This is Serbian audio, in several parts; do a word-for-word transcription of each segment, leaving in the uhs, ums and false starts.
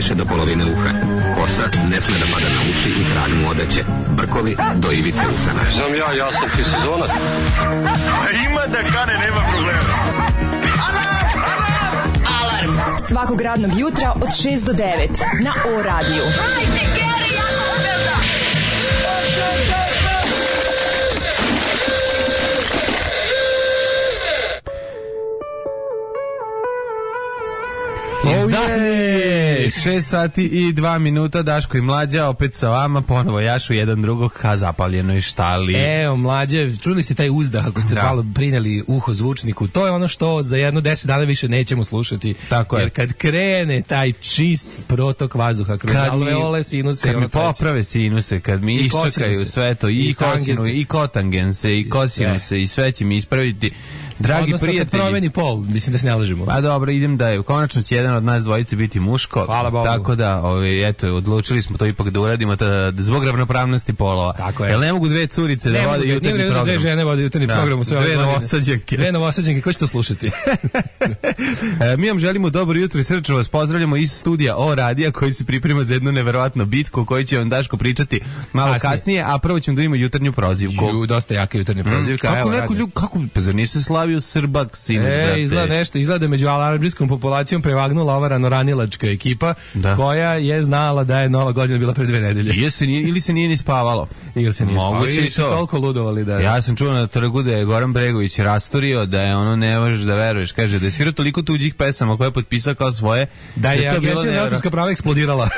više do polovine uha. Kosa ne sme da pada na uši i kralj mu odeće. Brkovi do ivice usana. Znam ja, ja sam ti sezonac. A ima da kane, nema problema. Alarm svakog radnog jutra od šest do devet na O radiju. Hajde, Geri, jako se velda! Izdahni! šest sati i dva minuta, Daško i Mlađa opet sa vama, ponovo jašu jedan drugog ka zapaljenoj štali. Evo, Mlađe, čuli ste taj uzdah ako ste da. malo prineli uho zvučniku, to je ono što za jedno deset dana više nećemo slušati. Tako je. Jer kad krene taj čist protok vazduha kroz alveole, sinuse, kad mi poprave sinuse, kad mi iščekaju sve to, i, i kosinu, i kotangense, i kosinuse, i sve će mi ispraviti. Dragi odnosno, prijatelji, kad promeni pol, mislim da se ne lažemo. Pa dobro, idem da je konačno će jedan od nas dvojice biti muško. Hvala Bogu. Tako da, ovi, eto, odlučili smo to ipak da uradimo da, da zbog ravnopravnosti polova. Tako je. Jer ne mogu dve curice ne da vode jutarnji program. Ne dve žene vode jutarnji da, program u sve dve novosađenke. Dve novosađenke, ko će to slušati? e, mi vam želimo dobro jutro i srčno vas pozdravljamo iz studija O radija koji se priprema za jednu neverovatnu bitku o kojoj će vam Daško pričati malo kasnije, kasnije a prvo ćemo da imamo jutarnju prozivku. Ju, dosta jaka jutarnja prozivka. Mm, kako neko ljub, kako, pa zar nisi slavio Srbak? E, izgleda nešto, izgleda među alarmijskom populacijom prevagnula ova ranoranilačka ekipa da. koja je znala da je Nova godina bila pre dve nedelje. Ili se nije, ili se nije ni spavalo. Ili se nije spavalo, ili su toliko ludovali da... Ja sam čuo na trgu da je Goran Bregović rastorio, da je ono ne možeš da veruješ, kaže da je svirao toliko tuđih pesama koje je potpisao kao svoje. Da je, da je Agencija za autorska prava eksplodirala.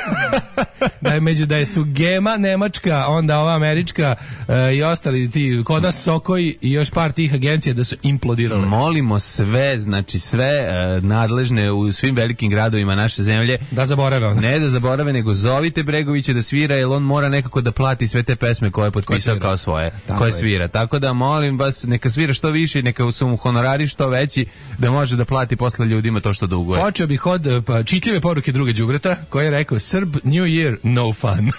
da je među, da je su Gema, Nemačka, onda ova američka uh, i ostali ti, kod nas Sokoj i još par tih agencija da su implodirale. Molimo sve, znači sve uh, nadležne u svim velikim gradovima naše zemlje da zaborave on. Ne da zaborave, nego zovite Bregovića da svira, jer on mora nekako da plati sve te pesme koje je potpisao kao svoje, tako koje je. svira. Tako da molim vas, neka svira što više i neka su mu honorari što veći da može da plati posle ljudima to što duguje. Počeo bih od pa, čitljive poruke druga đubreta koji je rekao Srb New Year no fun.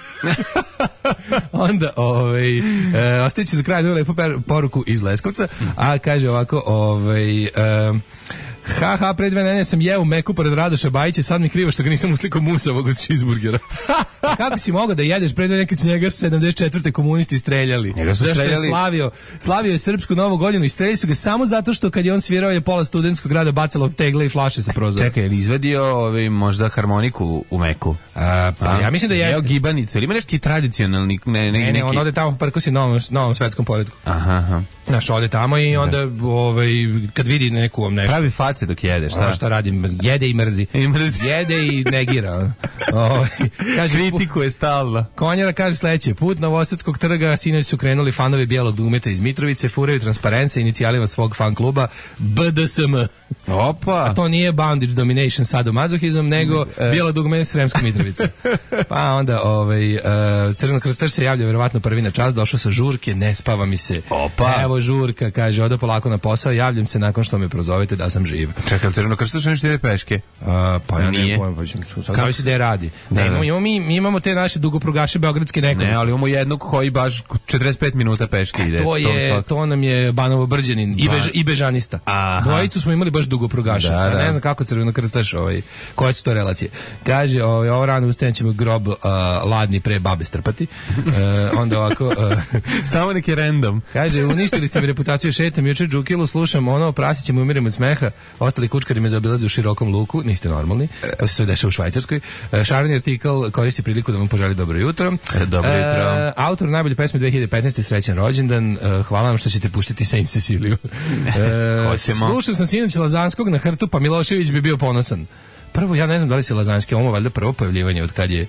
Onda ovaj e, ostaće za kraj jednu lepu poruku iz Leskovca, a kaže ovako ovaj e, ha ha, pre dve nedelje sam jeo meku pored Radoša Bajića, sad mi krivo što ga nisam uslikao musavog od cheeseburgera. Kako si mogao da jedeš pre dve nekad su njega sedamdeset četvrte komunisti streljali? Njega su Zašto streljali? je slavio, slavio je srpsku novu godinu i streljali su ga samo zato što kad je on svirao je pola studentskog grada bacalo tegle i flaše sa prozora. Čekaj, je li izvadio ovaj, možda harmoniku u meku? A, pa a? Ja mislim da jeste. Jeo gibanicu, ili ima neki tradicionalni... Ne, ne, ne, ne neki... on ode tamo prkosi novom, novom svetskom poretku. Aha, aha. Znaš, ode tamo i onda ovaj, kad vidi neku vam nešto... Pravi face dok jedeš, šta? Ono što radi, jede i mrzi. I mrzi. Jede i negira. O, kaže, kritikuje stalno. Konjara kaže sledeće, put Novosadskog trga, sinoć su krenuli fanovi bijelog dugmeta iz Mitrovice, furaju transparence inicijalima svog fan kluba B D S M. Opa! A to nije bondage domination sadomazohizam, nego e. bijelo dugme Sremska Mitrovica. Pa onda ovaj, uh, Crveno krstaš se javlja verovatno prvi na čas, došao sa žurke, ne spava mi se. Opa! Evo žurka, kaže, odo polako na posao, javljam se nakon što me prozovete da sam živ. Čekaj, Crveno krstaš nešto ide peške? Uh, pa ja nije. ne pojma, pa zavisi da je radi. Da, ne, imamo, mi, mi imamo te naše dugoprugaše beogradske nekog. Ne, ali imamo jednog koji baš četrdeset pet minuta peške ide. To je, to, to nam je Banovo Brđanin i, bež, i Bežanista. Aha. Dvojicu smo imali baš dugoprugaše. Da, da. Ne znam kako Crveno krstaš, ovaj, koje su to relacije. Kaže, ovaj, ovo rano ustajem ćemo grob uh, ladni pre babe strpati. Uh, onda ovako... Uh, Samo neki random. Kaže, uništili ste mi reputaciju, šetam juče džukilu, slušam ono, prasićemo i umiremo od smeha, ostali kučkari me zaobilaze u širokom luku, niste normalni, to se sve dešava u Švajcarskoj. Šareni artikal koristi priliku da vam poželi dobro jutro. Dobro jutro. E, autor najbolje pesme dve hiljade petnaeste. srećan rođendan. E, hvala vam što ćete puštiti Saint Ceciliju. E, slušao sam sinoć Lazanskog na hrtu, pa Milošević bi bio ponosan. Prvo, ja ne znam da li se Lazanski, ovo valjda prvo pojavljivanje od kad je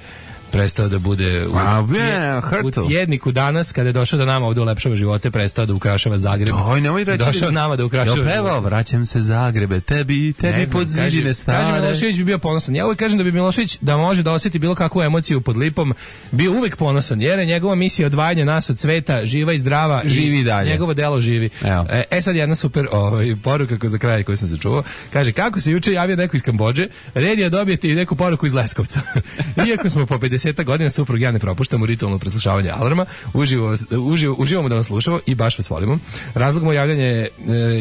prestao da bude u, A, je, u tjedniku danas, kada je došao da nama ovdje ulepšava živote, prestao da ukrašava Zagreb. Oj, nemoj reći. Došao nama da ukrašava živote. Pevao, vraćam se Zagrebe, tebi, tebi pod zidine stare. Kaže, Milošević bi bio ponosan. Ja uvijek kažem da bi Milošević, da može da osjeti bilo kakvu emociju pod lipom, bio uvijek ponosan, jer je njegova misija odvajanja nas od sveta, živa i zdrava. Živi i dalje. Njegovo delo živi. Evo. E sad jedna super ovaj, poruka ko za kraj koju sam se čuo. Kaže, kako se juče javio neko iz Kambodže, red je dobijeti neku poruku iz Leskovca. Iako smo po desetak godina suprug ja ne propuštamo ritualno preslušavanje alarma. Uživo, uživo, uživamo da vas slušamo i baš vas volimo. Razlog moj javljanje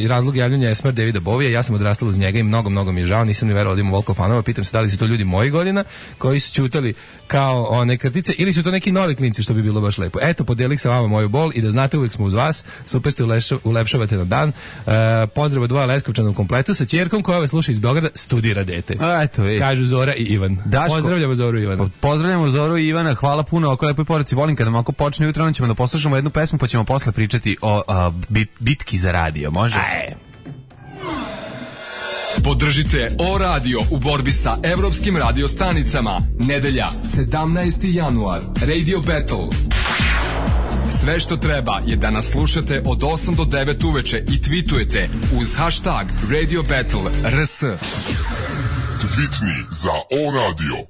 i razlog javljanja je smrt Davida Bovija. Ja sam odrastala uz njega i mnogo, mnogo mi je žao. Nisam ni verovao da ima ovoliko fanova. Pitam se da li su to ljudi mojih godina koji su ćutali kao one krtice ili su to neki novi klinci, što bi bilo baš lepo. Eto, podelih sa vama moju bol i da znate, uvijek smo uz vas. Super ste ulepšavate na dan. Uh, pozdrav od dvoja Leskovčana u kompletu sa ćerkom koja ove sluša iz Beograda, studira dete. A, eto, kažu Zora i Ivan. Daško, pozdravljamo Zoru i Ivana. Pozdravljamo Zoru i Ivana, hvala puno oko lepoj poruci. Volim kada nam ako počne jutro, ćemo da poslušamo jednu pesmu pa ćemo posle pričati o a, bit, bitki za radio. Može? Aj. Podržite O Radio u borbi sa evropskim radio stanicama. Nedelja, sedamnaesti januar. Radio Battle. Sve što treba je da nas slušate od osam do devet uveče i tweetujete uz hashtag Radio Battle R S. Tweetni za O Radio.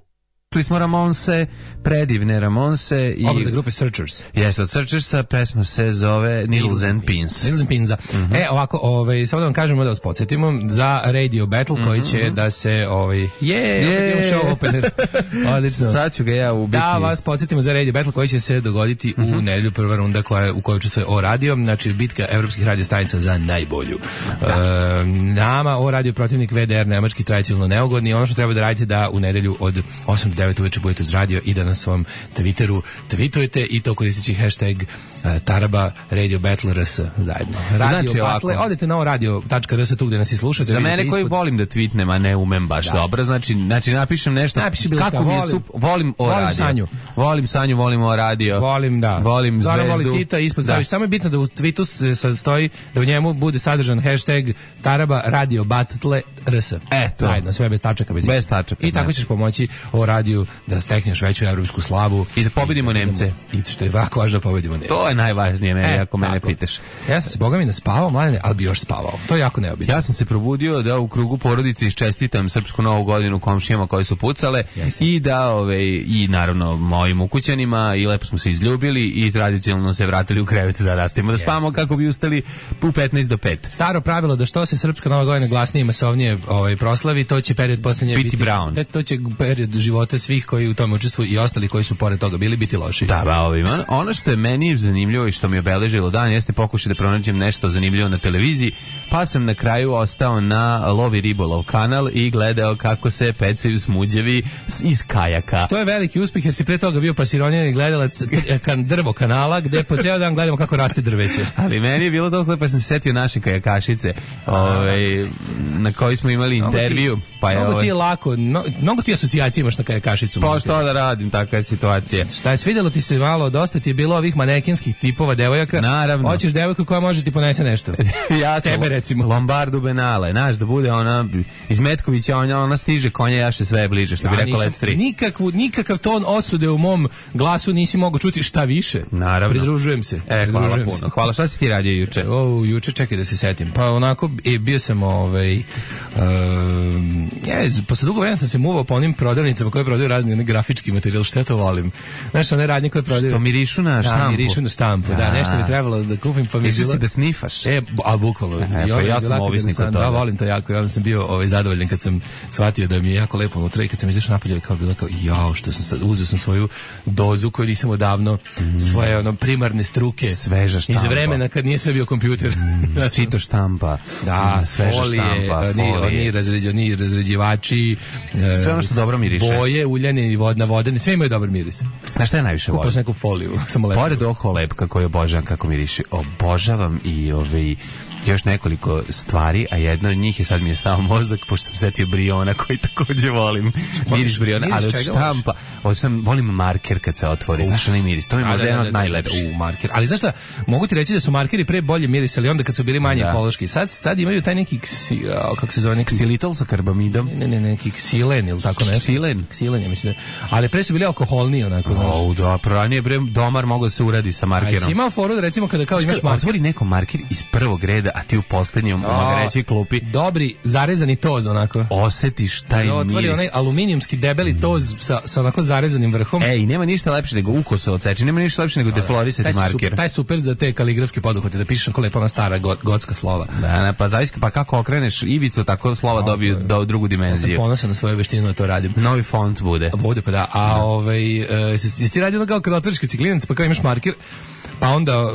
Čuli smo Ramonse, predivne Ramonse i obrade grupe Searchers. Jeste, od Searchersa pesma se zove Needles and Pins. Needles and Pins. Mm-hmm. E, ovako, ovaj, samo da vam kažemo da vas podsjetimo za Radio Battle koji će mm-hmm. da se, ovaj, je, yeah, opet show opener. Odlično. Sad ću ga ja ubiti. Da vas podsjetimo za Radio Battle koji će se dogoditi mm-hmm. u nedelju, prva runda koja, u kojoj učestvuje O Radio, znači bitka evropskih radio stanica za najbolju. Da. E, nama O Radio protivnik V D R nemački tradicionalno neugodni. Ono što treba da radite da u nedelju od osam do devet uveče budete uz radio i da na svom Twitteru tweetujete i to koristeći hashtag uh, Taraba Radio Battle R S zajedno. Radio znači, Battle, odete na radio tačka r s tu gde nas i slušate. Za mene koji ispod... volim da tweetnem, a ne umem baš da. dobro, znači, znači napišem nešto. Napiši kako mi je volim, sup, volim O volim radio. Sanju. Volim Sanju, volim O radio. Volim, da. Volim Zora Zvezdu. Voli Tita, ispod staviš. Samo je bitno da u tweetu se sastoji, da u njemu bude sadržan hashtag Taraba Radio Battle R S. Eto. Zajedno, sve bez tačaka. Bez, bez tačaka. I tako ćeš pomoći O radiju da stekneš veću evropsku slavu i da pobedimo Nemce. I što je jako važno da pobedimo Nemce. To je najvažnije, meni, e, ako mene pitaš. Ja sam se boga mi naspavao, mladene, ali bi još spavao. To je jako neobično. Ja sam se probudio da u krugu porodice iščestitam srpsku novu godinu komšijama koje su pucale yes. i da ove i naravno mojim ukućanima i lepo smo se izljubili i tradicionalno se vratili u krevet da rastimo da spavamo yes. kako bi ustali u petnaest do pet. Staro pravilo da što se srpska nova godina glasnije i masovnije ovaj proslavi, to će period poslednje biti, biti brown. To će period života svih koji u tome učestvuju i ostali koji su pored toga bili biti loši. Da, ba, ovima. Ono što je meni zanimljivo i što mi je obeležilo dan jeste pokušaj da pronađem nešto zanimljivo na televiziji, pa sam na kraju ostao na Lovi ribolov kanal i gledao kako se pecaju smuđevi iz kajaka. Što je veliki uspjeh jer si pre toga bio pasironjeni gledalac kan drvo kanala gde po ceo dan gledamo kako raste drveće. Ali meni je bilo toliko pa sam se setio naše kajakašice, ovaj na kojoj smo imali intervju, pa je mnogo ti je lako, no, mnogo ti asocijacija imaš na kajakašicu. Pa što da radim, takva je situacija. Šta je svidjelo ti se malo, dosta ti je bilo ovih manekenskih tipova devojaka. Naravno. Hoćeš devojku koja može ti ponese nešto. Ja sam tebe recimo. Lombardu Benale, znaš da bude ona iz Metkovića, ona, ona stiže konja jaše sve bliže, što bi rekao Let tri. Nikakvu, nikakav ton osude u mom glasu nisi mogao čuti, šta više. Naravno. Pridružujem se. E, hvala Pridružujem puno. Se. Hvala, šta si ti radio juče? O, juče, čekaj da se setim. Pa onako, e, bio sam ovaj, um, ja, posle dugo vremena sam se muvao po onim prodavnicama koje prodaju razni one grafički materijal, što ja to volim. Znaš, one radnje koje prodaju... Što mirišu na štampu. Da, mirišu na štampu, da, nešto bi trebalo da kupim, pa mi je bilo... si da snifaš. E, a bukvalno. E, pa ja sam ovisnik od toga. Da, volim to jako, i onda sam bio ovaj, zadovoljan kad sam shvatio da mi je jako lepo unutra i kad sam izašao napolje, kao bilo kao, jao, što sam sad, uzeo sam svoju dozu koju nisam odavno, mm. svoje ono, primarne struke. Sveža štampa. Iz vremena kad nije sve bio kompjuter. Mm, sito štampa. Da, mm, sveža folije, štampa. Oni, oni, razređi, oni razređivači. Sve ono što dobro miriše. Boje, uljane i vodna vodene, sve imaju dobar miris. Znaš šta je najviše volim? Kupao sam neku foliju. Samo lepo. Pored oho lepka koju obožavam kako miriše, obožavam i ovaj još nekoliko stvari, a jedna od njih je, sad mi je stao mozak, pošto sam setio Briona koji takođe volim. Miris Briona, ali od štampa, od sam, volim marker kad se otvori, znaš onaj miris, to mi je možda jedan od najlepših. U marker, ali znaš šta, mogu ti reći da su markeri pre bolje mirisali onda kad su bili manje ekološki. Sad, sad imaju taj neki, ksi, kako se zove, neki ksilitol sa karbamidom. Ne, ne, ne, neki ksilen ili tako nešto. Ksilen? Ksilen, ja mislim. Ali pre su bili alkoholniji onako, znaš. O, da, ranije bre domar mogao se uradi sa markerom. A si imao foru da recimo kada kao imaš marker, otvori neko marker iz prvog reda, a ti u poslednjom u magrećoj klupi dobri zarezani toz onako osetiš taj miris. Otvori onaj aluminijumski debeli toz sa, sa onako zarezanim vrhom. Ej, i nema ništa lepše nego ukoso odseči, nema ništa lepše nego deflorisati marker. Super, taj super za te kaligrafske poduhvate, da pišeš kako lepa ona stara got, gotska slova. Da, ne, pa zavisi, pa kako okreneš ivicu, tako slova no, dobiju do drugu dimenziju. Ja sam ponosan na svoju veštinu da to radim. Novi font bude. Bude, pa da. A ovaj, uh, jesi ti radio ono kao kad otvoriš kociklinac, pa kao imaš marker, pa onda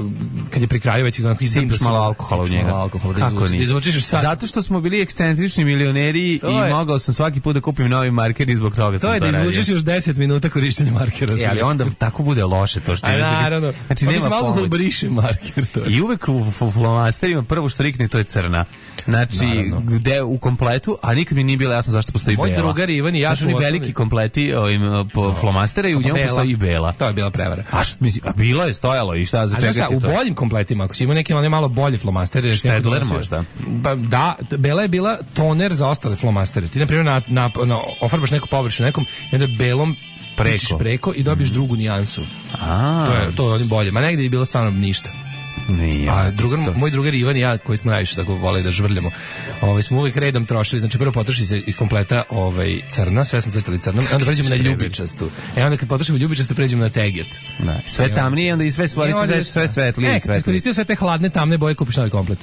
kad je pri kraju već onako sipaš malo alkohola u njega. Alkohola, da kako izvuči, izvučiš sad. Zato što smo bili ekscentrični milioneri to i je. Mogao sam svaki put da kupim novi marker i zbog toga to sam to radio. To je da izvučiš još deset minuta korištenja markera. E, ali onda tako bude loše to što je. Naravno. Znači pa nema pomoć. Alkohol briše marker. To je. I uvek u, u flomasterima prvo što rikne to je crna. Znači, naravno. Gde u kompletu, a nikad mi nije bilo jasno zašto postoji moj bela. Moj drugar Ivan i ja su osnovni... veliki kompleti ovim po no. flomastera i u njemu postoji i bela. To je bila prevara. A što misli, a bilo je stojalo i šta za čega šta, u boljim kompletima, ako si imao neke malo bolje flomastere, Štedler možda. Pa da, bela je bila toner za ostale flomastere. Ti na primjer na, na, na ofarbaš neku površinu nekom i onda belom preko, preko i dobiješ mm. drugu nijansu. A. To je to je onim bolje. Ma negde je bilo stvarno ništa. Nije, a drugar, moj drugar Ivan i ja koji smo najviše tako vole da žvrljamo, ovaj smo uvijek redom trošili, znači prvo potroši se iz kompleta ovaj crna, sve smo crtali crnom, onda pređemo na ljubičastu. E onda kad potrošimo ljubičastu pređemo na teget. Da, sve tamnije, onda i sve stvari sve sve svetlije. E, kad si koristio sve te hladne tamne boje, kupiš novi komplet.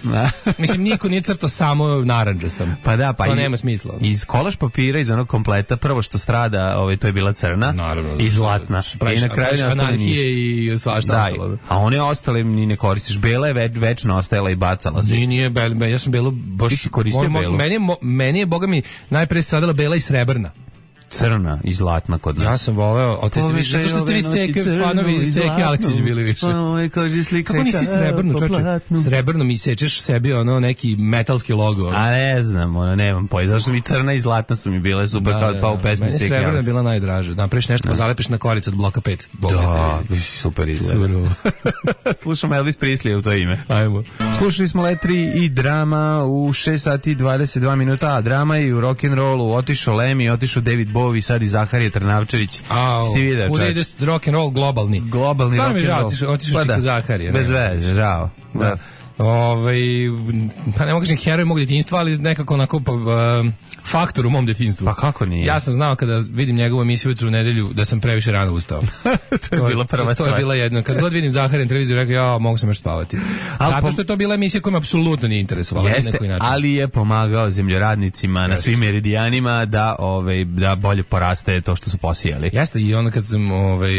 Mislim niko nije crtao samo narandžastom. Pa da, pa to i, nema smisla. Iz kolaž papira iz onog kompleta prvo što strada, ovaj to je bila crna, naravno, i zlatna. I na kraju anarhije i svašta ostalo. A one ostale ni ne koristiš. Bela je već, večno ostajala i bacala se. Nije, nije, bel, ja sam belu baš... Ti si koristio mo, belu? Meni je, mo, meni je, boga mi, najpre stradala bela i srebrna. Crna i zlatna kod nas. Ja sam voleo, o te ste vi, zato što ste vi seke, fanovi Seke Aleksić bili više. Oj, kaže slika. Kako nisi srebrnu, čoče? Srebrno mi sečeš sebi ono neki metalski logo. A ne znam, ono, nemam pojma. Zašto mi crna i zlatna su mi bile super da, kao da, pa u pesmi Seke Aleksić. Srebrna je bila najdraža. Napraviš nešto, pa zalepiš na koricu od bloka pet. Da, super izgleda. Slušamo Elvis Presley u to ime. Ajmo. Slušali smo Letri i Drama u šest sati i dvadeset dva minuta, a Drama i u rock'n'rollu otišao Lemi, otišao David Bowie, sad i Zaharije Trnavčević. Sti video, čovječ. Kuda ide rock'n'roll globalni. Globalni rock'n'roll. Stvarno mi žao, otišao čika Zaharije. Bez veze, žao. Da. da. Ovaj, pa ne mogu kažem heroj mog djetinjstva, ali nekako onako pa, uh, faktor u mom djetinjstvu. Pa kako nije? Ja sam znao kada vidim njegovu emisiju jutro u nedelju da sam previše rano ustao. to je to, bila prva to, stvar. To je bila jedna. Kad god vidim Zaharin televiziju, rekao ja mogu sam još spavati. Ali zato što je to bila emisija koja me apsolutno nije interesovala. Jeste, ali je pomagao zemljoradnicima jeste. Na svim meridijanima da, ovaj, da bolje poraste to što su posijali. Jeste, i onda kad sam ovaj,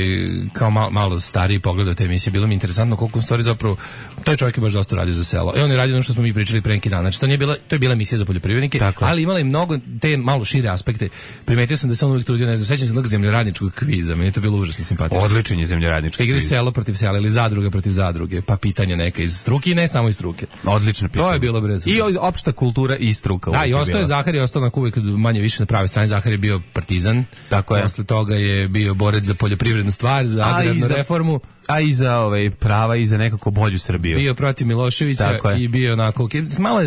kao malo, malo stariji pogledao te emisije, bilo mi interesantno koliko u stvari zapravo taj čovjek je baš dosta radio za selo. I on je radio ono što smo mi pričali pre neki dan. Znači to nije bila, to je bila emisija za poljoprivrednike, tako. Ali imala je mnogo te malo šire aspekte. Primetio sam da se on uvijek trudio, ne znam, sećam se jednog zemljoradničkog kviza, meni je to bilo užasno simpatično. Odličan je zemljoradnički kviz. Igri selo protiv sela ili zadruga protiv zadruge, pa pitanja neka iz struke i ne samo iz struke. Odlično pitanje. To je bilo brez. I opšta kultura i struka. Da, i ostao je Zaharije, ostao na uvijek manje više na prave strane. Zaharije je bio partizan. Tako je. Posle toga je bio borec za poljoprivrednu stvar, za agrarnu za... reformu. A i za ovaj prava i za nekako bolju Srbiju. Bio protiv Miloševića i bio onako malo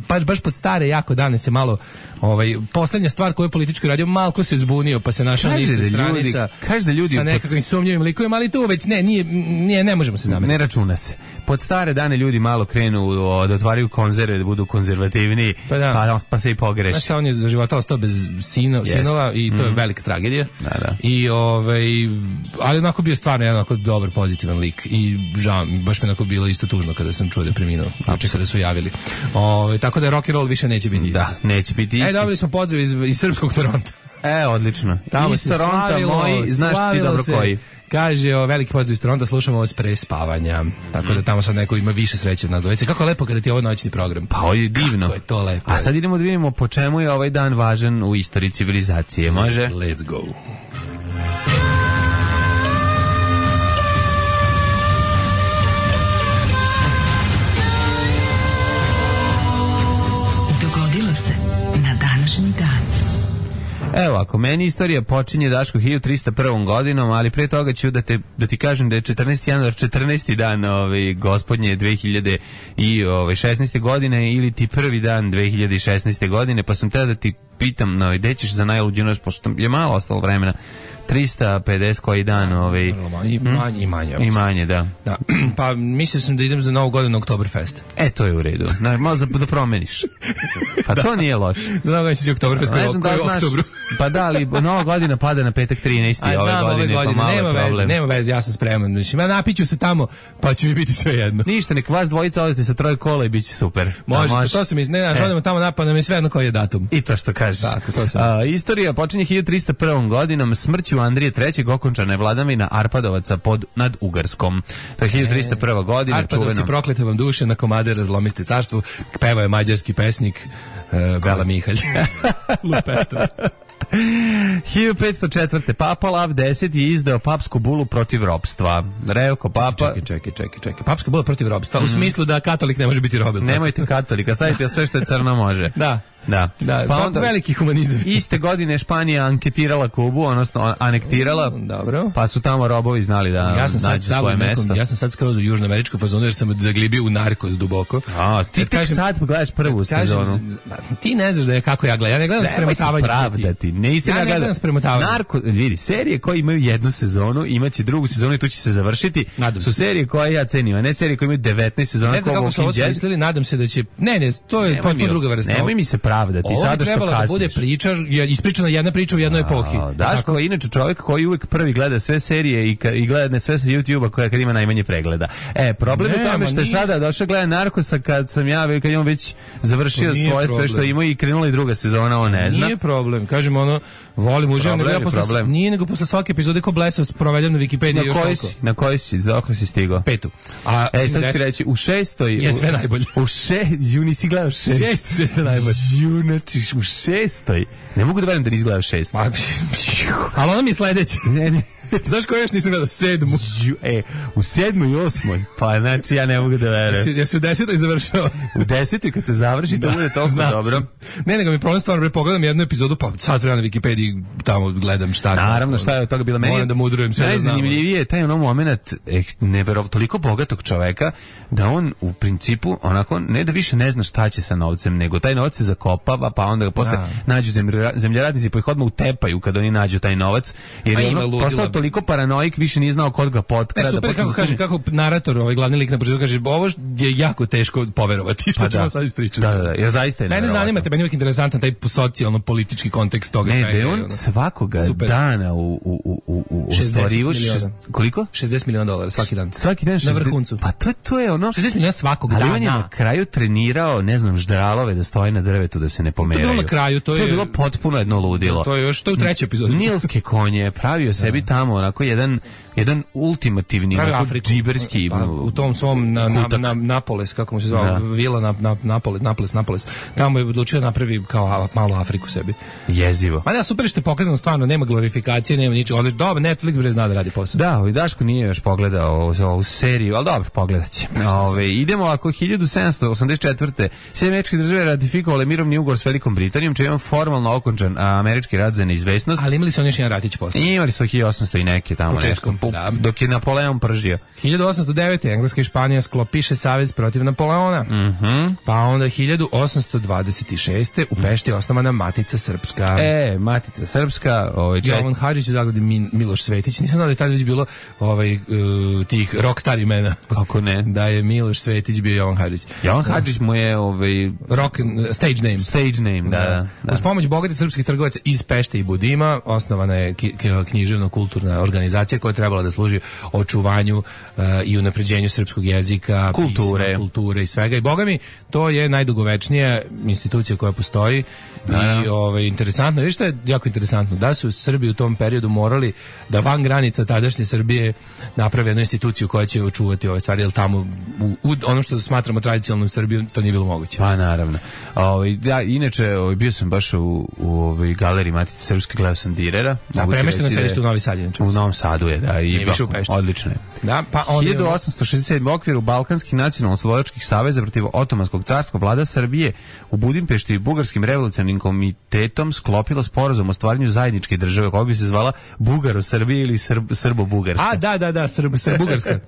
baš baš pod stare jako dane se malo ovaj poslednja stvar koju je politički radio malko se zbunio pa se našao na istoj strani sa kaže da ljudi sa nekakvim pod... sumnjivim likovima, ali tu već ne nije nije ne možemo se zameriti. Ne računa se. Pod stare dane ljudi malo krenu o, da otvaraju konzerve, da budu konzervativni, pa, da. pa, pa se i pogreši. Znaš, on je za života ostao bez sino, yes. sinova i to je mm. velika tragedija. Da, da. I ovaj ali onako bio stvarno jedan onako dobar pozitivan lik i žao, baš mi onako bilo isto tužno kada sam čuo da je preminuo, znači kada su javili. Ove, tako da rock and roll više neće biti isto. Da, neće biti isto. E, dobili smo pozdrav iz, iz srpskog Toronta. E, odlično. Tamo iz Toronta moji, znaš ti dobro se. Koji. Kaže, o, veliki pozdrav iz Toronta, slušamo vas pre spavanja. Tako da tamo sad neko ima više sreće od nas dvojice. Kako je lepo kada ti je ovo noćni program. Pa ovo je divno. Kako je to lepo. A sad idemo da vidimo po čemu je ovaj dan važan u istoriji civilizacije. Može? Let's go. Evo, ako meni istorija počinje, Daško, hiljadu trista prvom godinom, ali pre toga ću da, te, da ti kažem da je četrnaesti januar četrnaesti dan ovaj, gospodnje dve hiljade šesnaeste. godine ili ti prvi dan dve hiljade šesnaeste. godine, pa sam teo da ti pitam, no, gde ćeš za najluđu noć, pošto je malo ostalo vremena, trista pedeset koji dan, ovaj, i manje, i manje. I manje, da. da. Pa mislio sam da idem za Novu godinu na Oktoberfest. E, to je u redu. Na, malo za, da promeniš. Pa to nije loše. Za Novu godinu si Oktoberfest koji je u oktobru. Pa da, ali Nova godina pada na petak trinaesti ove godine, ove godine, pa malo nema je problem. Veze, nema veze, ja sam spreman. Mislim, ja napiću se tamo, pa će mi biti sve jedno. Ništa, nek vas dvojica odete sa troje kola i bit će super. Može, može. To sam iz, ne, znaš, e. odemo tamo napad, nam je sve jedno koji je datum. I to što kažeš. Tako, to sam. A, istorija počinje hiljadu trista prvom godinom, smrću Andrije trećeg okončana je vladavina Arpadovaca pod, nad Ugarskom. To je hiljadu trista prva godina. Arpadovci, čuveno. Proklete vam duše, na komade razlomiste carstvo, pevao je mađarski pesnik uh, Bela Mihalj. Lupeto. hiljadu petsto četvrte. Papa Lav deseti je izdao papsku bulu protiv ropstva. Revko papa... Čekaj, čekaj, čekaj, čekaj. Papska bula protiv ropstva, mm. u smislu da katolik ne može biti robil. Nemojte katolika, stavite sve što je crno može. Da. Da. Da, pa onda veliki humanizam. Iste godine Španija anketirala Kubu, odnosno anektirala. Dobro. Pa su tamo robovi znali da ja sam nađu sad svoje nekom, mesto. Ja sam sad skroz u južnoameričku fazonu jer sam zaglibio u Narkos duboko. A, ti tek sad pogledaš prvu sezonu. Ti ne znaš da je kako ja gledam. Ja ne gledam s premotavanjem. Pravdati. Nisam ja ne gledam s premotavanjem. Narko, vidi, serije koje imaju jednu sezonu, imaće drugu sezonu i tu će se završiti. Nadam su se. serije koje ja cenim, a ne serije koje imaju devetnaest sezona. Ne znam kako su ovo smislili, nadam se da će... Ne, ne, to je potpuno druga vrsta. Nemoj mi se pravdati, sada što kasniš. Da bude priča, ispričana jedna priča u jednoj epohi. Daško je inače čovjek koji uvek prvi gleda sve serije i, i gleda ne sve sa YouTubea koja kad ima najmanje pregleda. E, problem je u tome što je sada došao gleda Narkosa kad sam ja, kad je on već završio svoje problem. Sve što ima i krenula i druga sezona, on ne zna. Nije problem, kažemo ono, volim, uživam, nego ja posle, nije nego posle svake epizode ko blesav provedem na Wikipediji još toliko. Na koji si, dokle si stigao? Petu. A, e, sad ću reći, u šestoj... Je sve najbolje. U še, ju nisi gledao šest. Šest, šest je najbolje. Ju, znači, u šestoj. Ne mogu da verujem da nisi gledao šest. Ali ono mi je sledeće. Ne, ne. Znaš ko još nisam gledao? Sedmu. E, u sedmoj i osmoj. Pa znači ja ne mogu da verujem. Ja se u desetoj završao. U desetoj kad se završi to bude toliko dobro. Ne, nego mi problem stvarno, pogledam jednu epizodu, pa sad treba na Wikipediji tamo gledam šta. Naravno, šta je od toga bilo meni. Moram da mudrujem sve. Najzanimljivije je taj ono moment eh, neverov, toliko bogatog čoveka da on u principu onako ne da više ne zna šta će sa novcem, nego taj novac se zakopava, pa onda ga posle ja. nađu zemljoradnici pa ih odmah utepaju kad oni nađu taj novac, jer je ono postao toliko paranoik, više nije znao kod ga potkrada. E, super, kako kaže, kako narator, ovaj glavni lik na početku kaže, ovo je jako teško poverovati, što pa ćemo da. sad ispričati. Da, da, da, jer zaista je mene zanima, te meni uvijek interesantan taj socijalno-politički kontekst toga svega. Ne, da on ono, svakoga super. dana u, u, u, u, u ostvarivu... Koliko? šezdeset miliona dolara svaki dan. Svaki dan šezdeset, na vrhuncu. Pa to, to je ono... šezdeset miliona svakog dana. Ali on je na kraju trenirao, ne znam, ždralove da stoje na drvetu da se ne pomeraju. To je bilo na kraju, to je... To je bilo potpuno jedno ludilo. To je još, to je u trećoj epizodi. Nilske konje, pravio sebi tamo onako jedan jedan ultimativni džiberski pa, u tom svom na, na, na, Napoles, kako mu se zvao, vila na, na, Napoles, Napoles, Napoles. Tamo je odlučio da napravi kao malu Afriku sebi. Jezivo. Ma ne, super što je pokazano, stvarno, nema glorifikacije, nema ničega. Odlično, dobro, Netflix bre zna da radi posao. Da, i Daško nije još pogledao ovu seriju, ali dobro, pogledat će. Ove, idemo ako hiljadu sedamsto osamdeset četvrte. Sjedinjene Američke Države ratifikovale mirovni ugovor s Velikom Britanijom, čime je formalno okončan američki rat za neizvesnost. Ali imali su oni još jedan ratić posle. Imali su hiljadu osamsto i neke tamo početkom, nešto. Da. Dok je Napoleon pržio. hiljadu osamsto devete. Engleska i Španija sklopiše savez protiv Napoleona. Mm-hmm. Pa onda hiljadu osamsto dvadeset šeste. u Pešti je osnovana Matica Srpska. E, Matica Srpska. Ovaj, čest... Jovan Hadžić u zagradi Miloš Svetić. Nisam znao da je tada već bilo ovaj, uh, tih rockstar imena. Kako ne? Da je Miloš Svetić bio Jovan Hadžić. Jovan Hadžić mu je ovaj... rock, stage name. Stage name, da, da. da. Uz pomoć bogatih srpskih trgovaca iz Pešte i Budima osnovana je književno-kulturna organizacija koja je trebala da služi očuvanju uh, i unapređenju srpskog jezika, kulture. Pisma, kulture i svega. I boga mi, to je najdugovečnija institucija koja postoji. I ovaj, interesantno, je što je jako interesantno, da su Srbi u tom periodu morali da van granica tadašnje Srbije naprave jednu instituciju koja će očuvati ove stvari, jer tamo u, u ono što smatramo tradicionalnom Srbijom, to nije bilo moguće. Pa naravno. Ovaj, ja, inače, ovaj, bio sam baš u, u ovoj galeriji Matice Srpske, gledao sam Direra. Da, premešteno sedište u Novi Sad. U Novom Sadu je, da. I više u Pešti. Odlično je. Da, pa on hiljadu osamsto šezdeset sedme. u okviru Balkanskih nacionalno-slovačkih saveza protiv Otomanskog carstva vlada Srbije u Budimpešti i Bugarskim revolucionarnim komitetom sklopila sporazum o stvaranju zajedničke države koja bi se zvala Bugaro-Srbija ili Srb, Srbo-Bugarska. A, da, da, da, Srb, Srb-Bugarska.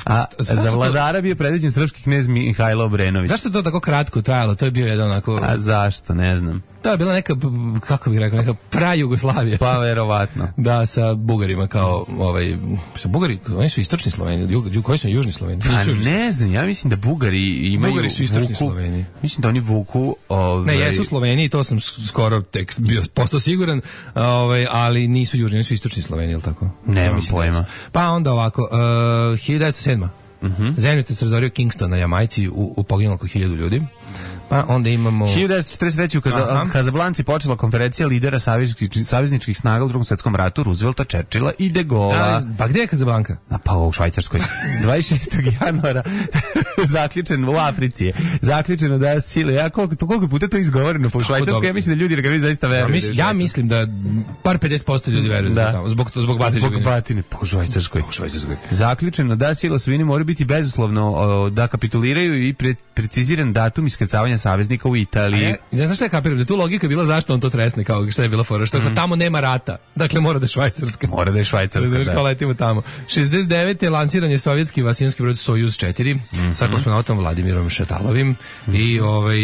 A za vladara bio predviđen srpski knez Mihajlo Obrenović. Zašto to tako kratko trajalo? To je bio jedan onako... A zašto, ne znam. To je bila neka, kako bih rekao, neka pra-Jugoslavija. Pa verovatno. Da, sa Bugarima kao, ovaj, sa Bugari, oni su istočni Sloveni, jug, jug, koji su južni Sloveni? Pa ne znam, ja mislim da Bugari imaju Bugari su istočni vuku, Sloveni. Mislim da oni vuku... Ovaj... Ne, jesu Sloveni, to sam skoro tek bio postao siguran, ovaj, ali nisu južni, oni su istočni Sloveni, je li tako? Nemam pojma. Pa onda ovako, uh, hiljadu devetsto sedma. Uh-huh. Zemljotres razorio Kingston na Jamajci, u, u poginulo oko hiljadu ljudi. Pa onda imamo... hiljadu devetsto četrdeset treće. u Kaza, Kazablanci počela konferencija lidera savezničkih, savezničkih snaga u Drugom svetskom ratu, Roosevelta, Churchilla i De Gaulla. Pa gde je Kazablanka? A pa u Švajcarskoj. dvadeset šestog januara zaključen u Africi je. Zaključeno da sile. Ja koliko, to, koliko puta to izgovoreno po Švajcarskoj, ja mislim da ljudi ga zaista veruju. Ja, mislim, ja mislim da par pedeset posto ljudi veruju da, da tamo, zbog, zbog batine. Zbog batine, po Švajcarskoj. Po Švajcarskoj. Zaključeno da sile osvojine moraju biti bezuslovno o, da kapituliraju i pre, preciziran datum iskrcavanja saveznika u Italiji. Ja, ja znaš šta je kapiram, da tu logika je bila zašto on to tresne, kao šta je bila fora, što mm. tamo nema rata, dakle mora da je Švajcarska. Mora da je Švajcarska, da. Znaš, letimo tamo. šezdeset devete lansiran je sovjetski vasijanski brod Sojuz četiri, mm-hmm. sa kosmonautom Vladimirom Šatalovim mm-hmm. i ovaj,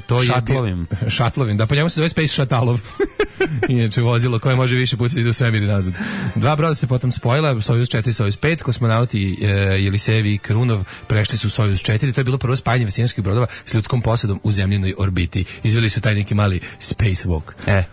to Šatlovim. je... Šatlovim. Da, po njemu se zove Space Šatalov. Inače vozilo koje može više puta da ide u svemir i nazad. Dva broda se potom spojila, Sojuz četiri, Sojuz pet, kosmonauti e, Jelisejevi i Krunov prešli su Sojuz četiri, to je bilo prvo spajanje vasijanskih brodova s ljudskom posadom u zemljinoj orbiti. Izveli su taj neki mali space walk. E.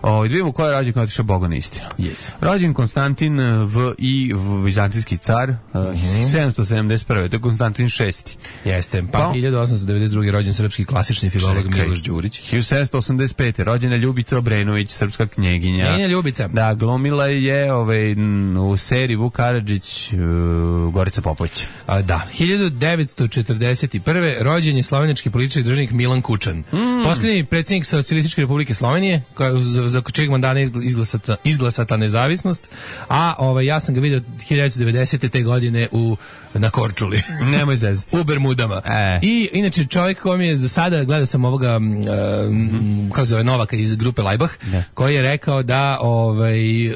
O, vidimo ko je rođen kada otišao Bogu na istinu. Yes. Rođen Konstantin V i vizantijski car, mm-hmm. sedamsto sedamdeset prve. To je Konstantin šesti. Jeste. Pa, pa hiljadu osamsto devedeset druge. rođen srpski klasični filolog Miloš Đurić. hiljadu sedamsto osamdeset pete. rođena Ljubica Obrenović, srpska knjeginja. Knjeginja Ljubica. Da, glumila je ovaj, u seriji Vuk Karadžić, uh, Gorica Popović. A, da. hiljadu devetsto četrdeset prve. rođen je slovenački politički državnik Milan Kučan. Mm. Posljednji predsjednik Socijalističke Republike Slovenije, koja za čeg mandana izglasata, izglasata nezavisnost, a ovaj, ja sam ga vidio hiljadu devetsto devedesete te godine u, na Korčuli. Nemoj zezati. U Bermudama. E. I inače čovjek koji mi je za sada, gledao sam ovoga, uh, mm. kako zove, Novaka iz grupe Lajbah, ne. koji je rekao da ovaj, uh,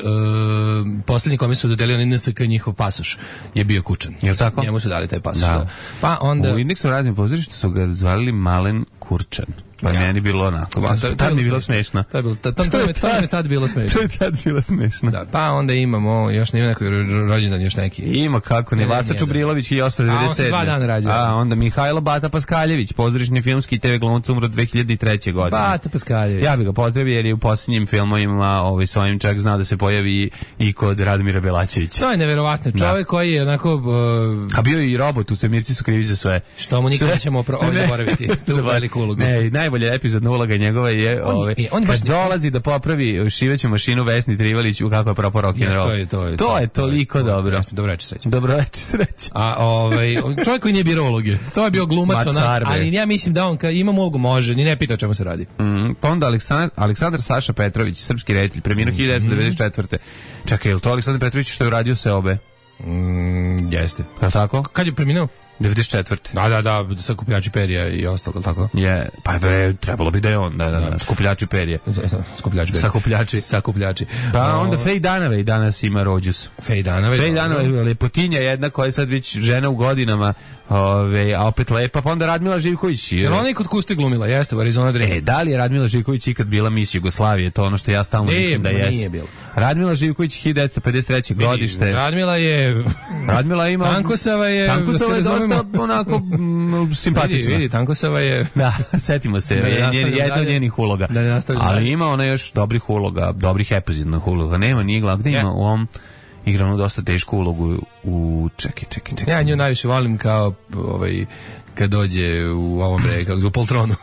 posljednji kome su dodelili N S K njihov pasoš je bio Kučan. Je li tako? Njemu su dali taj pasoš. Da. Pa onda... U Indeksu radnim pozorištu su ga zvali Malen Kurčan. Pa ja. Meni bilo onako. Ja, to, tad mi je bilo smešno. To je bilo, tad, tad, tad, tad je tad bilo smešno. To je tad bilo smešno. Da, pa onda imamo, još nema neki rođendan, još neki. Ima kako ne, Vasa Čubrilović hiljadu osamsto devedeset sedme. A on se dva dana rađao. A onda Mihajlo Bata Paskaljević, pozorišni filmski i te ve glumac, umro dve hiljade treće. godine. Bata Paskaljević. Ja bih ga pozdravio jer je u posljednjim filmovima ovaj, s ovim čak znao da se pojavi i kod Radomira Belačevića. To je neverovatno. Čovjek koji je onako... Uh, A bio je i robot, u Svemirci su krivi za sve. Što mu nikad nećemo pro, ovaj, zaboraviti. Tu veliku ulogu. Ne, najbolja epizodna uloga njegova je on, ove, on kad dolazi da popravi šiveću mašinu Vesni Trivalić u kako je propao rock and roll. To je, to je, to je toliko dobro. Dobro večer sreće. Dobro večer sreće. A ovaj čovjek koji nije birao uloge. To je bio glumac ona, ali ja mislim da on kad ima ulogu može, ni ne pita o čemu se radi. Mm, pa onda Aleksandar, Aleksandar Saša Petrović, srpski reditelj, preminuo hiljadu devetsto devedeset četvrte. Čekaj, je li to Aleksandar Petrović što je uradio Seobe? Mm, jeste. Je li tako? Kad je preminuo? devedeset četvrte. Da, da, da, sakupljači perja i ostalo, tako? Je, pa je, trebalo bi da je on, da, da, da. Skupljači perje. Skupljači perje. Sakupljači. Sakupljači. Pa o... onda Fej Danavej danas ima rođus. Fej Danavej. Fej Danavej, lepotinja jedna koja je sad već žena u godinama, ove, a opet lepa, pa onda Radmila Živković. Jer ona je kod Kuste glumila, jeste u Arizona Dream. E, da li je Radmila Živković ikad bila mis Jugoslavije, to ono što ja stalno nije, mislim da jeste. Nije bilo. Radmila Živković hiljadu devetsto pedeset treće. godište. Radmila je... Radmila ima... Tankosava je... Tankosava je dosta onako m, simpatična. Vidi, vidi, Tankosava je... Da, setimo se, jedna od njenih uloga. Da, ali ima ona još dobrih uloga, dobrih epizodnih uloga. Nema, nije glavno, gde ima u ovom... igrano dosta tešku ulogu u... Čekaj, čekaj, čekaj. Ja nju najviše volim kao ovaj, kad dođe u ovom reka, u Poltronu.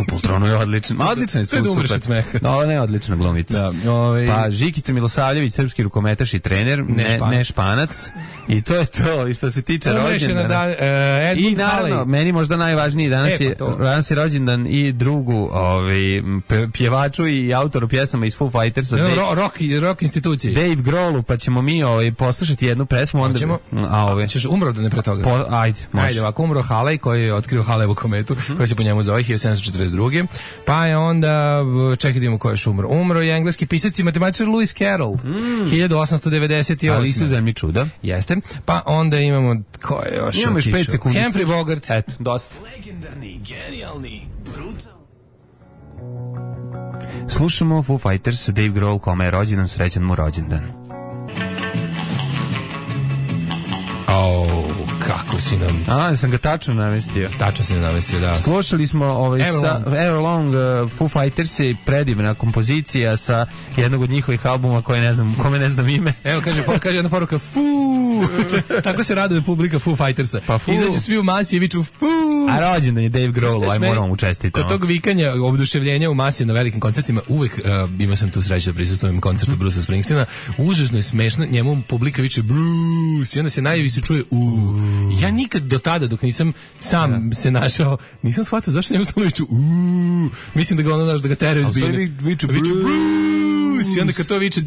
U Poltronu je odlično. Odlično je, sve da umreš od smeha. No, ne, odlična glumica. Da, ovaj... Pa Žikica Milosavljević, srpski rukometaš i trener, ne, ne, španac. ne španac. I to je to, i što se tiče rođendana. Da, uh, I naravno, meni možda najvažniji danas, e, je, danas je rođendan i drugu ovaj, pjevaču i autoru pjesama iz Foo Fightersa. No, Dave, rock, rock institucije. Dave Grohlu, pa ćemo mi ovaj, poslušati jednu pesmu. Onda, Hoćemo? A, ove, ćeš umro da ne pre toga? Po, ajde, može. Ajde, ovako umro Halej koji je otkrio Halevu kometu, mm-hmm. koji se po njemu zove hiljadu sedamsto četrdeset druge. Pa je onda, čekaj da imamo ko je još umro. Umro je engleski pisac i matematičar Lewis Carroll, mm. hiljadu osamsto devedeset osme. Ali su zemlji čuda. Jeste. Pa onda imamo, ko je još imamo još pet sekundi. Humphrey Bogart. Eto, dosta. Legendarni, genijalni, brutalni. Slušamo Foo Fighters, Dave Grohl, kome je rođendan, srećan mu rođendan. Oh, kako si nam... A, sam ga tačno namestio. Tačno si nam namestio, da. Slušali smo ovaj Everlong, sa, Everlong uh, Foo Fighters i predivna kompozicija sa jednog od njihovih albuma koje ne znam, kome ne znam ime. Evo, kaže, kaže jedna poruka, Foo! Tako se raduje publika Foo Fightersa. Pa Foo. Izađu svi u masi i viču Foo! A rođendan je Dave Grohl, aj moramo mu čestitati. Kod tog vikanja, oduševljenja u masi na velikim koncertima, uvek uh, imao sam tu sreću da prisustvujem koncertu Brucea Springsteena, užasno je smešno, njemu publika viče Bruce i onda se najviše se čuje u. Ja nikad do tada, dok nisam sam se našao, nisam shvatio zašto njemu stalno viču u. Mislim da ga ono daš, da ga teraju zbine. Viču Bruce. I onda kad to viče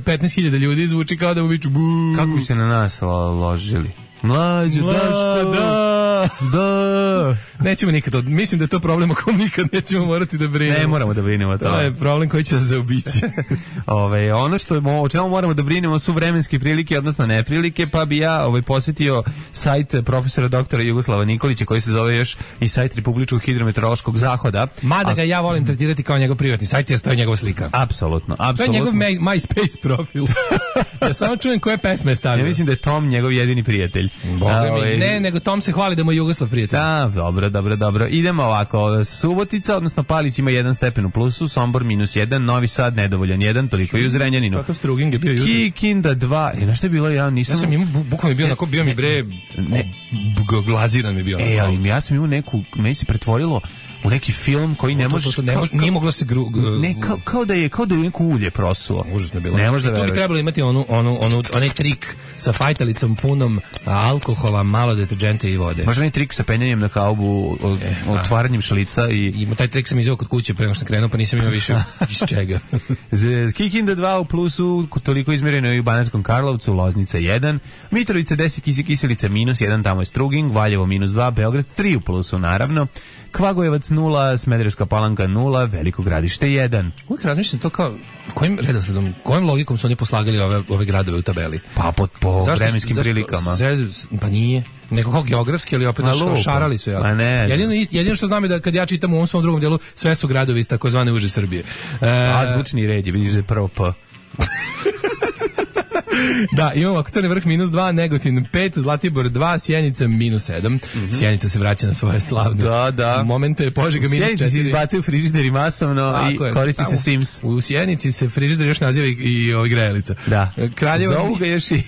petnaest hiljada ljudi, zvuči kao da mu viču bu. Kako bi se na nas ložili? Mlađo, Daško, da, da. Nećemo nikad, od, mislim da je to problem o kom nikad nećemo morati da brinemo. Ne moramo da brinemo to. To je problem koji će nas zaobići. Ove, ono što je, o čemu moramo da brinemo su vremenske prilike, odnosno neprilike, pa bi ja ovaj, posjetio sajt profesora doktora Jugoslava Nikolića, koji se zove još i sajt Republičkog hidrometeorološkog zahoda. Mada ga ja volim tretirati kao njegov privatni sajt, jer stoji njegova slika. Apsolutno, apsolutno. To je njegov MySpace profil. Ja samo čujem koje pesme je stavio. Ja mislim da je Tom njegov jedini prijatelj. Boga mi, ne, nego Tom se hvali da mu je Jugoslav prijatelj. Da, dobro, dobro, dobro. Idemo ovako, Subotica, odnosno Palić ima jedan stepen u plusu, Sombor minus jedan, Novi Sad nedovoljan jedan, toliko i u Zrenjaninu. Kakav struging je bio jutros? Kikinda dva, e, na što je bilo, ja nisam... Ja sam imao, bu, bukvalno je bio, onako, bio mi bre, ne, glaziran mi bio. E, ali ja sam imao neku, meni se pretvorilo u neki film koji ne može, ne može, nije moglo se gru, gru, ne kao, kao da je kao da je neko ulje prosuo. Užasno je bilo. Ne može da veruješ. Tu bi trebalo imati onu onu onu onaj trik sa fajtalicom punom alkohola, malo deterdženta i vode. Može onaj trik sa penjanjem na kaubu, e, otvaranjem šlica i ima taj trik sam izveo kod kuće pre nego što sam krenuo, pa nisam imao više iz čega. Kikinda dva u plusu, toliko izmjereno i u Banatskom Karlovcu, Loznica jedan, Mitrovica deset, Kisi Kiselica minus jedan, tamo je Struging, Valjevo minus dva, Beograd tri u plusu naravno. Kvagojevac nula, Smederevska Palanka nula, Veliko Gradište jedan. Uvijek razmišljam to kao, kojim redosledom, kojim logikom su oni poslagali ove, ove gradove u tabeli? Pa po, po zašto, vremenskim zašto, prilikama. Zašto, pa nije. Neko kao geografski, ali opet nešto šarali su. Ja. Ne, jedino, jedino što znam je da kad ja čitam u ovom svom drugom delu, sve su gradovi iz takozvane uže Srbije. E, Azbučni red je, vidiš da je prvo P. Da, imamo ako Crni Vrh minus dva, Negotin pet, Zlatibor dva, Sjenica minus sedam. Mm-hmm. Sjenica se vraća na svoje slavne da, da. momente. Požega minus četiri. U Sjenici se izbacuju frižideri masovno i je, koristi se Sims. U Sjenici se frižider još naziva i, i ovaj grejalica. Da. Kraljevo zovu ga još i...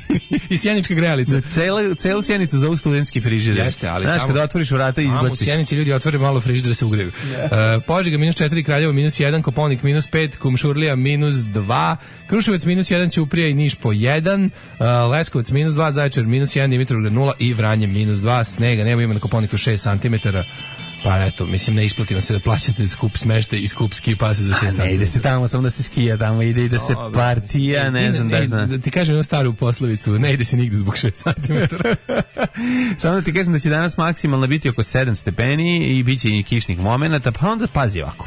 i sjenička grejalica. Celu, celu Sjenicu zovu studentski frižider. Jeste, ali znaš, tamo... kada otvoriš vrata i izbaciš. U Sjenici ljudi otvore malo frižider da se ugreju. Yeah. Uh, Požega minus četiri, Kraljevo minus jedan, Koponik minus pet, Kumšurlija minus dva, Kruševac minus jedan, Ćuprija i Niš po jedan, Uh, Leskovac minus dva, Zaječar minus jedan, Dimitrovgrad nula i Vranje minus dva, snega, nema, ima na Koponiku šest santimetara. Pa eto, mislim, ne isplatimo se da plaćate skup smeštaj i skup ski pase za šest santimetara. Ne ide se tamo, samo da se skija tamo, ide i da se partija, ne znam da zna. Da ti kažem jednu staru poslovicu, ne ide se nigde zbog šest santimetara. Samo da ti kažem da će danas maksimalno biti oko sedam stepeni i bit će i kišnih momenata, pa onda pazi ovako.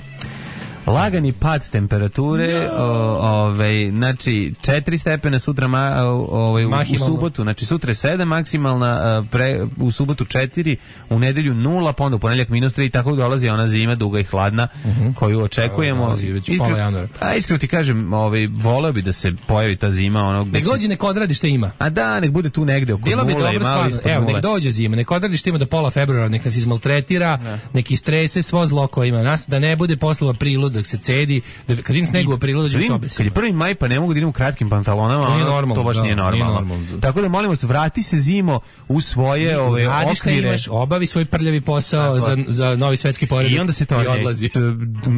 Lagani pad temperature, no. ovaj znači četiri stepena sutra ma, ovaj u, u subotu, znači sutra je sedam maksimalna, pre, u subotu četiri, u nedelju nula, pa onda u ponedjeljak minus tri, tako dolazi ona zima duga i hladna uh-huh. koju očekujemo. Iskre, a iskreno ti kažem, ovaj voleo bi da se pojavi ta zima, onog nek dođe, nek odradi šta ima. A da, nek bude tu negde oko bilo nule, bi malo ispod evo, nule. Nek dođe zima, nek odradi šta ima do pola februara, nek nas izmaltretira, ne. Nek istrese svo zlo koje ima nas, da ne bude posle u aprilu dok se cedi, da kad vidim snegu u aprilu dođem s obesima. Kad je prvi maj pa ne mogu da idem u kratkim pantalonama, to, normalno, to baš da, nije normalno. Nije normalno. Tako da molimo se, vrati se zimo u svoje ove okvire. Imaš, obavi svoj prljavi posao za, za novi svetski poredak i onda se to i odlazi.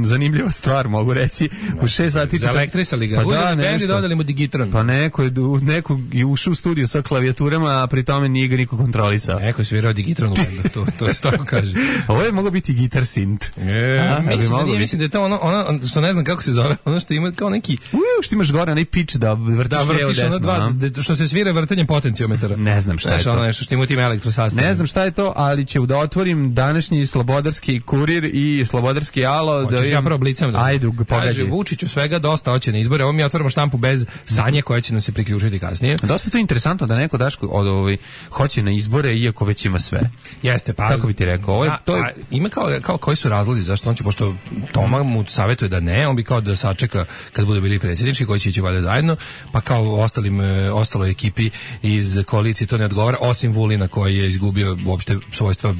Zanimljiva stvar, mogu reći. U šest sati za elektrisali ga. Pa da, bendi dodali mu digitron. Pa neko je neko je ušao u studio sa klavijaturama, a pri tome nije ga niko kontrolisao. Neko je svirao digitron u bendu, to to se tako kaže. Ovo je mogao biti gitar sint. E, mislim da je to ono ono što ne znam kako se zove, ono što ima kao neki u što imaš gore onaj pitch da vrtiš da, vrtiš levo desno, dva, de, što se svira vrtanjem potenciometara. Ne znam šta je to. Ono nešto što ima tim elektrosastav. Ne znam šta je to, ali ću da otvorim današnji Slobodarski kurir i Slobodarski alo. Hoćeš da ja prvo blicam da. Ajde, pogađaj. Vučiću svega dosta hoće na izbore. Ovo mi otvaramo štampu bez Sanje koja će nam se priključiti kasnije. Dosta to interesantno da neko Daško od ovaj hoće na izbore iako već ima sve. Jeste, pa kako bi ti rekao, ovo je, to je... a, ima kao kao koji su razlozi zašto on će, pošto Toma mu savjetuje da ne, on bi kao da sačeka kad budu bili predsjednički koji će ići valjda zajedno, pa kao ostalim ostaloj ekipi iz koalicije to ne odgovara, osim Vulina koji je izgubio uopšte svojstva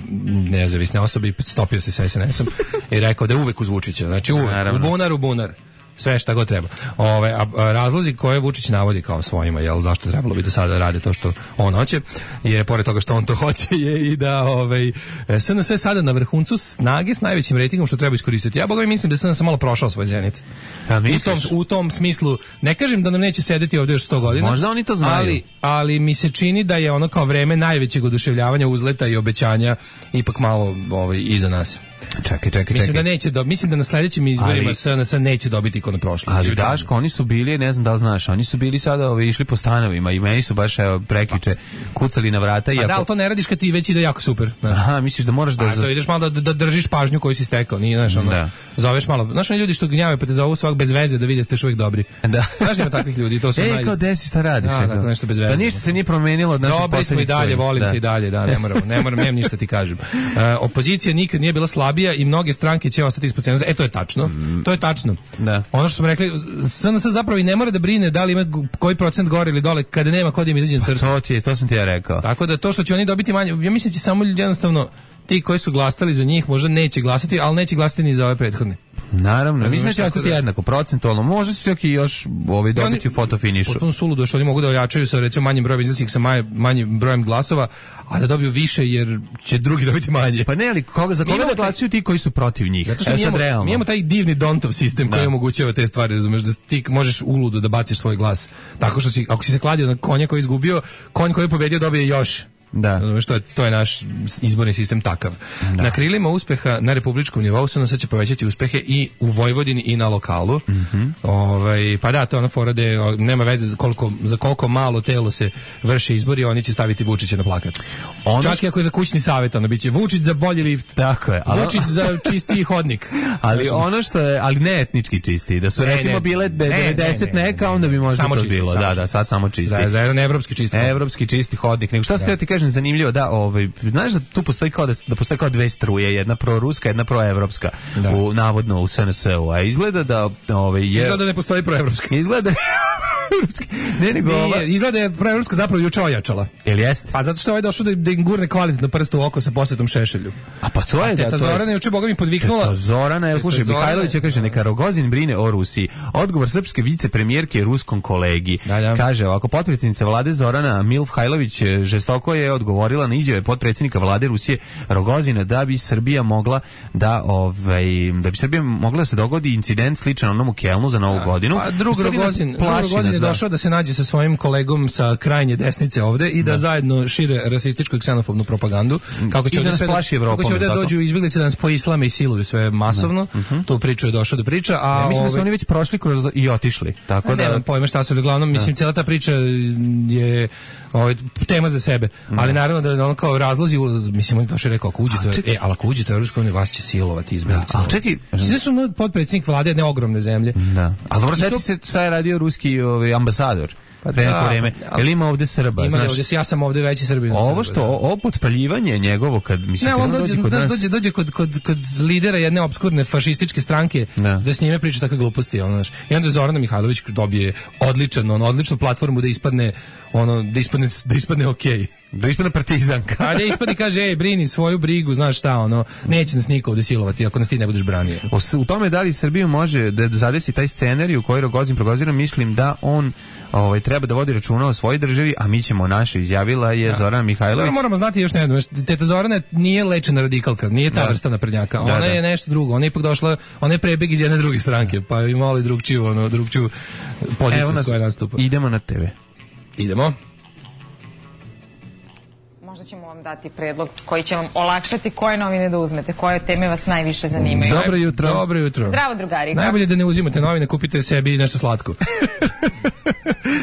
nezavisne osobe i stopio se sa es en esom i rekao da je uvek uz Vučića, znači uvek, u bunar, u bunar. Sve šta god treba. Ove, a, a razlozi koje Vučić navodi kao svojima, jel, zašto trebalo bi da sada rade to što on hoće, je, pored toga što on to hoće, je i da ovaj, es en es je sada na vrhuncu snage s najvećim rejtingom što treba iskoristiti. Ja boga mi mislim da es en es malo prošao svoj zenit. Ja, u, tom, u tom smislu, ne kažem da nam neće sedeti ovdje još sto godina. Možda oni to znaju. Ali, ali mi se čini da je ono kao vreme najvećeg oduševljavanja, uzleta i obećanja ipak malo ovaj, iza nas. Čekaj, čekaj, mislim čekaj. Da neće do, mislim da na sledećim izborima ali, es en es neće dobiti kod na prošli. Ali Daško, oni su bili, ne znam da li znaš, oni su bili sada ove, išli po stanovima i meni su baš evo, prekjuče kucali na vrata. A iako... da, ali to ne radiš kad ti već ide jako super. Znaš. Aha, misliš da moraš da... A to ideš malo da, da držiš pažnju koju si stekao, nije, znaš, ono, da. Zoveš malo. Znaš, oni ljudi što gnjave pa te zovu svak bez veze da vide da ste još uvijek dobri. Da. Znaš, ima takvih ljudi, to su Ej, naj... kao desi šta radiš? Da, da, nešto bez veze. Pa ništa se nije promenilo od naših dobri smo i dalje, volim te i dalje, da, ne moram, ne moram, nemam ništa ti kažem. Uh, opozicija nikad nije bila slabija i mnoge stranke će ostati ispod cenzusa. E, to je tačno. Mm. To je tačno. Da. Ono što smo rekli, es en es zapravo i ne mora da brine da li ima koji procent gore ili dole kada nema kod im izađe na crtu. To ti je, to sam ti ja rekao. Tako da to što će oni dobiti manje, ja mislim da će samo jednostavno ti koji su glasali za njih možda neće glasati, ali neće glasati ni za ove prethodne. Naravno, ja, mislim da će ostati da... jednako, procentualno, može se čak i još ovaj, dobiti u fotofinišu. Potpuno suludo što oni mogu da ojačaju sa recimo manjim brojem izlaznih, sa maj, manjim brojem glasova, a da dobiju više jer će drugi dobiti manje. Pa ne, ali koga, za koga da glasuju ti koji su protiv njih? Zato što mi imamo, mi imamo taj divni Dontov sistem da. Koji omogućava te stvari, razumeš, da ti možeš uludo da baciš svoj glas. Tako što si, ako si se kladio na konja koji je izgubio, konj koji je pobedio dobije još. Da. Što je, to je naš izborni sistem takav. Da. Na krilima uspeha na republičkom nivou se nas će povećati uspehe i u Vojvodini i na lokalu. Mm-hmm. Ovaj, pa da, to je ona fora da nema veze za koliko, za koliko malo telo se vrše izbori, oni će staviti Vučića na plakat. Ono čak i ako je za kućni savjet, ono biće Vučić za bolji lift. Tako je. Ali... Vučić za čistiji hodnik. Ali znači, ono što je, ali ne etnički čisti, da su ne, recimo ne, bile devedeset ne, ne, neka, onda bi možda samo to čisti, bilo. Da, da, sad samo čisti. Za, za jedan evropski čisti hodnik. Evropski čisti hodnik. Nego šta se ti kažem zanimljivo, da, ovaj, znaš da tu postoji kao da, da postoji kao dve struje, jedna proruska, jedna proevropska, da. U, navodno u es en es-u, a izgleda da ovaj, je... Izgleda da ne postoji proevropska. Izgleda ne, nego Nije, ova... izgleda je proevropska zapravo juče ojačala. Jel jest? Pa zato što je ovaj došao da, da im gurne kvalitetno prsto u oko sa posvetom Šešelju. A pa to je da... Teta Zorana je juče boga mi podviknula... Teta Zorana, evo slušaj, Mihajlović je kaže, neka Rogozin brine o Rusiji. Odgovor srpske vicepremijerke ruskom kolegi. Da, da. Kaže, ovako, potpredsjednica vlade Zorana Milhajlović žestoko je odgovorila na izjave potpredsjednika vlade Rusije Rogozina da bi Srbija mogla da, ovaj, da bi Srbija mogla da se dogodi incident sličan onom u Kelnu za Novu godinu. Pa drug Rogozin, Rogozin je došao da se nađe sa svojim kolegom sa krajnje desnice ovde i da, da zajedno šire rasističku i ksenofobnu propagandu. Kako će ovde sve Evropom, kako će ovde dođu izbjeglice da nas poislame i siluju sve masovno. Da. Uh-huh. Tu priču je došao da priča, a ja, mislim ove... da su oni već prošli kroz i otišli. Tako da nemam pojma šta su, uglavnom mislim cela ta priča je ovaj tema za sebe. Da. Ali naravno da on kao razlozi, mislim on došao rekao ako uđete, ček... e, al ako uđete u Evropsku uniju vas će silovati izbjeglice. Da, al čekaj, znači su potpredsjednik vlade jedne ogromne zemlje. Da. Al dobro sveti se šta je radio ruski ovaj ambasador. Pa pre neko vreme. Jel ima ovde Srba? Ima znaš, ovde, ja sam ovde veći Srbin. Ovo što, ovo potpaljivanje njegovo, kad mislim, ne, on dođe, dođe, kod nas... dođe, dođe kod, kod, kod lidera jedne obskurne fašističke stranke da, da s njime priča takve gluposti. Ono, znaš. I onda Zorana Mihajlović dobije odličan, ono, odličnu platformu da ispadne, ono, da ispadne, da ispadne okej. Da ispadne partizanka. A da ispadne kaže, ej, brini svoju brigu, znaš šta, ono, neće nas niko ovde silovati ako nas ti ne budeš branio. U tome da li Srbiju može da zadesi taj scenarij u koji Rogozin progozira, mislim da on ovaj, treba da vodi računa o svojoj državi, a mi ćemo našu, izjavila je Zorana Mihajlović. Da, moramo znati još jedno, teta Zorana nije lečena radikalka, nije ta da. vrsta naprednjaka, ona da, da. je nešto drugo, ona je ipak došla, ona je prebeg iz jedne druge stranke, pa je imala i drugčiju, ono, drugčiju poziciju s koje nastupa. Idemo na tebe. Idemo. Možda ćemo vam dati predlog koji će vam olakšati koje novine da uzmete, koje teme vas najviše zanimaju. Dobro jutro. Dobro jutro. Zdravo, drugari. Najbolje da ne uzimate novine, kupite sebi nešto slatko.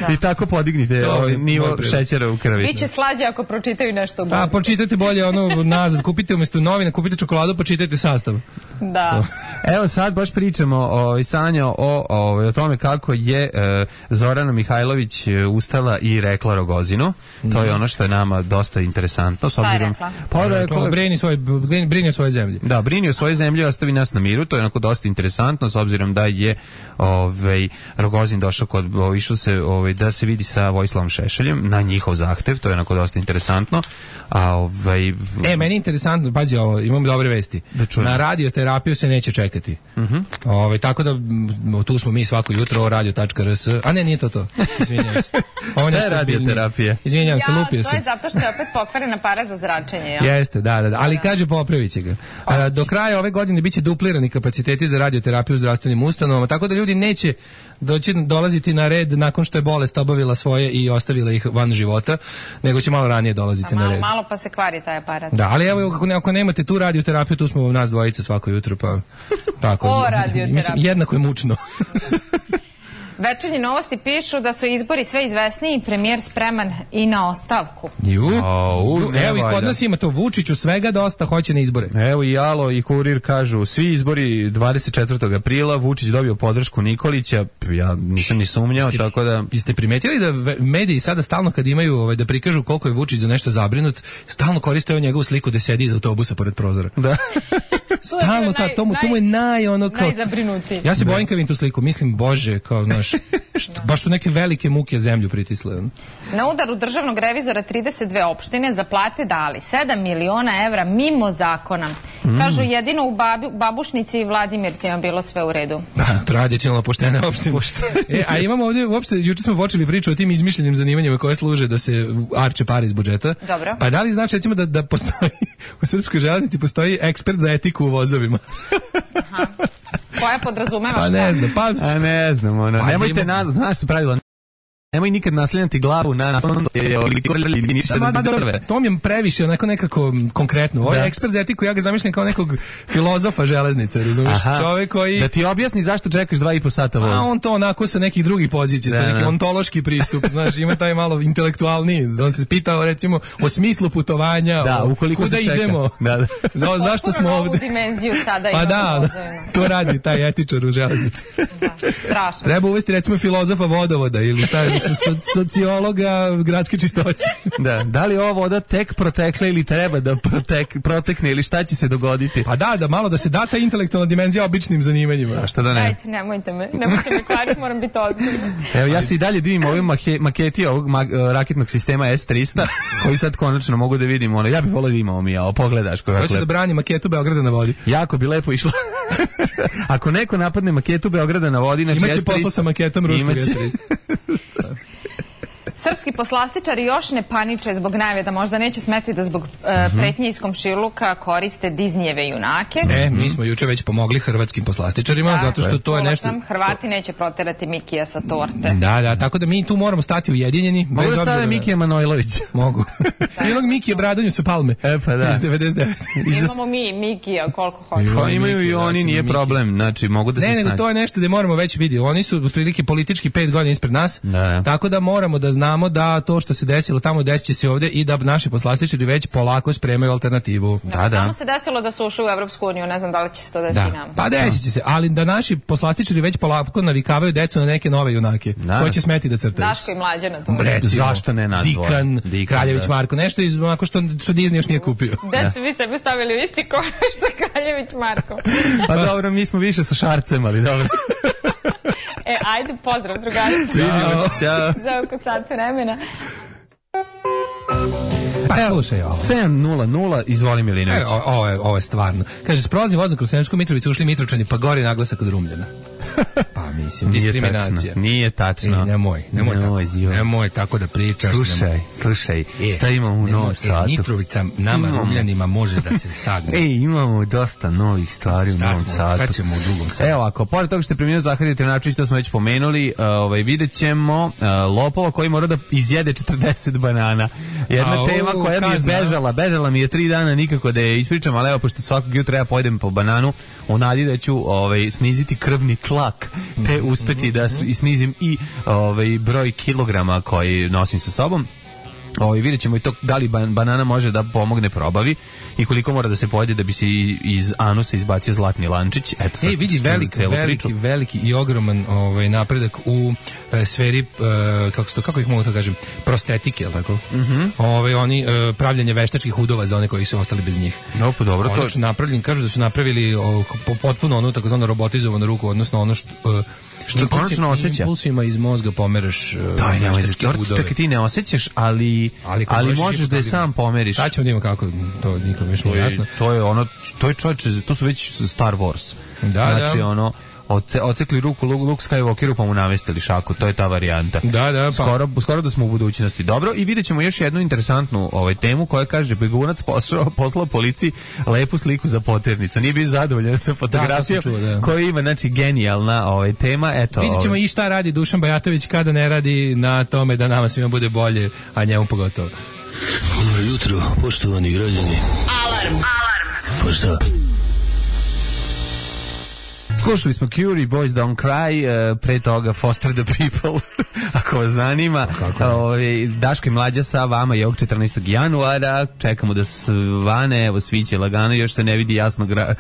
Da. I tako podignite ovaj nivo šećera u krvi. Biće slađe ako pročitaju nešto bolje. A, pročitajte bolje ono nazad, kupite umjesto novina, kupite čokoladu, pa čitajte sastav. Da. Evo sad baš pričamo o Sanja o, o, o tome kako je e, Zorana Mihajlović ustala i rekla Rogozinu. To je ono što je nama dosta interesantno. Šta je rekla? Pa rekla, brini svoje, brini o svojoj zemlji. Da, brini o svojoj zemlji i ostavi nas na miru. To je onako dosta interesantno s obzirom da je ovaj, Rogozin došao kod, išao se ovaj, da se vidi sa Vojislavom Šešeljem na njihov zahtev. To je onako dosta interesantno. A ovaj... E, meni je interesantno, pazi ovo, imam dobre vesti. Na radioterapiju se neće čekati. Uh-huh. Ove, tako da m, tu smo mi svako jutro o radio tačka r s. A ne, nije to to. Izvinjavam se. Ovo šta je radioterapija? Izvinjavam se, lupio sam. Ja, to je zato što je opet pokvarena para za zračenje. Ja? Jeste, da, da, da. Ali kaže popravit će ga. A, do kraja ove godine biće duplirani kapaciteti za radioterapiju u zdravstvenim ustanovama, tako da ljudi neće doći dolaziti na red nakon što je bolest obavila svoje i ostavila ih van života, nego će malo ranije dolaziti pa malo, na red. Malo pa se kvari taj aparat. Da, ali evo ako, ne, ako nemate tu radioterapiju, tu smo nas dvojica svako jutro, pa tako. O radioterapiju. Mislim, jednako je mučno. Večernje novosti pišu da su izbori sve izvesniji i premijer spreman i na ostavku. Ju, oh, Ju evo i kod nas ima to Vučiću svega dosta, hoće na izbore. Evo i Alo i Kurir kažu, svi izbori dvadeset četvrtog aprila, Vučić dobio podršku Nikolića, ja nisam ni sumnjao, Jeste, tako da... Jeste primetili da mediji sada stalno kad imaju ovaj, da prikažu koliko je Vučić za nešto zabrinut, stalno koriste on njegovu sliku da sedi iz autobusa pored prozora. Da. Stalno, ta, to, mu, to mu je naj, ono kao... Najzabrinutiji. Ja se bojim kad vidim tu sliku, mislim, bože, kao, znaš, što, baš su neke velike muke zemlju pritisle. Na udaru državnog revizora trideset dve opštine za plate dali sedam miliona evra mimo zakona. Mm. Kažu, jedino u babi, Babušnici i Vladimircima bilo sve u redu. Da, tradicionalno poštene opštine. e, a imamo ovdje, uopšte, juče smo počeli priču o tim izmišljenim zanimanjima koje služe da se arče pare iz budžeta. Dobro. Pa da li znači, recimo, da, da postoji, u Srpskoj železnici postoji ekspert za etiku u vozovima? Aha. Koja podrazumeva šta? Pa ne znam, pa... A ne znam, ono, pa nemojte ima... nas, znaš se pravilo, nemoj nikad naslanjati glavu na naslovno to mi je previše onako nekako konkretno. Ovo je ekspert za etiku, ja ga zamišljam kao nekog filozofa železnice, razumiješ? Čovjek koji... Da ti objasni zašto čekaš dva i po sata voz. A on to onako sa nekih drugih pozicija, to je neki ontološki pristup, znaš, ima taj malo intelektualni. On se pitao recimo o smislu putovanja, da, o ukoliko kuda se čeka. idemo, da, da. Za, zašto smo ovde. Dimenziju sada pa da, to radi taj etičar u železnici. Da, strašno. Treba uvesti recimo filozofa vodovoda ili šta je, sociologa gradske čistoće. Da, da li ova voda tek protekla ili treba da protek, protekne ili šta će se dogoditi? Pa da, da malo da se da ta intelektualna dimenzija običnim zanimanjima. Zašto da ne? Ajde, nemojte me, nemojte me kvariti, moram biti ozbiljna. Evo, ja se i dalje divim ovim maketi ovog ma raketnog sistema S tristo, koji sad konačno mogu da vidim, ono, ja bih volio da imamo mi, ja, pogledaš. Ko će da brani maketu Beograda na vodi? Jako bi lepo išlo. Ako neko napadne maketu Beograda na vodi, znači imaće posla sa maketom ruskog S tristo. Srpski poslastičari još ne paniče zbog najave da možda neće smeti da zbog uh, pretnje iz komšiluka koriste Disneyjeve junake. E, mi smo juče već pomogli hrvatskim poslastičarima, da, zato što to je nešto... Sam, Hrvati neće proterati Mikija sa torte. Da, da, tako da mi tu moramo stati ujedinjeni. Mogu da stave Mikija Manojlović? Mogu. I onog Mikija Bradanju sa Palme. E, pa da. Iz devedeset devete. Imamo mi Mikija koliko hoće. Pa imaju i oni, nije problem. Znači, mogu da se snaći. Ne, nego to je nešto gde moramo već vidjeti. Oni su otprilike politički pet godina ispred nas, tako da moramo da znamo da to što se desilo tamo desit će se ovdje i da naši poslastičari već polako spremaju alternativu. Da, da, da. Samo se desilo da su ušli u Evropsku uniju, ne znam da li će se to desiti nam. Pa desit će se, ali da naši poslastičari već polako navikavaju decu na neke nove junake, da. Koji će smeti da crtaju. Daško i Mlađana tu. Recimo, zašto ne nas dvoje? Dikan, Dikan, Kraljević da. Marko, nešto iz onako što, što Disney još nije kupio. Da ste vi sebi stavili u isti koš sa Kraljević Marko. Pa dobro, mi smo više sa Šarcem, ali dobro. E, ajde, pozdrav, drugarice. Vidimo se, ćao. Za oko sat vremena. Pa slušaj ovo. sedam nula nula, izvoli Milinović. E, ovo, je, ovo je stvarno. Kaže, s prolaznim vozom kroz Sremsku Mitrovicu ušli Mitrovčani, pa gori naglasak od Rumljana. Pa mislim, nije diskriminacija. Tačno, nije tačno. E, nemoj, nemoj, nemoj tako. Zio. Nemoj tako da pričaš. Slušaj, nemoj. slušaj, e, šta imamo u Novom Sadu? E, Mitrovica nama imamo. Rumljanima može da se sagne. Ej, imamo dosta novih stvari u Novom Sadu. Šta ćemo u drugom Sadu? Evo, ako pored toga što je preminuo Zahari Trinačević, to smo već pomenuli, uh, ovaj, vidjet ćemo uh, lopova koji mora da izjede četrdeset banana. Jedna A, tema u, koja mi je bežala, bežala mi je tri dana nikako da je ispričam, ali evo, pošto svakog jutra ja pojedem po bananu, u nadi da ću ovaj, sniziti krvni tlak, te uspeti da snizim i ovaj, broj kilograma koji nosim sa sobom. Ovaj vidjet ćemo i to da li ban, banana može da pomogne probavi i koliko mora da se pojede da bi se iz anusa izbacio zlatni lančić. Eto sad. Ej, vidi veliki, veliki, veliki i ogroman ovaj napredak u e, sferi e, kako to kako ih mogu da kažem, prostetike, je l' tako? Mhm. Ovaj oni e, pravljenje veštačkih udova za one koji su ostali bez njih. No, pa dobro, to je napravljeni, kažu da su napravili o, potpuno onu takozvanu robotizovanu ruku, odnosno ono što e, što konačno osjeća. Impulsima iz mozga pomeraš. Daj, nemoj za čak i ti ne osjećaš, ali ali, ali možeš da je sam pomeriš. Sad ćemo da imamo kako, to nikom još nije jasno. To je ono, to je čovječe, to su već Star Wars. Da, znači, da. ono, Oce, ocekli ruku Luke Skywalkeru pa mu namestili šaku, to je ta varijanta. Da, da, pa. Skoro, skoro da smo u budućnosti. Dobro, i vidjet ćemo još jednu interesantnu ovaj, temu koja kaže begunac poslao, poslao policiji lepu sliku za poternicu. Nije bio zadovoljan sa fotografijom da, da. koja ima, znači, genijalna ovaj, tema. Eto, vidjet ćemo ovaj. i šta radi Dušan Bajatović kada ne radi na tome da nama svima bude bolje, a njemu pogotovo. Dobro jutro, poštovani građani. Alarm! Alarm! Pa šta? Slušali smo Cure, Boys Don't Cry, uh, pre toga Foster the People, ako vas zanima. Ove, Daško i Mlađa sa vama je ovog četrnaestog januara, čekamo da svane, evo sviće lagano, još se ne vidi jasno gra,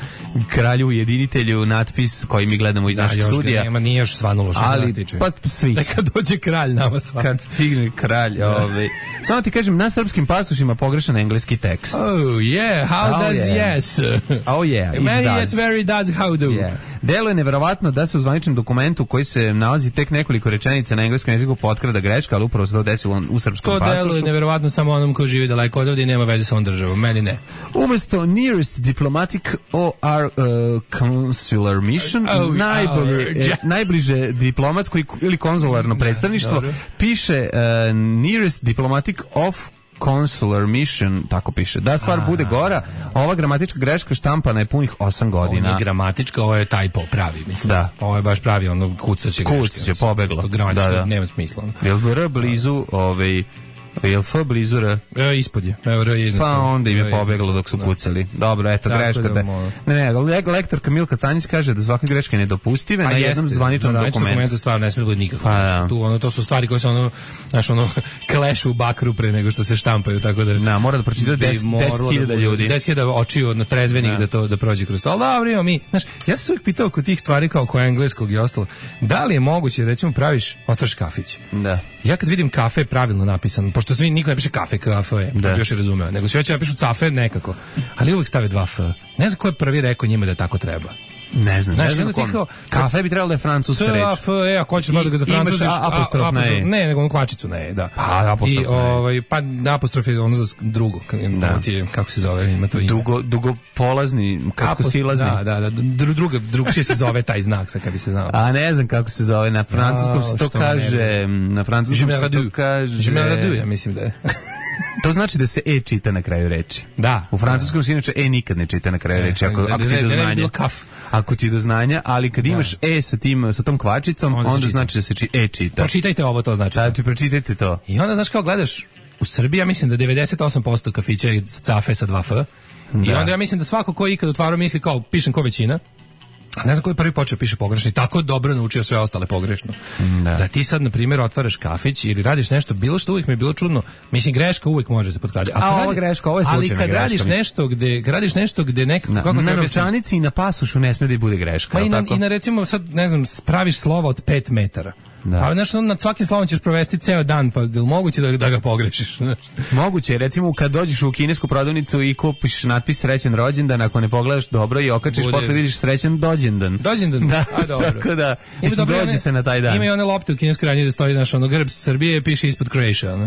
kralju ujedinitelju natpis koji mi gledamo iz da, našeg studija. Nema, nije još svanulo što se nas tiče. Pa sviće. Da kad dođe kralj nama svane. Kad stigne kralj. Ove. Samo ti kažem, na srpskim pasošima pogrešan engleski tekst. Oh yeah, how oh, does yeah. yes? Oh yeah, it Many does. yes, very does, how do? Yeah. Delo je neverovatno da se u zvaničnom dokumentu koji se nalazi tek nekoliko rečenica na engleskom jeziku potkrada greška, ali upravo se to desilo u srpskom to pasošu. To delo je neverovatno samo onom ko živi daleko od ovdje i nema veze sa ovom državom. Meni ne. Umesto nearest diplomatic or uh, consular mission, oh, najbolje, oh, eh, najbliže diplomatsko ili konzularno predstavništvo, dobro. piše uh, nearest diplomatic of consular mission, tako piše. Da stvar bude gora, ova gramatička greška štampana je punih osam godina. Ovo nije gramatička, ovo je typo pravi, mislim. Da. Ovo je baš pravi, ono kucaće greške. Kucaće, pobeglo. Gramatička da, da. nema smisla. Jel bi R blizu, ovaj, jel F blizu R? E, ispod je. Evo, R je iznad. Pa onda im je pobeglo dok su kucali. Dobro, eto, tako greška. Da, ne, ne, le, lektorka Milka Canjić kaže da svaka greška je nedopustive na jednom jeste, zvaničnom dokumentu. Na dokumentu stvarno ne smije da bude nikakva greška. Tu, ono, to su stvari koje se ono, znaš, ono, klešu u bakru pre nego što se štampaju, tako da... Na, mora da pročita deset hiljada ljudi. deset hiljada očiju na trezvenik da. da to da prođe kroz to. Ali dobro, imamo mi, znaš, ja sam se uvijek pitao kod tih stvari kao kod engleskog i ostalo, da li je moguće, recimo, praviš, otvaraš kafić. Da. Ja kad vidim kafe pravilno napisano, pošto svi niko ne piše kafe, kafe, da bi još je razumeo, nego svi hoće napišu cafe nekako, ali uvijek stave dva F. Ne znam ko je prvi rekao njima da tako treba. Ne znam, znaš, ne znam kom. Kao, kafe bi trebalo da je francuska reč. F, e, ako hoćeš možda ga za francuziš, apostrof na e. Ne, nego onu kvačicu na e, da. Pa, apostrof I, ovaj, pa apostrof je ono za drugo, da. Ti je, kako se zove, ima to ime. Dugo, dugo polazni, kako silazni. Da, da, da, druga, drugčije se zove taj znak, sad kad bi se znao. A ne znam kako se zove, na francuskom se to kaže, na francuskom se to kaže... Je me radu, ja mislim da je. To znači da se e čita na kraju reči. Da. U francuskom se inače e nikad ne čita na kraju reči, ako, ako ti do znanja. Ako ti do znanja, ali kad imaš e sa tim, sa tom kvačicom, onda, onda znači da se či, e čita. Pročitajte ovo, to znači. Znači, pročitajte to. I onda, znaš, kao gledaš, u Srbiji, ja mislim da devedeset osam posto kafića je cafe sa dva F. Da. I onda ja mislim da svako ko ikad otvarao misli kao, pišem ko većina. A ne znam koji prvi počeo piše pogrešno i tako dobro naučio sve ostale pogrešno. Da. da ti sad, na primjer, otvaraš kafić ili radiš nešto, bilo što uvijek mi je bilo čudno. Mislim, greška uvijek može se potkrati. A, a ova greška, ovo je slučajna greška. Ali kad radiš mislim. nešto gde, kad radiš nešto gde nekako... Na, kako na novčanici i na pasušu ne smije da bude greška. Pa i na, tako? i na, recimo, sad, ne znam, spraviš slovo od pet metara. Da. A znaš, nad svakim slovom ćeš provesti ceo dan, pa je li moguće da, da ga pogrešiš? Moguće, recimo kad dođeš u kinesku prodavnicu i kupiš natpis srećan rođendan, ako ne pogledaš dobro i okačiš, bude... posle vidiš srećan dođendan. Dođendan? Da, a dobro. Tako da, mislim, dođe one, se na taj dan. Ima i one lopte u kineskoj radnji da stoji naš ono grb Srbije, piše ispod Croatia. Ono.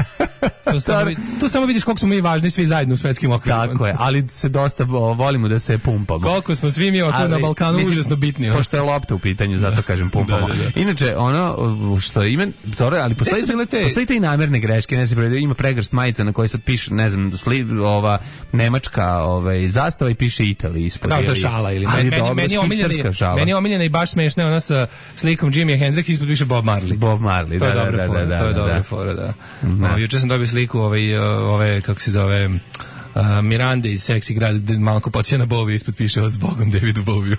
Tu, samo, tu samo vidiš koliko smo mi važni svi zajedno u svetskim okvirima. Tako je, ali se dosta o, volimo da se pumpamo. Koliko smo svi mi oko na Balkanu mislim, užasno bitni. Pošto je lopta u pitanju, zato kažem pumpamo. Da, da, da. Inače, ono što ima dobro, ali postoji se, postoji te i namerne greške, ne znam, ima pregršt majica na kojoj sad piše, ne znam, sli, ova nemačka, ovaj zastava i piše Italija ispod. Da, to je šala ili ali meni, dobro, meni omiljena, šala. Meni omiljena i baš smešna ona sa slikom Jimi Hendrix ispod piše Bob Marley. Bob Marley, to da, je dobra da, fora, da, da, to je da, dobra da. fora, da. No, juče sam dobio sliku ovaj ove kako se zove Uh, Miranda iz Seksi grada malo ko podsjeća na Bowie, ispod piše o zbogom Davidu Bowieu.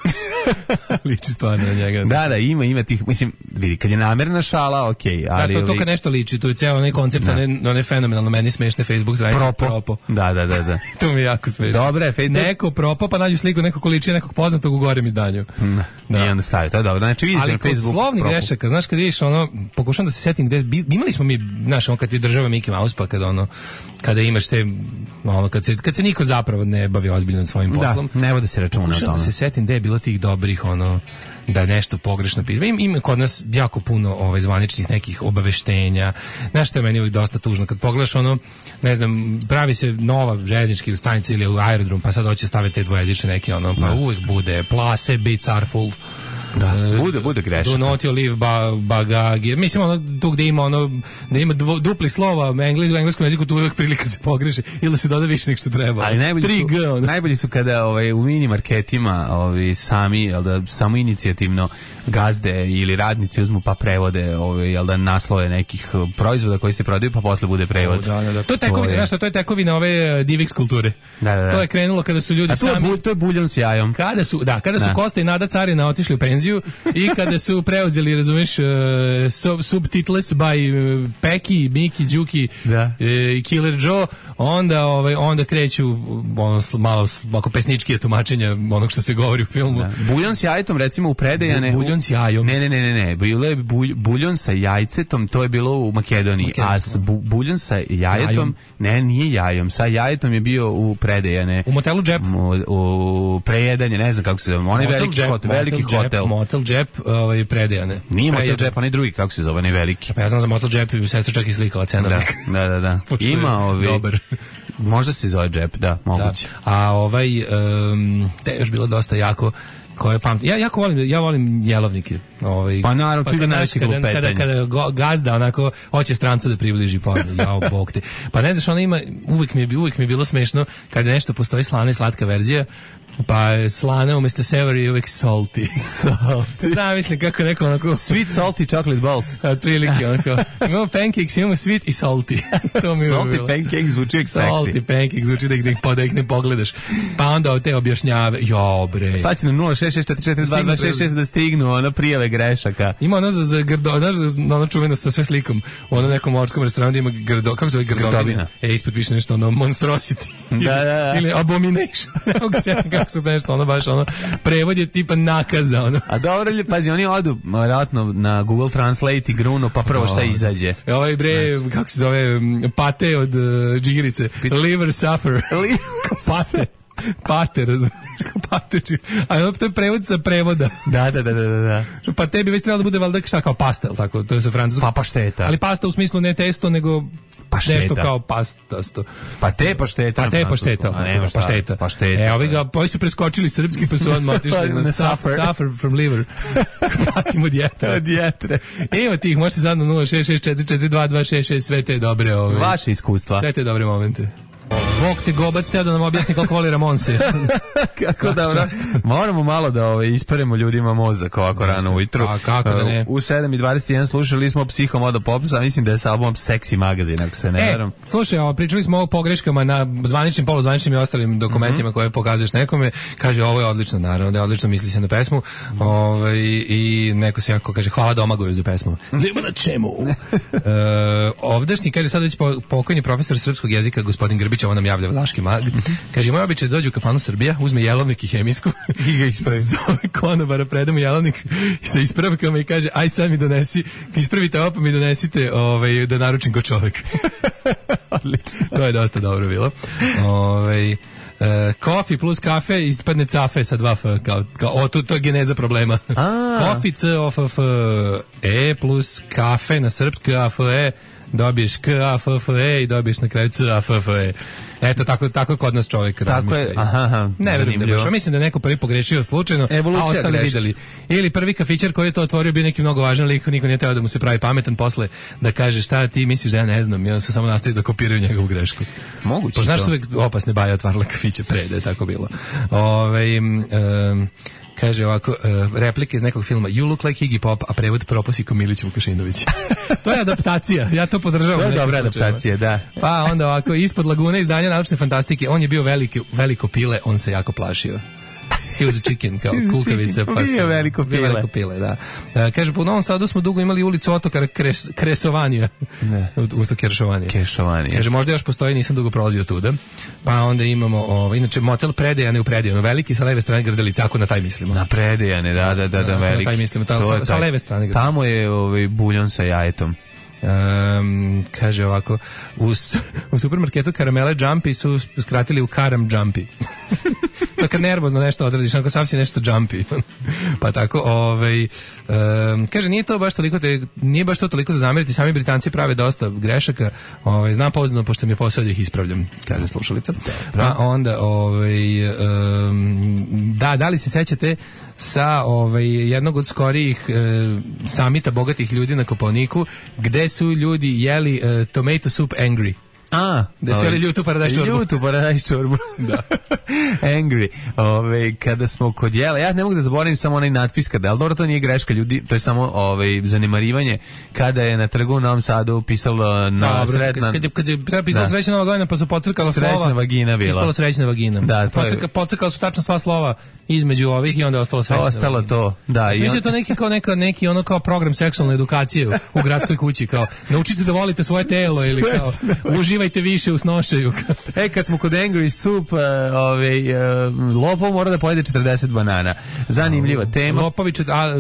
Liči stvarno na njega. Da, da, ima, ima tih, mislim, vidi, kad je namerna šala, okej, okay, ali... Da, to, to kad nešto liči, to je cijel onaj koncept, da. one, one fenomenalno, meni smešne Facebook stranice. Propo. Propo. Da, da, da, da. To mi je jako smešno. Dobre, Facebook. Neko propo, pa nađu sliku nekog ko liči nekog poznatog u gorem izdanju. Da. Da. I onda stavi, to je dobro. Znači, vidite ali na Facebook. Ali kod slovnih grešaka, znaš, kad vidiš ono, pokušam da se setim gde, imali smo mi, znaš, ono, kad ti država Mickey Mouse, pa kad ono, kada imaš te, ono, kad se, kad se niko zapravo ne bavi ozbiljno svojim poslom. Da, ne vode se računa o tome. Da se setim gde je bilo tih dobrih, ono, da je nešto pogrešno pisano. Ima, ima kod nas jako puno ovaj, zvaničnih nekih obaveštenja. Znaš što je meni uvijek dosta tužno? Kad pogledaš ono, ne znam, pravi se nova željeznička stanica ili u aerodrom, pa sad hoće staviti te dvojezične neke, ono, pa da. Uvijek bude place, be careful. Da, bude, bude grešaka. Do not you live ba, bagage. Mislim, ono, tu gde ima ono, da ima dvo, dupli slova u, engles, u engleskom jeziku, tu uvijek prilika se pogreši ili da se doda više nek što treba. Ali najbolji su, G, najbolji su kada ovaj, u mini marketima ovaj, sami, jel da, samo inicijativno gazde ili radnici uzmu pa prevode ovaj, jel da, naslove nekih proizvoda koji se prodaju pa posle bude prevod. O, da, da, da. To je tekovina, znaš, to je tekovina ove Divix kulture. Da, da, da. To je krenulo kada su ljudi A to sami... Je, to je buljon s jajom. Kada su, da, kada su da. Kosta i Nada Carina otišli u penziju i kada su preuzeli, razumeš, uh, sub, subtitles by uh, Peki, Miki, Đuki da. uh, i Killer Joe, onda, ovaj, onda kreću ono, malo oko pesničkije tumačenja onog što se govori u filmu. Da. Buljon s jajtom, recimo, u predejane... Buljon s jajom. Ne, ne, ne, ne, ne. Bilo je bulj, buljon sa jajcetom, to je bilo u Makedoniji. Makedoniji. A s bu, buljon sa jajetom, jajom. Ne, nije jajom. Sa jajetom je bio u predejane. U motelu Džep. U, u prejedanje, ne znam kako se zove. Onaj veliki, Jep, hotel, veliki motel hotel. Džep, motel Džep, ovaj, predejane. Nije Motel Džep, onaj drugi, kako se zove, onaj veliki. Pa ja znam za Motel Džep i sestra čak i slikala cenovnik. Da, da, da. Ima ovi... Dobar. Možda se zove Džep, da, moguće. Da. A ovaj, um, te još bilo dosta jako koje pamtim. Ja jako volim, ja volim jelovnike. Ovaj, pa naravno, pa, ti ga najveći kada, kada, kada gazda onako hoće strancu da približi pogled, jao bog te. Pa ne znaš, ona ima, uvijek mi je, uvijek mi je bilo smešno kada nešto postoji slana i slatka verzija, pa je slana umjesto savory uvijek salty. Salty. Zamisli kako neko onako... Sweet salty chocolate balls. Od prilike onako. Imamo pancakes, imamo sweet i salty. To mi je salty bilo. pancakes zvuči jak seksi. Salty pancakes zvuči da ih, da ih ne pogledaš. Pa onda te objašnjave. Jo bre. Sad će na nula šest šest četiri četiri dva dva šest šest da stignu ono prijave grešaka. Ima ono za, za grdo, znaš, ono čuveno sa sve slikom. U ono nekom morskom restoranu ima grdo, kako se zove grdovina? E, ispod piše nešto ono monstrosity. Da, da, da. Ili abomination. Evo ga sjetim kako su nešto, ono baš ono, prevod je tipa nakaza, ono. A dobro, pazi, oni odu vjerojatno na Google Translate i Gruno, pa prvo šta izađe. E, ovaj bre, ne. Kako se zove, pate od uh, džigirice, liver suffer. Pate. Pate, razumiješ? Pate, a to je prevod sa prevoda. Da, da, da, da, da. Pa tebi već trebalo da bude valjda šta kao pasta, tako, to je sa francuskom. Pa pašteta. Ali pasta u smislu ne testo, nego pašteta. Nešto kao pastasto. Pa te pašteta. Pa te pašteta. A nema šta. Pašteta. Pašteta. E, ovi ga, ovi su preskočili srpski, pa su odmah otišli na, na suffer. Suffer from liver. Patimo od jetre. Od jetre. Evo tih, možete sad na nula šest šest četiri četiri dva dva šest šest, sve te dobre ove. Vaše iskustva. Sve te dobre momente. Bog te gobac, teo da nam objasni koliko voli Ramonse. Kako da, moramo malo da ove, isperemo ljudima mozak ovako rano ujutru. A kako da ne? U sedam i dvadeset jedan slušali smo Psihomoda Popsa, mislim da je sa albumom Sexy Magazine, ako se ne e, veram. Slušaj, ovo, pričali smo o pogreškama na zvaničnim, poluzvaničnim i ostalim dokumentima mm-hmm. koje pokazuješ nekome. Kaže, ovo je odlično, naravno, da je odlično, misli se na pesmu. Ove, I neko se jako kaže, hvala Domagoju za pesmu. Nema na čemu. e, ovdašnji, kaže, sad već pokojni profesor srpskog jezika, gospodin Grbić, ovo nam javlja Vlaški mag. Kaže, moj običaj da dođe u kafanu Srbija, uzme jelovnik i hemijsku i ga ispravi. Zove konobara, preda mu jelovnik sa ispravkama i kaže, aj sad mi donesi, ispravite ovo pa mi donesite ovaj, da naručim ko čovek. Odlično. To je dosta dobro bilo. Ovaj Uh, kofi plus kafe ispadne cafe sa dva f, kao, kao, o, to, to je geneza problema. Kofi, c, o, f, f, e plus kafe na srpski, a, f, e, dobiješ k, a, f, f, e i dobiješ na kraju c, a, f, f, e. Eto, tako, tako kod nas čovjek razmišlja. Tako je, aha, aha. Ne verujem da baš. Mislim da je neko prvi pogrešio slučajno, evolucija, a ostali greška. Videli. Ili prvi kafićar koji je to otvorio bio neki mnogo važan lik, niko nije teo da mu se pravi pametan posle, da kaže šta ti misliš da ja ne znam, i onda su samo nastavili da kopiraju njegovu grešku. Moguće to. Znaš, uvek opasne baje otvarala kafiće pre, da je tako bilo. Ove, um, kaže ovako, uh, replike iz nekog filma You look like Iggy Pop, a prevod Proposiko Milić Vukašinović. To je adaptacija, ja to podržavam. To je dobra adaptacija, da. Pa onda ovako, ispod lagune izdanja naučne fantastike, on je bio veliki, veliko pile, on se jako plašio. He was a chicken, kao kukavica. Pa bio veliko pile. Veliko pile, da. Uh, kaže, po Novom Sadu smo dugo imali ulicu Otokara Kres, Kresovanija. Ne. Umesto Keršovanija. Keršovanija. Kaže, možda još postoji, nisam dugo prolazio tuda. Pa onda imamo, ovo, inače, motel Predejane u Predejanu, veliki sa leve strane Grdelice, ako na taj mislimo. Na Predejane, da, da, da, da, veliki. Na taj mislimo, ta, sa, sa leve strane Grdelice. Tamo je ovaj buljon sa jajetom. Um, kaže ovako, u, u supermarketu karamele Jumpy su skratili u Karam Jumpy. To kad nervozno nešto odradiš, ako sam si nešto Jumpy. Pa tako, ovaj, um, kaže, nije to baš toliko, te, nije baš to toliko za zameriti, sami Britanci prave dosta grešaka, ovaj, znam pouzdano, pošto mi je posao da ih ispravljam, kaže slušalica. Pa onda, ovaj, um, da, da li se sećate sa ovaj, jednog od skorijih e, samita bogatih ljudi na Kopaoniku, gde su ljudi jeli e, tomato soup angry. A, da su jeli ljutu paradajz čorbu. Ljutu paradajz čorbu. Da. Angry. Ove, kada smo kod jela, ja ne mogu da zaboravim samo onaj natpis kada, ali dobro, to nije greška ljudi, to je samo ove, zanemarivanje kada je na trgu u Novom Sadu pisalo na sretna... Kad je, kad je treba pisalo srećna Nova godina, pa su pocrkala slova. Srećna vagina bila. Ispalo srećna vagina. Da, to Pocrka, je... Pocrkala su tačno sva slova između ovih i onda je ostalo srećna. Ostalo vagina. To, da. Mislim on... to neki, kao neka, neki ono kao program seksualne edukacije u, u gradskoj kući, kao naučite da volite svoje telo ili kao uživajte više u snošaju. E, kad smo kod Angry Soup, uh, ovaj, uh, lopov mora da pojede četrdeset banana. Zanimljiva tema. Lopovi,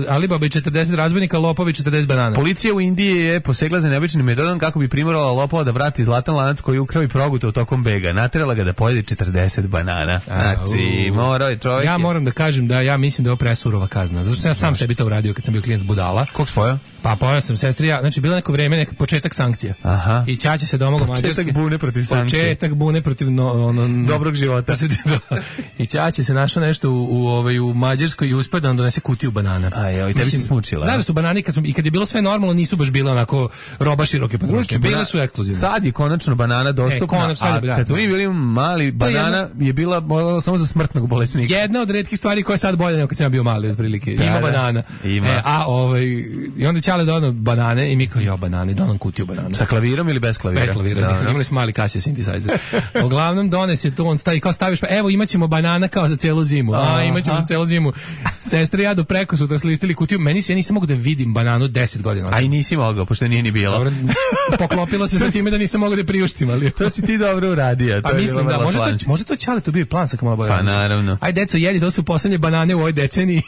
Alibaba i četrdeset razbojnika, lopovi četrdeset banana. Policija u Indiji je posegla za neobičnim metodom kako bi primorala lopova da vrati zlatan lanac koji je ukrao i progutao tokom bega. Naterala ga da pojede četrdeset banana. Znači, morao je čovjek... Ja moram da kažem da ja mislim da je ovo presurova kazna. Zato što ja sam sebi to uradio kad sam bio klijent s budala. Kog spojao? Pa pojao sam sestri ja. Znači, bilo neko vreme, neki početak sankcija. Aha. I Ćaća se domogao Mađarske. Početak bune protiv sankcije. Početak bune protiv no, ono, dobrog života. I Ćaća se našao nešto u, u, ovaj, u Mađarskoj i uspio da on donese kutiju banana. A joj, tebi se smučila. Znaš da su banani, kad, smo, i kad je bilo sve normalno, nisu baš bile onako roba široke potrošnje. Bile su ekskluzivne. Sad je konačno banana dostupna, e, konačno, a kad smo mi bili mali, banana je, je bila samo za smrtnog bolesnika. Jedna od retkih stvari koja je sad bolja nego kad sam bio mali, otprilike. Da, ima da, banana. Ima. E, a ovaj, i onda Ćale donao banane i mi kao, jo, banane, donao kutiju banana. Sa klavirom ili bez klavira? Bez klavira. Da, da. Imali smo mali Casio synthesizer. Uglavnom donese to, on stavi, kao staviš, pa evo imaćemo banana kao za celu zimu. A, imaćemo za celu zimu. Sestre ja do preko sutra slistili kutiju. Meni se, ja nisam mogu da vidim bananu deset godina. A i nisi mogao, pošto nije ni bilo. Dobro, poklopilo se sa time da nisam mogao da priuštim, ali... To si ti dobro uradio. Pa mislim da, može to, može to Ćale to bio plan sa malo bolje. Pa naravno. Ajde, deco, jedi, to su poslednje banane u ovoj deceniji.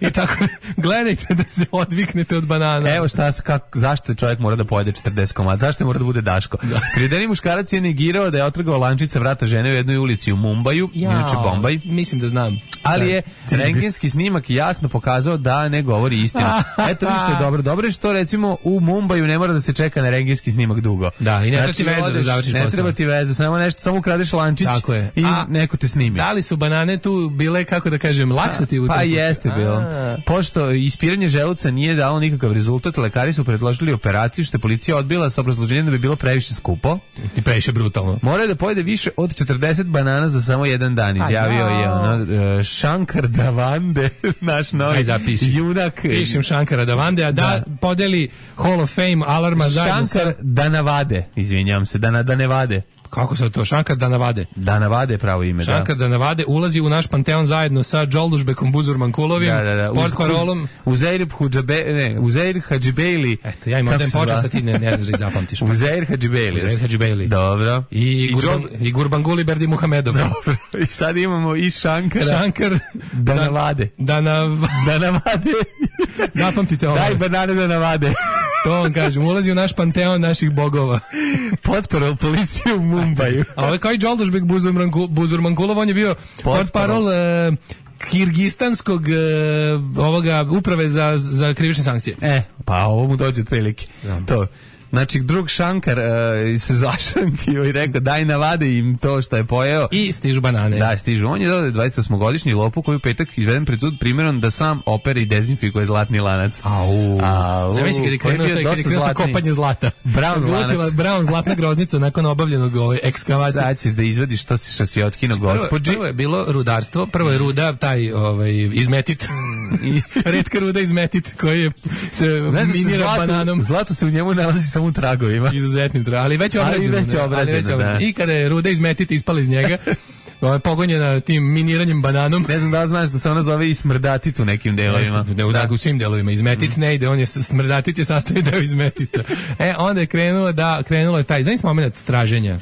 I tako, gledajte da se odviknete od banana. Evo šta, kako, zašto čovjek mora da pojede četrdeset komada, zašto mora da bude Daško? Da. Kredeni muškarac je negirao da je otrgao lančica vrata žene u jednoj ulici u Mumbaju, inače Bombaj. Mislim da znam. Ali je rentgenski snimak jasno pokazao da ne govori istinu. Eto ništa je dobro. Dobro je što recimo u Mumbaju ne mora da se čeka na rentgenski snimak dugo. Da, i ne treba znači, ti veze da završiš posao. Ne treba ti veze, samo nešto, samo ukradeš lančić i a, neko te snimi. Da li su banane tu bile, kako da kažem, laksativ u Pa jeste bilo. Pošto ispiranje želuca nije dalo nikakav rezultat, lekari su predložili operaciju što je policija odbila sa obrazloženjem da bi bilo previše skupo i previše brutalno. Mora da pojede više od četrdeset banana za samo jedan dan, izjavio je ono uh, Shankar Davande, naš novi junak. Pišem Shankara Davande, a da, da podeli Hall of Fame alarma zajedno sa... Shankar Danavade, izvinjam se, Dana, Danevade. Kako se to? Shankar Danavade. Danavade je pravo ime, Shankar da. Danavade ulazi u naš panteon zajedno sa Džoldušbekom Buzurmankulovim, da, da, da. Portparolom. Uzeir Hudžabe, ne, Uzeir Hadžibejli. Eto, ja im odem počast, a ti ne, ne znaš da ih zapamtiš. Uzeir Hadžibejli. Uzeir Hadžibejli. Dobro. I, I, Gurban, i Gurbanguly Berdi Muhamedov. Dobro. I sad imamo i Shankara. Shankar Danavade. Danav... Danavade. Zapamtite ovo. Daj banane Danavade. To vam kažem, ulazi u naš panteon naših bogova. Potparol policije u Mumbaju. A ovo je kao i Džoldušbek Buzurmankulov, on je bio potparol uh, kirgistanskog uh, ovoga uprave za, za krivične sankcije. E, pa ovo mu dođe od prilike. Ja. To. Znači, drug Shankar uh, se zašankio i rekao daj navade im to što je pojeo. I stižu banane. Da, stižu. On je dodao dvadeset osmogodišnji lopu koji u petak izveden pred sud primjerom da sam opere i dezinfikuje zlatni lanac. Au. Au. Zamisli kad je krenuo kad je krenuo kopanje zlata. Brown lanac. Brown zlatna groznica nakon obavljenog ove ekskavacije. Sad ćeš da izvadiš što si, što si otkino gospođi. Prvo je bilo rudarstvo, prvo je ruda taj ovaj, izmetit. Retka ruda izmetit koji je se minira zlato, bananom. Zlato se u njemu nalazi samo u tragovima. Izuzetnim tragovima, ali već obrađeno. Ali već obrađeno, da. I kada je ruda izmetiti ispala iz njega, pogonjena tim miniranjem bananom. Ne znam da li znaš da se ona zove i smrdatit u nekim delovima. Ne, u, da. u svim delovima. Izmetit mm. ne ide, on je smrdatit je sastavni deo izmetita. E, onda je krenulo da, krenulo je taj, znaš moment traženja.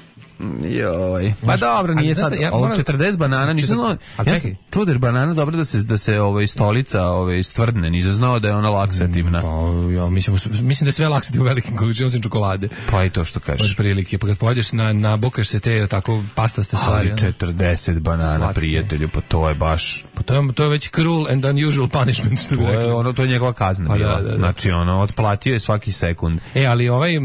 Joj. Pa dobro, nije sad ja, ovo moram, četrdeset banana, nisam znao. Ja sam čuder banana, dobro da se da se ovaj stolica ovaj stvrdne, nisam znao da je ona laksativna. Pa ja mislim mislim da je sve laksativno u velikim količinama osim čokolade. Pa i to što kažeš. Od prilike, pa kad pođeš na nabokaš se te tako pastaste stvari. Ali četrdeset banana, slatke. Prijatelju, pa to je baš pa to je to je već cruel and unusual punishment što bi rekli. To je ono to je njegova kazna pa bila. Da, da, da. Znači ono otplatio je svaki sekund. E, ali ovaj uh,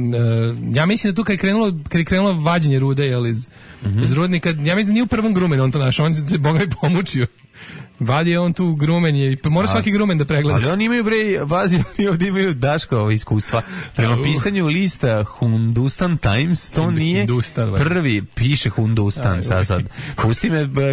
ja mislim da tu kad je krenulo kad je krenulo vađenje rude, je iz Mm-hmm. iz rudnika, ja mislim da nije u prvom grumenu on to našao, on se boga i pomučio. Vadi je on tu grumenje i mora svaki grumen da pregleda. Ali oni imaju bre, vazi, oni ovdje imaju Daško iskustva. Prema uh. pisanju lista Hindustan Times, to Hindu, nije Hindustan, prvi, piše Hindustan sad sad. Pusti me da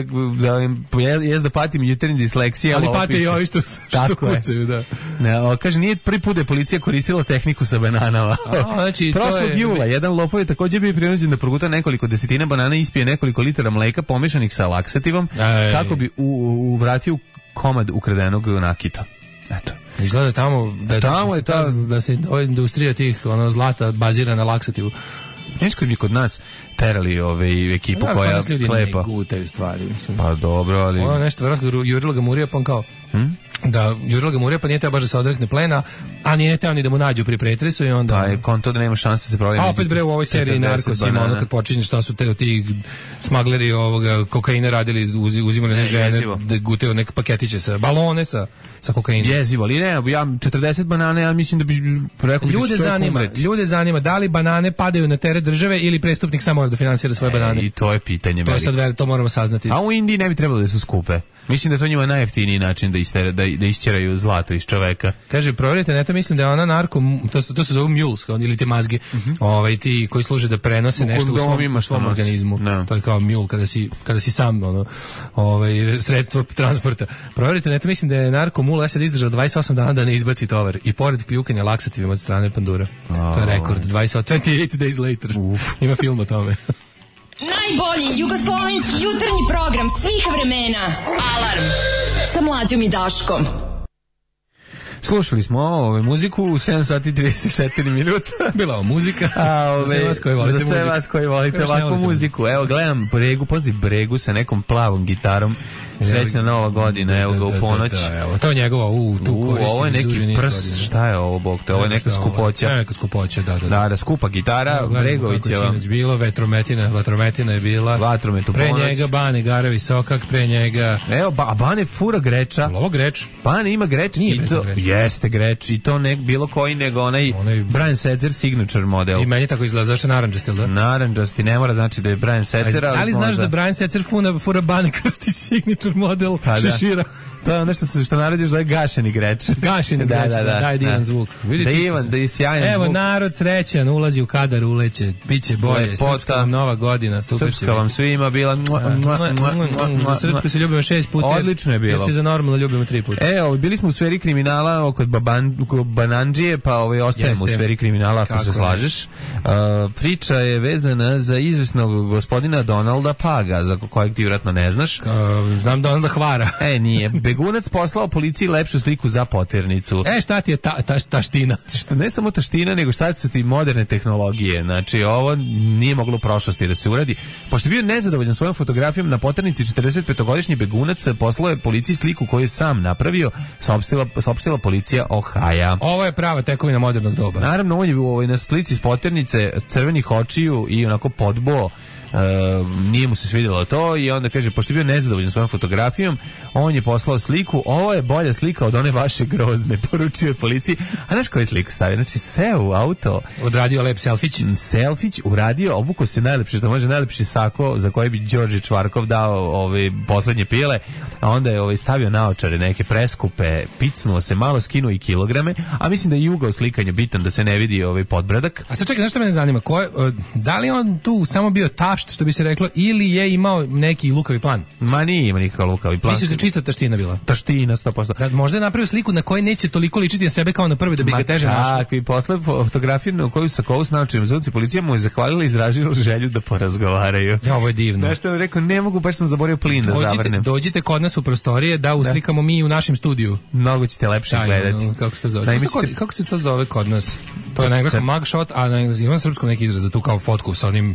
jes da patim jutarnji disleksija. Ali pate i ovi što, što kucaju, da. Ne, kaže, nije prvi put da je policija koristila tehniku sa bananama. A, znači, prošlog je... jula, jedan lopov je također bio prinuđen da proguta nekoliko desetina banana i ispije nekoliko litara mleka pomešanih sa laksativom, Ej. kako bi u, u, vratio komad ukradenog nakita. Eto. Izgleda tamo da je, tamo je ta da se industrija tih ono zlata bazira na laksativu. Nešto bi kod nas terali ove ekipu ja, koja klepa. Ne gutaju stvari. Mislim. Pa dobro, ali... Ono nešto, vjerojatno jurilo ga Murija, pa on kao... Hmm? Da, jurilo ga Murija, pa nije teo baš da se odrekne plena, a nije teo ni da mu nađu pri pretresu i onda... Da, je konto da nema šanse da se provjeri. A opet bre u ovoj seriji Narkos ima ono kad počinje šta su te ti smagleri ovoga kokaina radili, uz, uzimali ne, žene, da gutaju neke paketiće sa balone sa, sa kokainom. Jezivo, ali ne, ja četrdeset banane, ja mislim da bi rekao... Ljude zanima, ljude zanima da li banane padaju na teret države ili prestupnik samo mora da finansira svoje e, banane. I to je pitanje. To je sad, to moramo saznati. A u Indiji ne bi trebalo da su skupe. Mislim da je to njima najjeftiniji način da, istere, da, da isćeraju zlato iz čoveka. Kaže, provjerite, ne to mislim da je ona narko, to, to se zove mules, ili te mazge, mm-hmm. ovaj, ti koji služe da prenose u nešto u svom, u svom organizmu. No. To je kao mule, kada si, kada si sam ono, ovaj, sredstvo transporta. Provjerite, ne to mislim da je narko mule, ja sad izdržao dvadeset osam dana da ne izbaci tovar. I pored kljukanja laksativima od strane pandura. Oh. To je rekord, dvadeset osam, twenty-eight days later. Uf. Ima film o tome. Najbolji jugoslovenski jutarnji program svih vremena. Alarm sa Mlađom i Daškom. Slušali smo ove muziku u sedam sati i trideset četiri minuta. Bila ovo muzika. A, ove, za sve vas koji volite, za sve vas koji volite ovakvu muziku. Evo gledam Bregu, poziv Bregu sa nekom plavom gitarom. Srećna nova godina, evo ga u ponoć. Da, da, da, evo, to je njegova, u, tu koristi. Ovo je neki prs, šta je ovo, bog te, ovo je neka skupoća. Neka skupoća, da, da. Da, da, skupa gitara, Bregovićeva. Kako sinoć bilo, vetrometina, vatrometina je bila. Vatromet u pre ponoć. Njega Bane Garevi Sokak, pre njega... Evo, ba, Bane fura greča. Ovo greč? Bane ima greč. Nije i to, greč. Jeste greč, i to ne bilo koji, nego onaj, onaj Brian Setzer signature model. I meni tako izgleda, zašto naranđasti, da? Naranđasti, ne mora znači da je Brian Setzer. Da li znaš da Brian Setzer fura, fura Bane Krstić signature model? Šešira. To je ono što se što narodiš da je gašeni greč. Gašeni da, greč, da, da, daj divan zvuk. Vidite da Ivan, da je sjajan Evo, zvuk. narod srećan, ulazi u kadar, uleće, biće bolje, srpska vam nova godina, super srpska vam svima bila. Za srpsku se ljubimo šest puta. Odlično je bilo. Jer se za normalno ljubimo tri puta. Evo, bili smo u sferi kriminala kod Banandžije, pa ovaj ostajemo u sferi kriminala ako se slažeš. Priča je vezana za izvesnog gospodina Donalda Paga, za kojeg ti vjerojatno ne znaš. Znam Donalda Hvara. E, nije. Begunac poslao policiji lepšu sliku za poternicu. E, šta ti je ta, ta, taština? Šta, ne samo taština, nego šta su ti moderne tehnologije. Znači, ovo nije moglo u prošlosti da se uradi. Pošto je bio nezadovoljan svojom fotografijom na poternici, četrdesetpetogodišnji begunac poslao je policiji sliku koju je sam napravio, saopštila, saopštila policija Ohaja. Ovo je prava tekovina modernog doba. Naravno, on je u ovoj na slici s poternice crvenih očiju i onako podbo. Uh, nije mu se svidjelo to i onda kaže, pošto je bio nezadovoljan svojom fotografijom, on je poslao sliku, ovo je bolja slika od one vaše grozne, poručio je policiji. A znaš koju sliku stavio? Znači, seo u auto, odradio lep selfić, selfić uradio, obuko se najlepše, što može najlepši sako za koji bi Đorđe Čvarkov dao ove poslednje pile, a onda je ovaj stavio naočare neke preskupe, picnuo se, malo skinuo i kilograme, a mislim da je i ugao slikanja bitan da se ne vidi ovaj podbradak. A sad čekaj, znaš što mene zanima, ko je, da li on tu samo bio taš bašt, što bi se reklo, ili je imao neki lukavi plan? Ma nije ima nikakav lukavi plan. Misliš da čista taština bila? Taština, sto posto. Sad, možda je napravio sliku na kojoj neće toliko ličiti na sebe kao na prvi da bi ga teže našao. Tako, i posle fotografiju na koju Sakovu s naočnim zvuci, policija mu je zahvalila i izražila želju da porazgovaraju. Ja, ovo je divno. Znaš što je rekao, ne mogu, baš sam zaboravio plin da dođite, zavrnem. Dođite kod nas u prostorije da uslikamo da. Mi u našem studiju. Mnogo ćete lepše izgledati. No, kako se to zove? Kako, ćete... kako se to zove kod nas? To je na engleskom mugshot, a na engleskom, imam srpskom neki izraz za tu kao fotku sa onim.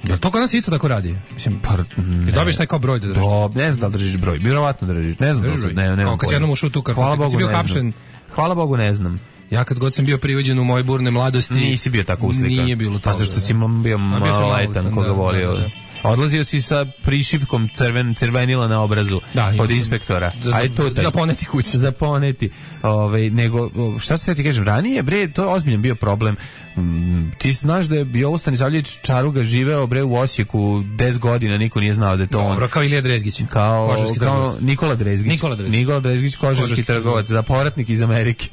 Jel to kod nas isto tako radi? Mislim, pa, ne. I dobiješ taj kao broj da držiš. Do, ne znam da li držiš broj, vjerovatno držiš. Ne znam da li, ne, ne, kao kad jednom ušao tu kartu, hvala kad Bogu, si bio hapšen. Hvala Bogu, ne znam. Ja kad god sam bio privođen u moje burne mladosti... Nisi bio tako uslikan. Nije bilo to. Pa zašto si bio maloletan koga volio. Da, da. Odlazio si sa prišivkom crven, crvenila na obrazu da, od inspektora. Da, aj to za poneti kuće. Za poneti. Ovaj nego šta se ti kažem, ranije bre to je ozbiljan bio problem. Mm, ti znaš da je Jovo Stanisavljević Čaruga živeo bre u Osijeku deset godina, niko nije znao da je to on. Dobro, kao Ilija Drezgić. Kao, kao Nikola Drezgić. Nikola Drezgić. Nikola Drezgić, kožarski trgovac, za povratnik iz Amerike.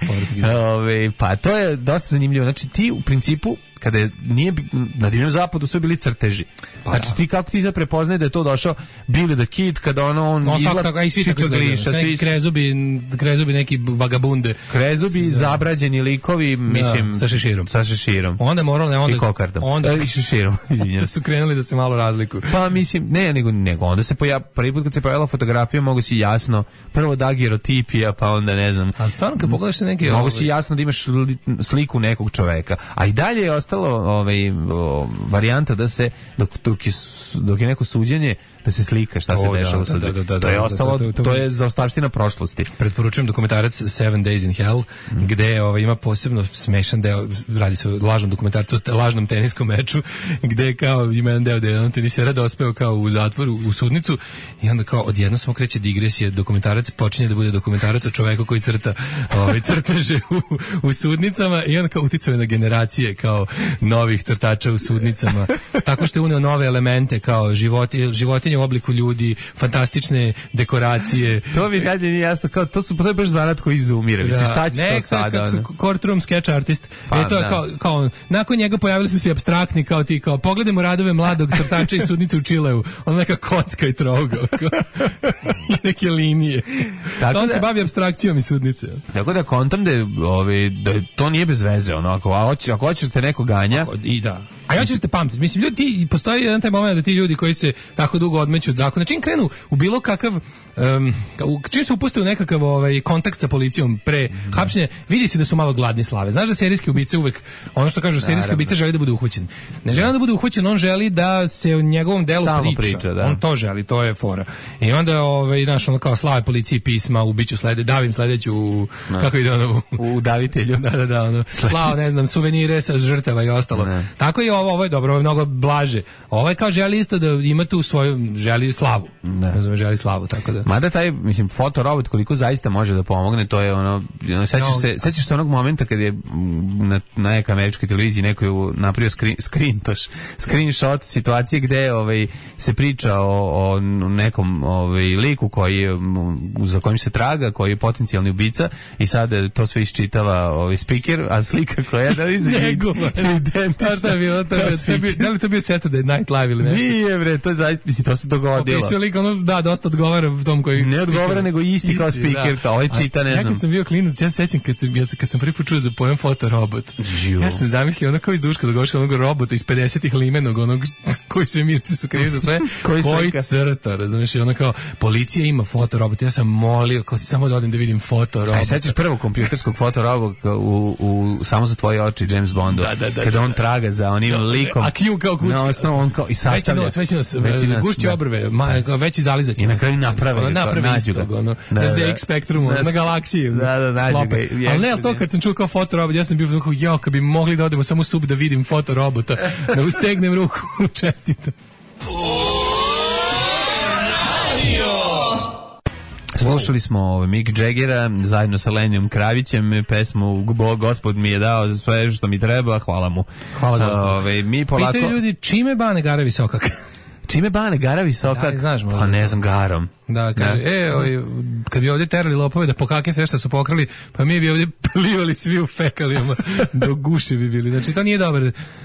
Ove, pa to je dosta zanimljivo. Znači ti u principu kada je, nije na divljem zapadu sve bili crteži. Pa znači da. Ti kako ti sad prepoznaje da je to došao Billy the Kid kada ono on no, izgleda čiča gliša, svi krezubi, krezubi neki vagabunde. Krezubi, da. Zabrađeni likovi, mislim, da, sa šeširom. Sa šeširom. Onda moralo ne onda i kokardom. Onda i šeširom, izvinjavam. Su krenuli da se malo razlikuju. Pa mislim, ne, nego nego onda se pojav prvi put kad se pojavila fotografija mogu si jasno prvo daguerreotipija, pa onda ne znam. A stvarno kad pogledaš neke mogu si jasno da imaš sliku nekog čoveka. A i dalje je ostalo ovaj o, varijanta da se dok, dok, je, dok je neko suđenje da se slika šta se dešava u sudu. Da, da, da, to je ostalo, da, da, da, to je zaostavština prošlosti. Preporučujem dokumentarac Seven Days in Hell, mm. gde ovaj, ima posebno smešan deo, radi se o lažnom dokumentarcu, o lažnom teniskom meču, gde kao ima jedan deo da je on tenisera dospeo kao u zatvoru, u sudnicu i onda kao odjedno samo kreće digresija, dokumentarac počinje da bude dokumentarac o čoveku koji crta ovaj, crteže u, u sudnicama i onda kao uticao na generacije kao novih crtača u sudnicama, tako što je uneo nove elemente kao životi, životinje u obliku ljudi, fantastične dekoracije. To mi dalje nije jasno, kao to su to je baš zanat koji izumire. Da. Šta će ne, to sada? Courtroom sketch artist. Pa, e to je kao, kao nakon njega pojavili su se apstraktni kao ti kao pogledajmo radove mladog crtača iz sudnice u Čileu. On neka kocka i trougao. Neke linije. Tako on da, se bavi apstrakcijom iz sudnice. Tako da kontam da je, ove, da to nije bez veze onako. A hoće, ako hoćeš da te neko ganja. Ako, i da. A ja ću te pamtiti. Mislim, ljudi, ti, postoji jedan taj moment da ti ljudi koji se tako dugo odmeću od zakona, čim krenu u bilo kakav, um, čim se upuste u nekakav ovaj, kontakt sa policijom pre mm. hapšenja, vidi se da su malo gladni slave. Znaš da serijski ubice uvek, ono što kažu, serijski ubice želi da bude uhvaćen. Ne želi da bude uhvaćen, on želi da se o njegovom delu Stalno priča. priča da. On to želi, to je fora. I onda, ovaj, znaš, ono kao slave policiji pisma, ubiću slede, davim sledeću, no. kako ide ono? U davitelju. Da, da, da, ono, slao, ne znam, suvenire sa žrtava i ostalo. Ne. Tako je ovo, ovo je dobro, ovo je mnogo blaže. Ovaj kao želi isto da ima tu svoju, želi slavu. Ne znam, želi slavu, tako da. Mada taj, mislim, fotorobot koliko zaista može da pomogne, to je ono, sećaš no, se, sećaš se onog momenta kad je na, na nekoj američkoj televiziji neko je napravio screen, screen, toš, screenshot situacije gde ovaj, se priča o, o nekom ovaj, liku koji, za kojim se traga, koji je potencijalni ubica i sad to sve iščitava ovaj speaker, a slika koja je da iza identična. Da li to bio Saturday Night Live ili nešto? Nije bre, to je zaista, mislim, to se dogodilo. Okay, lik, ono, da, dosta odgovara tom koji... Ne odgovara, nego isti, isti kao speaker, da. Kao ovaj čita, ne znam. Ja kad sam bio klinac, ja sećam kad sam, ja, kad sam prvi put čuo za pojem fotorobot. Žiu. Ja sam zamislio ono kao iz duška da govoš onog robota iz pedesetih limenog, onog koji sve mirci su krivi za sve, koji, koji crta, razumiješ, ono kao, policija ima fotorobot, ja sam molio, kao samo da odim da vidim fotorobot. Aj, sećaš prvog kompjuterskog fotorobota u, u Samo za tvoje oči, James Bondu, da, da, da, kada on da, traga za onim da, likom. A Q kao kucka. Na osnovu on kao i sastavlja. Veći nos, veći nos, gušći obrve, ma, veći zalizak. I na kraju naprave. Naprave istog, ono, na Z X Spektrumu, na galaksiji. Da, da, nađu ga. Ali ne, ali to kad sam čuo kao fotorobot, ja sam bio kao, jao, kad bi mogli da odemo samo u sub da vidim fotorobota, da ustegnem ruku, čestitam. Slušali smo Mick Jaggera zajedno sa Lenijom Kravićem, pesmu Gospod mi je dao za sve što mi treba, hvala mu. Hvala Gospod. Ove, mi polako... Pitaju ljudi, čime Bane Gara Visokak? Čime Bane Gara Visokak? Da, znaš, pa ne znam, garom. Da, kaže, da. e, oj, kad bi ovdje terali lopove da pokake sve što su pokrali, pa mi bi ovdje plivali svi u fekalijama, do guše bi bili. Znači, to nije dobar,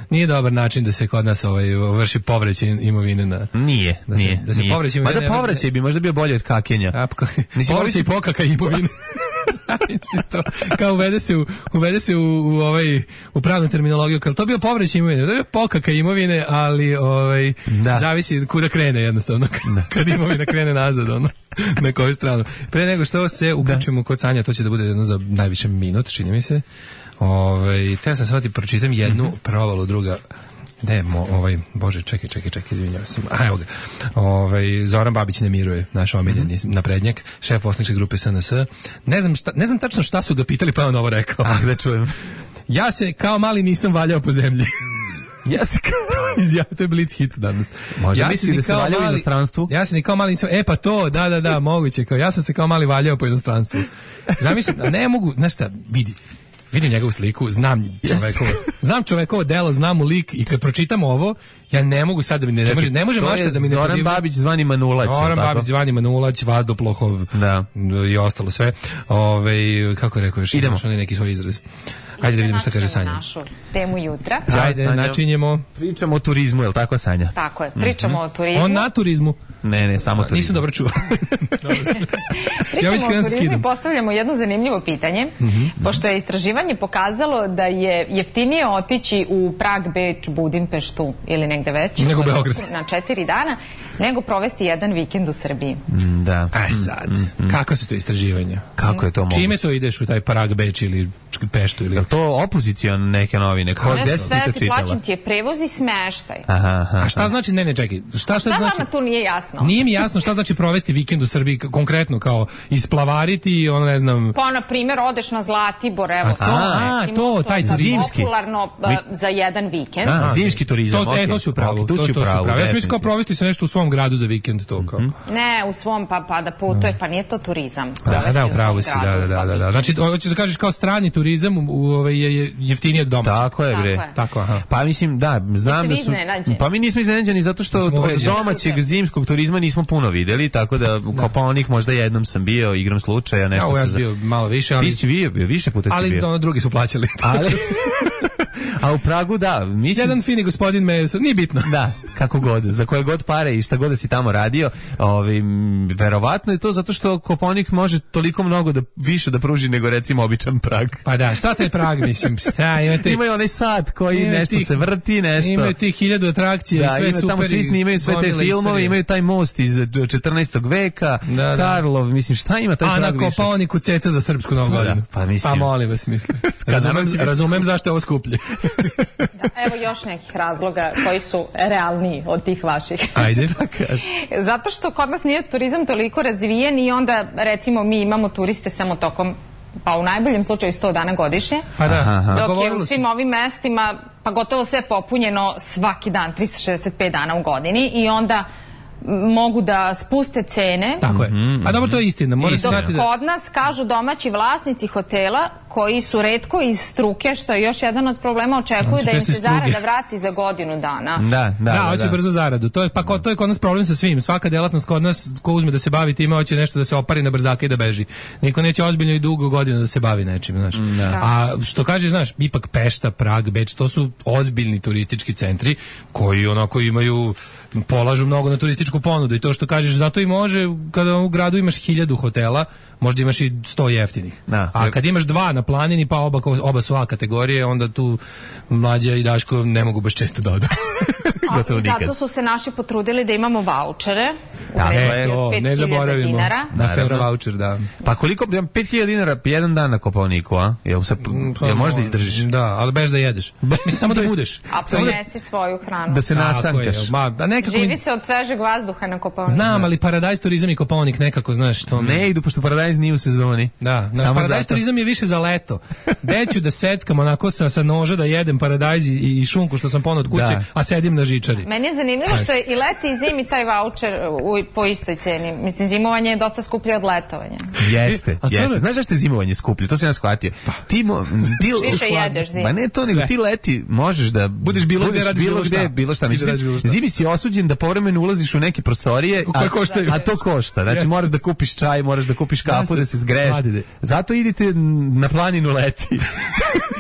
nije dobar način da se kod nas ovaj, vrši povraćaj imovine na... Nije, da se, nije. Da se nije. povraćaj imovine... Mada povraćaj bi možda bio bolje od kakenja. A, povraćaj pokaka imovine. To, kao uvede se u, uvede se u, u ovaj u pravnu terminologiju, kao to bio povraćaj imovine, to je pokaka imovine, ali ovaj da. Zavisi kuda krene jednostavno, da. Kad imovina krene nazad, ono, na koju stranu. Pre nego što se uključimo kod Sanja, to će da bude jedno za najviše minut, čini mi se. Ovaj, teo sam sad ti pročitam jednu mm-hmm. provalu, druga ne, mo, ovaj, bože, čekaj, čekaj, čekaj, izvinjavam se. A, evo ga. Ovaj, Zoran Babić ne miruje, naš omiljeni mm-hmm. naprednjak, šef poslaničke grupe S N S. Ne znam, šta, ne znam tačno šta su ga pitali, pa je on ovo rekao. Ah, da čujem. Ja se kao mali nisam valjao po zemlji. Ja se kao... Izjavio, to je Blitz hit danas. Možda ja misli da se valjao u inostranstvu? Ja se ni kao mali nisam... E pa to, da, da, da, moguće. Kao, ja sam se kao mali valjao po inostranstvu. Zamislim, ne mogu, znaš šta, vidi. Vidim njegovu sliku, znam čovekovo, znam čovekovo delo, znam mu lik i kad pročitam ovo, ja ne mogu sad da mi ne, ne može, ne može mašta da mi ne Zoran podivlja. Babić zvani Manulać. Zoran Babić zvani Manulać, Vazdoplohov, da. I ostalo sve. Ove, kako rekao još, idemo neki svoj izraz. Ajde da vidimo šta kaže Sanja. Našu temu jutra. Ajde, Sanja, načinjemo. Pričamo o turizmu, je li tako, Sanja? Tako je, pričamo mm-hmm. o turizmu. On na turizmu? Ne, ne, samo turizmu. Nisam dobro čuo. Pričamo ja o turizmu i postavljamo jedno zanimljivo pitanje, mm-hmm. pošto je istraživanje pokazalo da je jeftinije otići u Prag, Beč, Budimpeštu ili negde već. Nego Beograd. Na četiri dana, nego provesti jedan vikend u Srbiji. Mm, da. Aj sad, mm-hmm. kako su to istraživanja? Kako je to moguće? Čime to ideš u taj Prag, Beč ili Peštu? Ili... Je li to opozicion neke novine? Ko, gde si ti to čitala? Plaćam ti je prevoz i smeštaj. Aha, aha. A šta znači, ne, ne, čekaj. Šta, šta, šta znači? vama tu nije jasno? Nije mi jasno šta znači provesti vikend u Srbiji, konkretno kao isplavariti, ono ne znam... Pa, na primjer, odeš na Zlatibor, evo, a, to, a, recimo, to, taj to zimski. Popularno Vi... za jedan vikend. A, zimski turizam, to, okay. E, to si u pravu. Okay, to, to, to, to, pravu, pravu. Ja sam mislio kao provesti se nešto u svom gradu za vikend, to kao. Mm-hmm. Ne, u svom, pa, pa da putuje, pa nije to turizam. Da, da, u pravu si, da, da, da, da. Znači, hoćeš da kažeš kao strani turizam u, u, je jeftinije od domaćeg. Tako je, bre. Tako je. Tako, aha. Pa mislim, da, znam da su... Pa mi nismo iznenađeni zato što od domaćeg zimskog turizma nismo puno videli, tako da Kopaonik možda jednom sam bio, igram slučaja, nešto ja, se... Ja bio malo više, ali... Ti si bio, više puta si bio. Ali ono, drugi su plaćali. Ali... A u Pragu, da, mislim... Jedan fini gospodin me, nije bitno. Da, kako god, za koje god pare i šta god da si tamo radio, ovi, verovatno je to zato što Kopaonik može toliko mnogo da više da pruži nego recimo običan Prag. Pa da, šta taj Prag, mislim, šta, imate... Imaju onaj sat koji nešto tih, se vrti, nešto... Imaju tih hiljadu atrakcija, da, sve super. Tamo svi snimaju sve te filmove, imaju taj most iz četrnaestog veka, da, da. Karlov, mislim, šta ima taj a Prag više? A na Kopaoniku ceca za srpsku novu godinu. Pa, mislim... Pa molim vas, mislim. Razumem, razumem zašto je ovo skuplje. Da, evo još nekih razloga koji su realniji od tih vaših. Ajde. Zato što kod nas nije turizam toliko razvijen i onda recimo mi imamo turiste samo tokom, pa u najboljem slučaju sto dana godišnje. Pa da. Dok je u svim ovim mestima pa gotovo sve popunjeno svaki dan, trista šezdeset pet dana u godini i onda mogu da spuste cene. Tako je. A dobro, to je istina. Mora se znati da... Kod nas kažu domaći vlasnici hotela koji su retko iz struke, što je još jedan od problema, očekuju da im se zarada vrati za godinu dana. Da, da, da, hoće da. brzo zaradu. To je, pa ko, to je kod nas problem sa svim. Svaka delatnost kod nas, ko uzme da se bavi time, hoće nešto da se opari na brzaka i da beži. Niko neće ozbiljno i dugo godinu da se bavi nečim, znaš. Da. A što kažeš, znaš, ipak Pešta, Prag, Beč, to su ozbiljni turistički centri koji onako imaju, polažu mnogo na turističku ponudu i to što kažeš, zato i može, kada u gradu imaš hiljadu hotela, možda imaš i sto jeftinih. Da. A kad imaš dva na planini, pa oba, oba su A kategorije, onda tu Mlađa i Daško ne mogu baš često da odu. Zato su se naši potrudili da imamo vaučere u vrednosti od pet hiljada dinara. Na Feuro vaučer, da. Pa koliko, pet hiljada dinara jedan dan na Kopaoniku, a? Jel, se, jel možda izdržiš? Da, ali bez da jedeš. Mislim, samo da budeš. A ponesi svoju hranu. Da se nasankaš. Ma, da nekako... Živi se od svežeg vazduha na Kopaoniku. Znam, ali Paradise turizam i Kopaonik nekako, znaš, to... Ne idu, pošto Paradise nije u sezoni. Da, naš Paradise zato... turizam je više za leto. Deću da seckam onako sa, sa noža da jedem Paradise i, i šunku što sam ponao od kuće, da. A sedim na žičari. Meni je zanimljivo što je i leti i zimi taj voucher, po istoj ceni. Mislim, zimovanje je dosta skuplje od letovanja. Jeste, e, jeste. Znaš zašto je zimovanje skuplje? To sam ja shvatio. Ti, mo, ti više jedeš zimu. Ma ne to, nego ti leti možeš da budeš bilo budeš gde, radiš bilo, bilo šta. Bilo šta. Mislim, bilo šta. Zimi si osuđen da povremeno ulaziš u neke prostorije, a, a to košta. Znači, yes. moraš da kupiš čaj, moraš da kupiš kafu, da se zgreješ. Zato idite na planinu leti.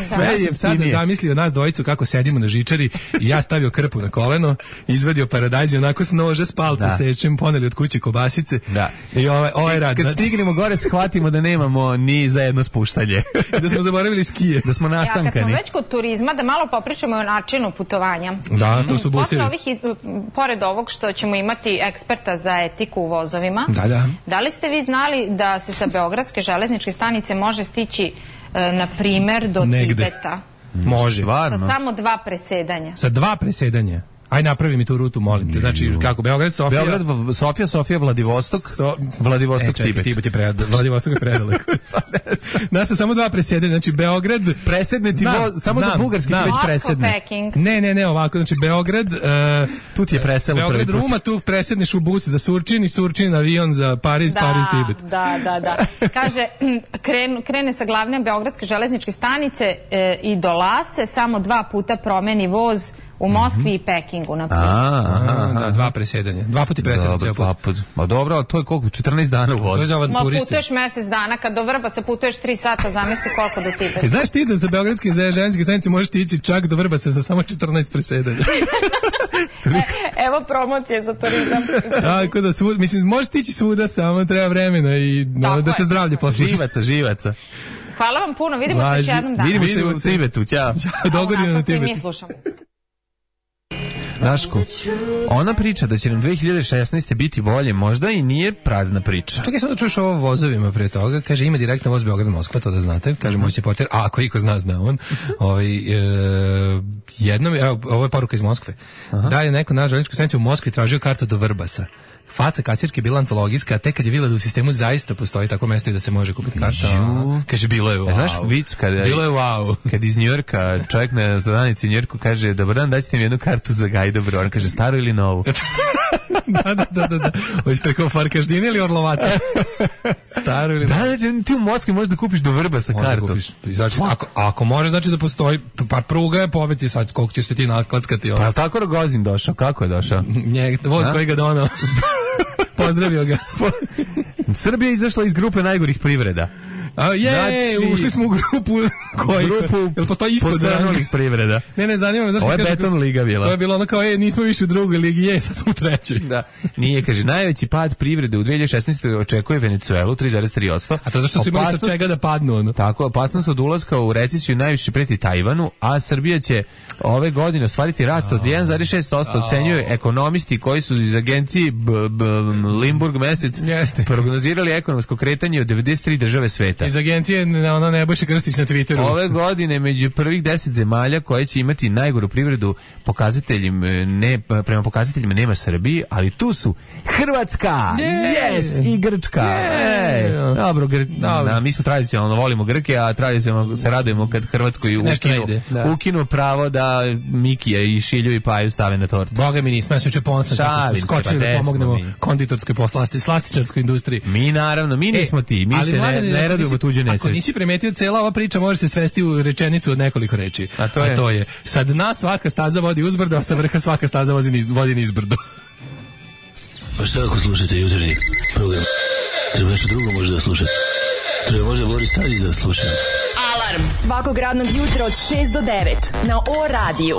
Sve ja je sad zamislio nas dvojicu kako sedimo na žičari i ja stavio krpu na koleno, izvadio paradajz i onako s nože s palca sečem, poneli od kuće kobasice. Da. I ovaj ovaj rad. Kad znači, stignemo gore shvatimo da nemamo ni za jedno spuštanje. Da smo zaboravili skije, da smo nasankani. Ja, kad smo već kod turizma, da malo popričamo o načinu putovanja. Da, to su busevi. Posle ovih, iz, pored ovog što ćemo imati eksperta za etiku u vozovima, da, da. Da li ste vi znali da se sa Beogradske železničke stanice može stići na primer do Negde. Tibeta? Može. Stvarno? Sa samo dva presedanja. Sa dva presedanja? Aj napravi mi tu rutu, molim te. Znači, kako, Beograd, Sofija... Beograd, Sofija, Sofija, Vladivostok, so, Vladivostok, e, čekaj, Tibet. Tibet je predaleko. Vladivostok je predaleko. Nas su samo dva presedanja, znači Beograd... Presednici, znam, vo, samo znam, do Bugarski već presedne. Ne, ne, ne, ovako, znači Beograd... Uh, tu ti je preselo prvi put. Beograd, Ruma, tu presedneš u bus za Surčin i Surčin avion za Pariz, da, Pariz, Tibet. Da, da, da. Kaže, kren, krene sa glavne Beogradske železničke stanice e, i do Lase, samo dva puta promeni voz u Moskvi mm-hmm. i Pekingu, na primjer. Da, dva presjedanja. Dva puti presjedanja. Dobro, dva put. Ma dobro, ali to je koliko? četrnaest dana u vozu. Ma putuješ mjesec dana, kad do Vrbasa putuješ tri sata, zamisli koliko do Tibeta. E, znaš ti da za Beogradske železničke stanice možeš ti ići čak do Vrbasa sa samo četrnaest presjedanja? e, evo promocije za turizam. Tako da, svud, mislim, možeš ti ići svuda, samo treba vremena i no, da te zdravlje posluša. Živaca, živaca. Hvala vam puno, vidimo Važi, se još jednom dana. Vidimo se u Tibetu, ćao. Dogodine na Tibetu. Mi slušamo. Daško, ona priča da će nam dve hiljade šesnaeste biti bolje, možda i nije prazna priča. Čekaj, samo da čuješ ovo vozovima pre toga. Kaže, ima direktno voz Beograd-Moskva, to da znate. Kaže, moći portir, a ako iko zna, zna on. Ovaj, e, jednom, evo, ovo je poruka iz Moskve. Aha. Da je neko na železničkoj stanici u Moskvi tražio kartu do Vrbasa. Faca kasirke je bila antologijska, a tek kad je videla da u sistemu zaista postoji tako mesto i da se može kupiti karta. A, kaže, bilo je wow. Znaš vic kada bilo je wow. Kad iz Njujorka čovjek na zadanici u Njujorku kaže, dobar dan, daćete mi jednu kartu za Gajdobro. On kaže, staru ili novu? da, da, da, da, da. Hoćeš preko Farkaždine ili Orlovata? Staru ili novu? Da, da, ti u Moskvi možeš da kupiš do Vrbasa kartu. Kupiš, znači, ako, ako možeš, znači da postoji, pa pruga je poveti sad, koliko ćeš se ti naklackati. Pa je li tako Rogozin došao? Kako je došao? Nje, voz koji ga donao. Pozdravio ga. Srbija je izašla iz grupe najgorih privreda. A je, znači, ušli smo u grupu koji grupu jel postoji ispod posrnulih privreda. Ne, ne, zanima me zašto. Ovo je beton liga bila. To je bilo ono kao, e, nismo više u drugoj ligi, je, sad smo u trećoj. Da. Nije, kaže, najveći pad privrede u dve hiljade šesnaestoj očekuje Venecuelu tri zarez tri posto. A to zašto su imali sa čega da padnu, ono? Tako, opasnost od ulaska u recesiju najviše preti Tajvanu, a Srbija će ove godine ostvariti rast od jedan zarez šest posto, ocenjuju ekonomisti koji su iz agencije B, B, Limburg mesec Jeste. prognozirali ekonomsko kretanje od devedeset tri države sveta. Iz agencije ona Nebojša Krstić na Twitteru. Ove godine među prvih deset zemalja koje će imati najgoru privredu pokazateljima, ne, prema pokazateljima nema Srbiji, ali tu su Hrvatska, yeah. yes, i Grčka. Yeah. Ej, dobro, Gr... da, mi smo tradicionalno volimo Grke, a tradicionalno se radujemo kad Hrvatskoj ukinu, ukinu pravo da Mikija i Šilju i Paju stave na tortu. Boga mi nismo, ja se uče ponosan kako smo skočili da pomognemo mi. konditorskoj poslasti, slastičarskoj industriji. Mi naravno, mi nismo e, ti, mi se ne, ne radimo tuđe nesreće. Ako nisi primetio, cela ova priča može se svesti u rečenicu od nekoliko reči. A to je, a to je sa dna svaka staza vodi uzbrdo, a sa vrha svaka staza vodi niz, vodi nizbrdo. Pa šta ako slušate jutarnji program? Treba nešto drugo možda da slušate. Treba možda Boris Tadić da sluša. Alarm svakog radnog jutra od šest do devet na O radiju.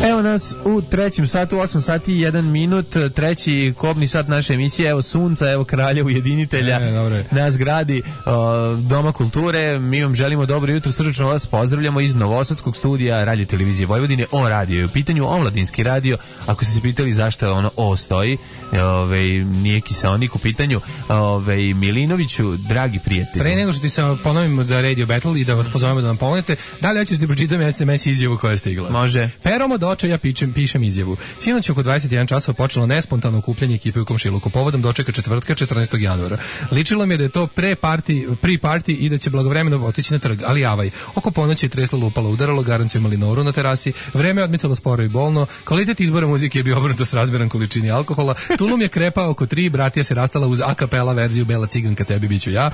Evo nas u trećem satu, osam sati i jedan minut, treći kobni sat naše emisije, evo sunca, evo kralja ujedinitelja, e, nas gradi uh, Doma kulture, mi vam želimo dobro jutro, srdačno vas pozdravljamo iz Novosadskog studija Radio Televizije Vojvodine, O radio je u pitanju, omladinski radio, ako ste se pitali zašto ono O stoji, ove, nije kiseonik u pitanju, ove, Milinoviću, dragi prijatelji. Pre nego što ti se ponovimo za Radio Battle i da vas pozovemo da nam pomognete, da li hoćete da pročitam es em es izjavu koja je stigla? Može. Peromo ploča, ja pičem, pišem izjavu. Sinoć oko dvadeset jedan časova počelo nespontano okupljanje ekipe u Komšiluku. Povodom dočeka četvrtka četrnaestog januara. Ličilo mi je da je to pre party, pre party i da će blagovremeno otići na trg, ali javaj. Oko ponoći je treslo, lupalo, udaralo, garanciju imali noru na terasi, vreme je odmicalo sporo i bolno, kvalitet izbora muzike je bio obrnuto s razmjeran količini alkohola, tulum je krepao oko tri, bratija se rastala uz a kapela verziju Bela ciganka, tebi biću ja.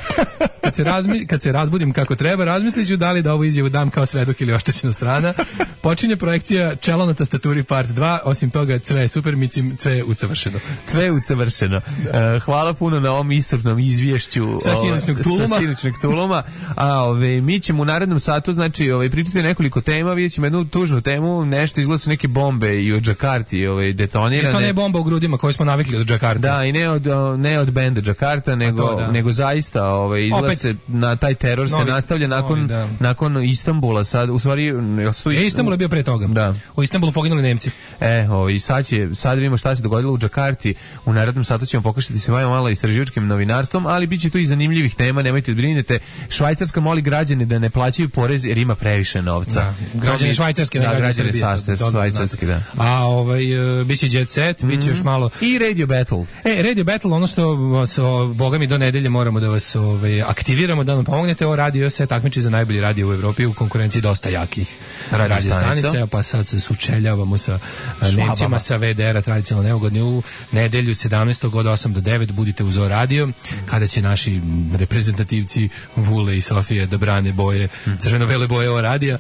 Kad se, razmi, kad se razbudim kako treba, razmisliću da li da ovu izjavu dam kao svedok ili oštećena strana. Počinje projekcija Čelo na tastaturi part dva, osim toga sve je super, micim, sve je usavršeno. Sve je usavršeno. Uh, hvala puno na ovom iscrpnom izvješću sa sinoćnog tuluma. Sa sinoćnog tuluma. A ove, mi ćemo u narednom satu, znači, ove, pričati nekoliko tema, vidjet ćemo jednu tužnu temu, nešto izgleda su neke bombe i od Džakarti ove, detonirane. Je to ne bomba u grudima koju smo navikli od Džakarta. Da, i ne od, ne od benda Džakarta, nego, to, da. nego zaista ove, izgleda Opet. se na taj teror novi, se nastavlja nakon, novi, da. nakon Istanbula. Sad, u stvari, e, Istanbul je bio pre toga. Da. U Istanbulu poginuli Nemci. E, ovaj sad će sad vidimo šta se dogodilo u Džakarti. U narednom satu ćemo pokušati se malo malo istraživačkim novinarstvom, ali biće tu i zanimljivih tema, nemojte da brinete. Švajcarska moli građane da ne plaćaju porez jer ima previše novca. Da. Građani švajcarski, da, građani sastav švajcarski, da. A ovaj uh, biće Jet Set, mm-hmm. biće još malo i Radio Battle. E, Radio Battle, ono što vas, o, boga mi do nedelje moramo da vas ovaj aktiviramo, da nam pomognete. O radio se takmiči za najbolji radio u Evropi u konkurenciji dosta jakih radio, radio stanice, pa sad se sučeljavamo sa Švabama. Nemcima sa V D R-a tradicionalno neugodni u nedelju sedamnaestog od osam do devet budite uz O radio, kada će naši reprezentativci Vule i Sofije da brane boje, crveno-bele boje O radija.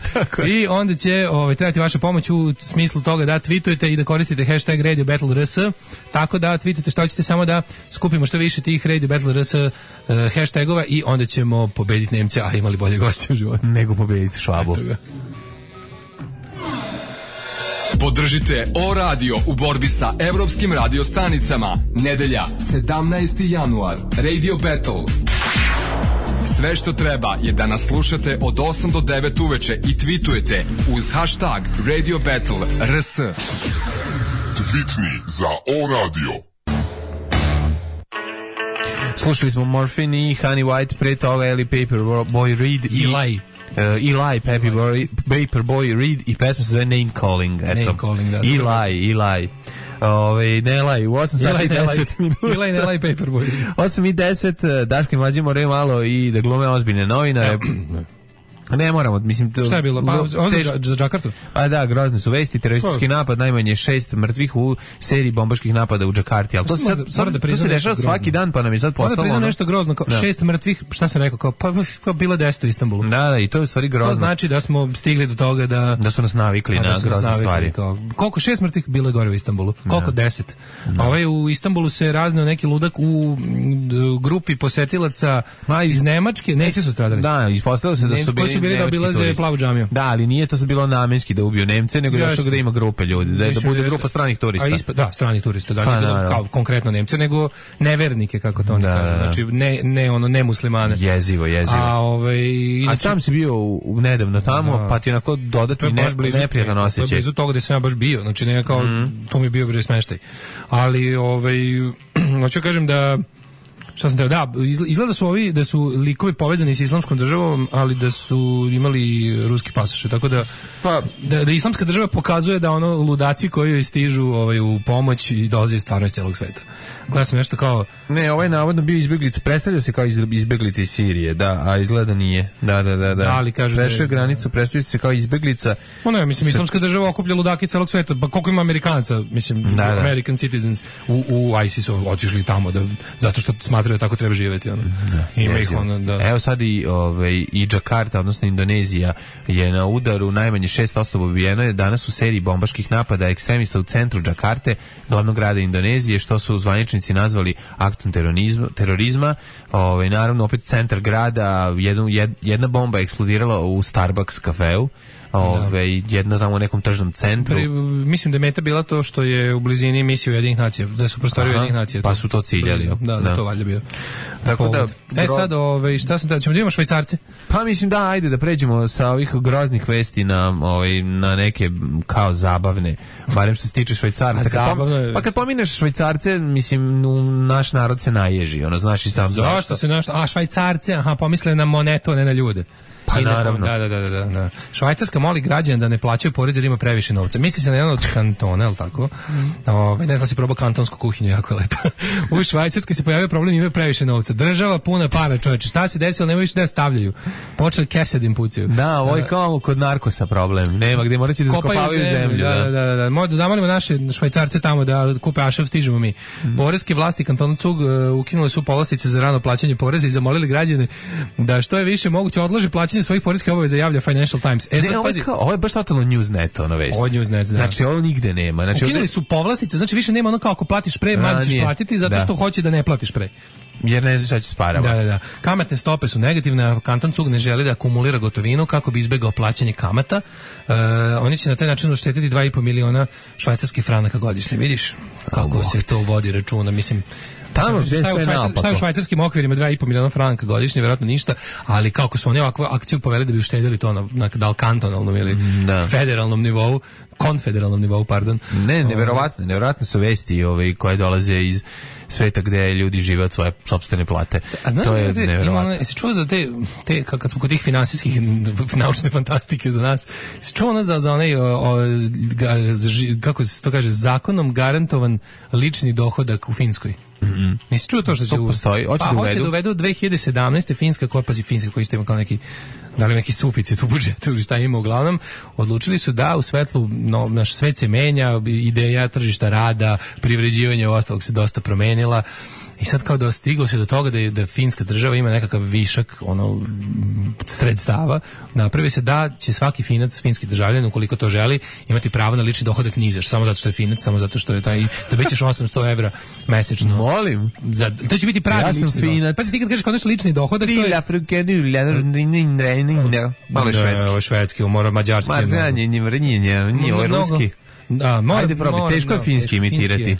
I onda će ovaj, trebati vaša pomoć u smislu toga da tweetujete i da koristite hashtag Radio Battle R S, tako da tweetujete što ćete, samo da skupimo što više tih Radio Battle R S uh, hashtagova i onda ćemo pobediti Nemce, a imali bolje goste u životu. Nego pobediti Švabu. Podržite O radio u borbi sa evropskim radiostanicama. Nedelja, sedamnaesti januar. Radio Battle. Sve što treba je da nas slušate od osam do devet uveče i tweetujete uz hashtag Radio Battle R S. Tweetni za O radio. Slušali smo Morphine i Honey White, pre toga Eli Paperboy Reed i Eli. Uh, Eli, Paperboy, Paperboy Reed i pesma se zove Name Calling. Eto. Name Calling, da. Eli, Eli. Ove, ne laj, u osam sati i deset minuta. Ili ne laj Paperboy. osam i deset, Daško i Mlađe moraju malo i da glume ozbiljne novinare. Ne moramo, mislim... Šta je bilo? Pa, teš... za Džakartu? Pa da, grozne su vesti, teroristički to... napad, najmanje šest mrtvih u seriji bombaških napada u Džakarti, ali to se, sad, sad, da to se dešava svaki dan, pa nam je sad postalo... Moram da priznam nešto grozno, kao da. šest mrtvih, šta sam rekao, kao, pa, pa bilo deset u Istanbulu. Da, da, i to je u stvari grozno. To znači da smo stigli do toga da... Da su nas navikli da, na da grozne navikli, stvari. Kao, koliko šest mrtvih bilo je gore u Istanbulu? Koliko da. deset? Da. Ovaj, u Istanbulu se razneo neki ludak u grupi posetilaca Ma, iz Nemačke, Nemci su stradali. Da, ispostavilo se da su bili nemački plavu džamiju. Da, ali nije to sad bilo namenski da ubiju Nemce, nego još da ima grupe ljudi, da, da bude grupa stranih turista. A ispa, da, stranih turista, da, pa, da, kao konkretno Nemce, nego nevernike, kako to oni da, kažu. Znači, ne, ne, ono, ne muslimane. Jezivo, jezivo. A, ovaj, inači, a sam si bio u, u nedavno tamo, da, pa ti onako dodatno ne, neprijatan osjećaj. To je blizu toga gde sam ja baš bio, znači ne kao, mm. to mi je bio bre smeštaj. Ali, ovaj, hoću kažem da šta sam teo, da, izgleda su ovi, da su likovi povezani s islamskom državom, ali da su imali ruski pasoše, tako da, pa, da, da islamska država pokazuje da ono ludaci koji joj stižu ovaj, u pomoć i dolaze stvarno iz celog sveta. Gledao sam nešto kao... Ne, ovaj navodno bio izbeglica, predstavlja se kao izbeglica iz Sirije, da, a izgleda nije. Da, da, da, da. da ali kaže prešao je granicu, predstavlja se kao izbeglica. Ono je, mislim, islamska država okuplja ludaki celog sveta, pa koliko ima Amerikanaca, mislim, da, da. American citizens u, u ISIS-u otišli tamo, da, zato što smatraju da tako treba živjeti. Ono. Da, ima ih ono, da. Evo sad i, ovaj, i Džakarta, odnosno Indonezija, je na udaru, najmanje šest osoba ubijeno je danas u seriji bombaških napada ekstremista u centru Džakarte, glavnog grada Indonezije, što su zvaničnici nazvali aktom terorizma. terorizma. Ovaj, naravno, opet centar grada, jednu, jedna bomba je eksplodirala u Starbucks kafeu. Ove, jedno tamo u nekom tržnom centru. Pri, mislim da je meta bila to što je u blizini misije Ujedinjenih nacija, da su prostorije Ujedinjenih nacija. Pa su to ciljali. Da, da, da, to valjda bio. Tako da, e sad, ove, šta sam da, ćemo da imamo Švajcarce? Pa mislim da, ajde da pređemo sa ovih groznih vesti na, ovaj, na neke kao zabavne, barem što se tiče Švajcarca. Zabavno je. Pa kad pomineš Švajcarce, mislim, naš narod se naježi, ono, znaš i sam zašto. Zašto se naš, a Švajcarce, aha, pomisle na monetu, ne na ljude. Pa I naravno. Da, da, da, da, da. Švajcarska moli građane da ne plaćaju porez jer ima previše novca. Misli se na jedan od kantona, je li tako? Ove, ne znam si probao kantonsku kuhinju, jako je lepa. U Švajcarskoj se pojavio problem, imaju previše novca. Država puna para, čoveče. Šta se desilo? Nemaju više da stavljaju. Počeli kese da im pucaju. Da, ovo je kao kod narkosa problem. Nema gde, morat će da zakopavaju zemlju. Da, da, da, da. Možda zamolimo naše Švajcarce tamo da kupe ašav, stižemo mi. Mm. Poreske vlasti kantona Cug uh, ukinule su povlastice za rano plaćanje poreza i zamolili građane da što je više moguće odlože plaćanje svojih poreskih obaveza, javlja Financial Times. E, sad, ne, ovo, je kao, ovo je baš totalno Newsnet, ono vest. Ovo je Newsnet, da. Znači, ovo nigde nema. Znači, ukinuli ovdje... su povlastice, znači više nema ono kao ako platiš pre, manje ćeš platiti zato što da. hoće da ne platiš pre. Jer ne znaš šta će s parama. Da, da, da. Kamatne stope su negativne, a kanton Cug ne želi da akumulira gotovinu kako bi izbegao plaćanje kamata. E, oni će na taj način uštetiti dva i po miliona švajcarskih franaka godišnje. Vidiš kako oh, se to vodi računa, mislim... Tamo gdje je sve naopako. Šta je u švajcarskim okvirima dva i po miliona franaka godišnje, vjerojatno ništa, ali kako su oni ovakvu akciju poveli da bi uštedili to na, na da li kantonalnom ili da. federalnom nivou, konfederalnom nivou, pardon. Ne, neverovatno, neverovatno su vesti ove, koje dolaze iz sveta gde ljudi žive od svoje sopstvene plate. A znam, to je te, neverovatno. Jesi čuo za te, te, kad smo kod tih finansijskih naučne fantastike za nas, jesi čuo ono za, za onaj, o, o, kako se to kaže, zakonom garantovan lični dohodak u Finskoj? Mm-hmm. Nisi čuo to što će to postoji? Hoće pa, da uvedu? Hoće da uvedu dve hiljade sedamnaeste Finska, koja pazi Finska koji isto ima kao neki da li neki suficit u budžetu ili šta ima, uglavnom odlučili su da u svetlu no, naš svet se menja, ideja tržišta rada, privređivanje ostalog se dosta promenila i sad kao da stiglo se do toga da je da finska država ima nekakav višak ono sredstava, napravi se da će svaki Finac, finski državljanin ukoliko to želi imati pravo na lični dohodak nizaš, samo zato što je Finac, samo zato što je taj dobićeš osamsto evra mesečno. Molim. Za, to će biti pravi ja lični dohodak. Pa ti kad kažeš kao nešto lični dohodak, to je malo švedski. Ovo švedski, mora mađarski. Mađanje, nije vrnjenje, nije ovo ruski. Da, mora, ajde probi, teško je finski imitirati.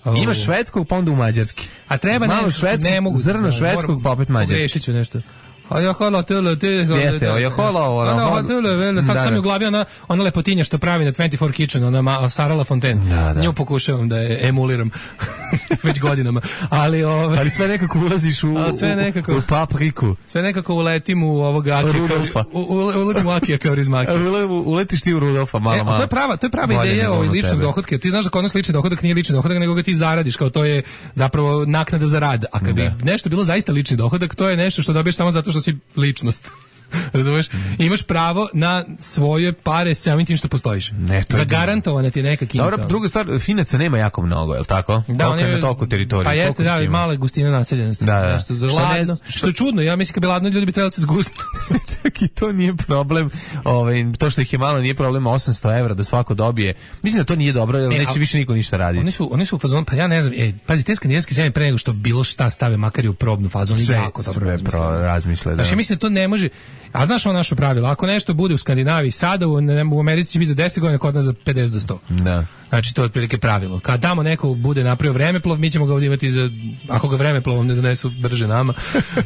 Oh. Imaš švedskog, pa onda u mađarski. A treba malo ne, švedskog, ne mogu, zrno švedskog, pa opet mađarski. Pogrešit ću nešto. A ja hola tele te jeste, a ja hola ona tele, sad sam mi u glavi ona ona lepotinja što pravi na dvadeset četiri Kitchen, ona Sara LaFontaine. Da, da. Nju pokušavam da je emuliram već godinama, ali ovaj ali sve nekako ulaziš u sve nekako u, u papriku. Sve nekako uletim u ovog Akija, u uletim u Akija kao Rizmaki. Uletiš ti u Rudolfa malo malo. To je prava, to je prava ideja o ličnom dohotku. Ti znaš da kod nas lični dohodak nije lični dohodak, nego ga ti zaradiš, kao to je zapravo naknada za rad. A kad bi nešto bilo zaista lični dohodak, to je nešto što dobiješ samo zato što si ličnost. Razumeš? Mm. Imaš pravo na svoje pare samim tim što postojiš. Ne, zagarantovana ti je neka kinta. Dobro, druga stvar, Finaca nema jako mnogo, je li tako? Da, on je na toliko teritoriju. Pa jeste, da, i mala gustina naseljenosti. Da, da. Što, što, ladno, što, što je čudno, ja mislim kad bi ladno ljudi bi trebali se zgusiti. Čak i to nije problem. Ovaj, to što ih je malo nije problem, osamsto evra da svako dobije. Mislim da to nije dobro, jer ne, neće a, više niko ništa raditi. Oni su, oni su u fazonu, pa ja ne znam, ej, pazi, te skandinavske zemlje pre nego što bilo šta stave makar i u probnu fazu, oni jako dobro razmisle. razmisle da. Znači, mislim da to ne može. A znaš ono naše pravilo, ako nešto bude u Skandinaviji sada, u, u Americi će biti za deset godina, kod nas za pedeset do sto. Da. Znači to je otprilike pravilo. Kad tamo neko bude napravio vremeplov, mi ćemo ga ovdje imati za, ako ga vremeplovom ne donesu brže nama.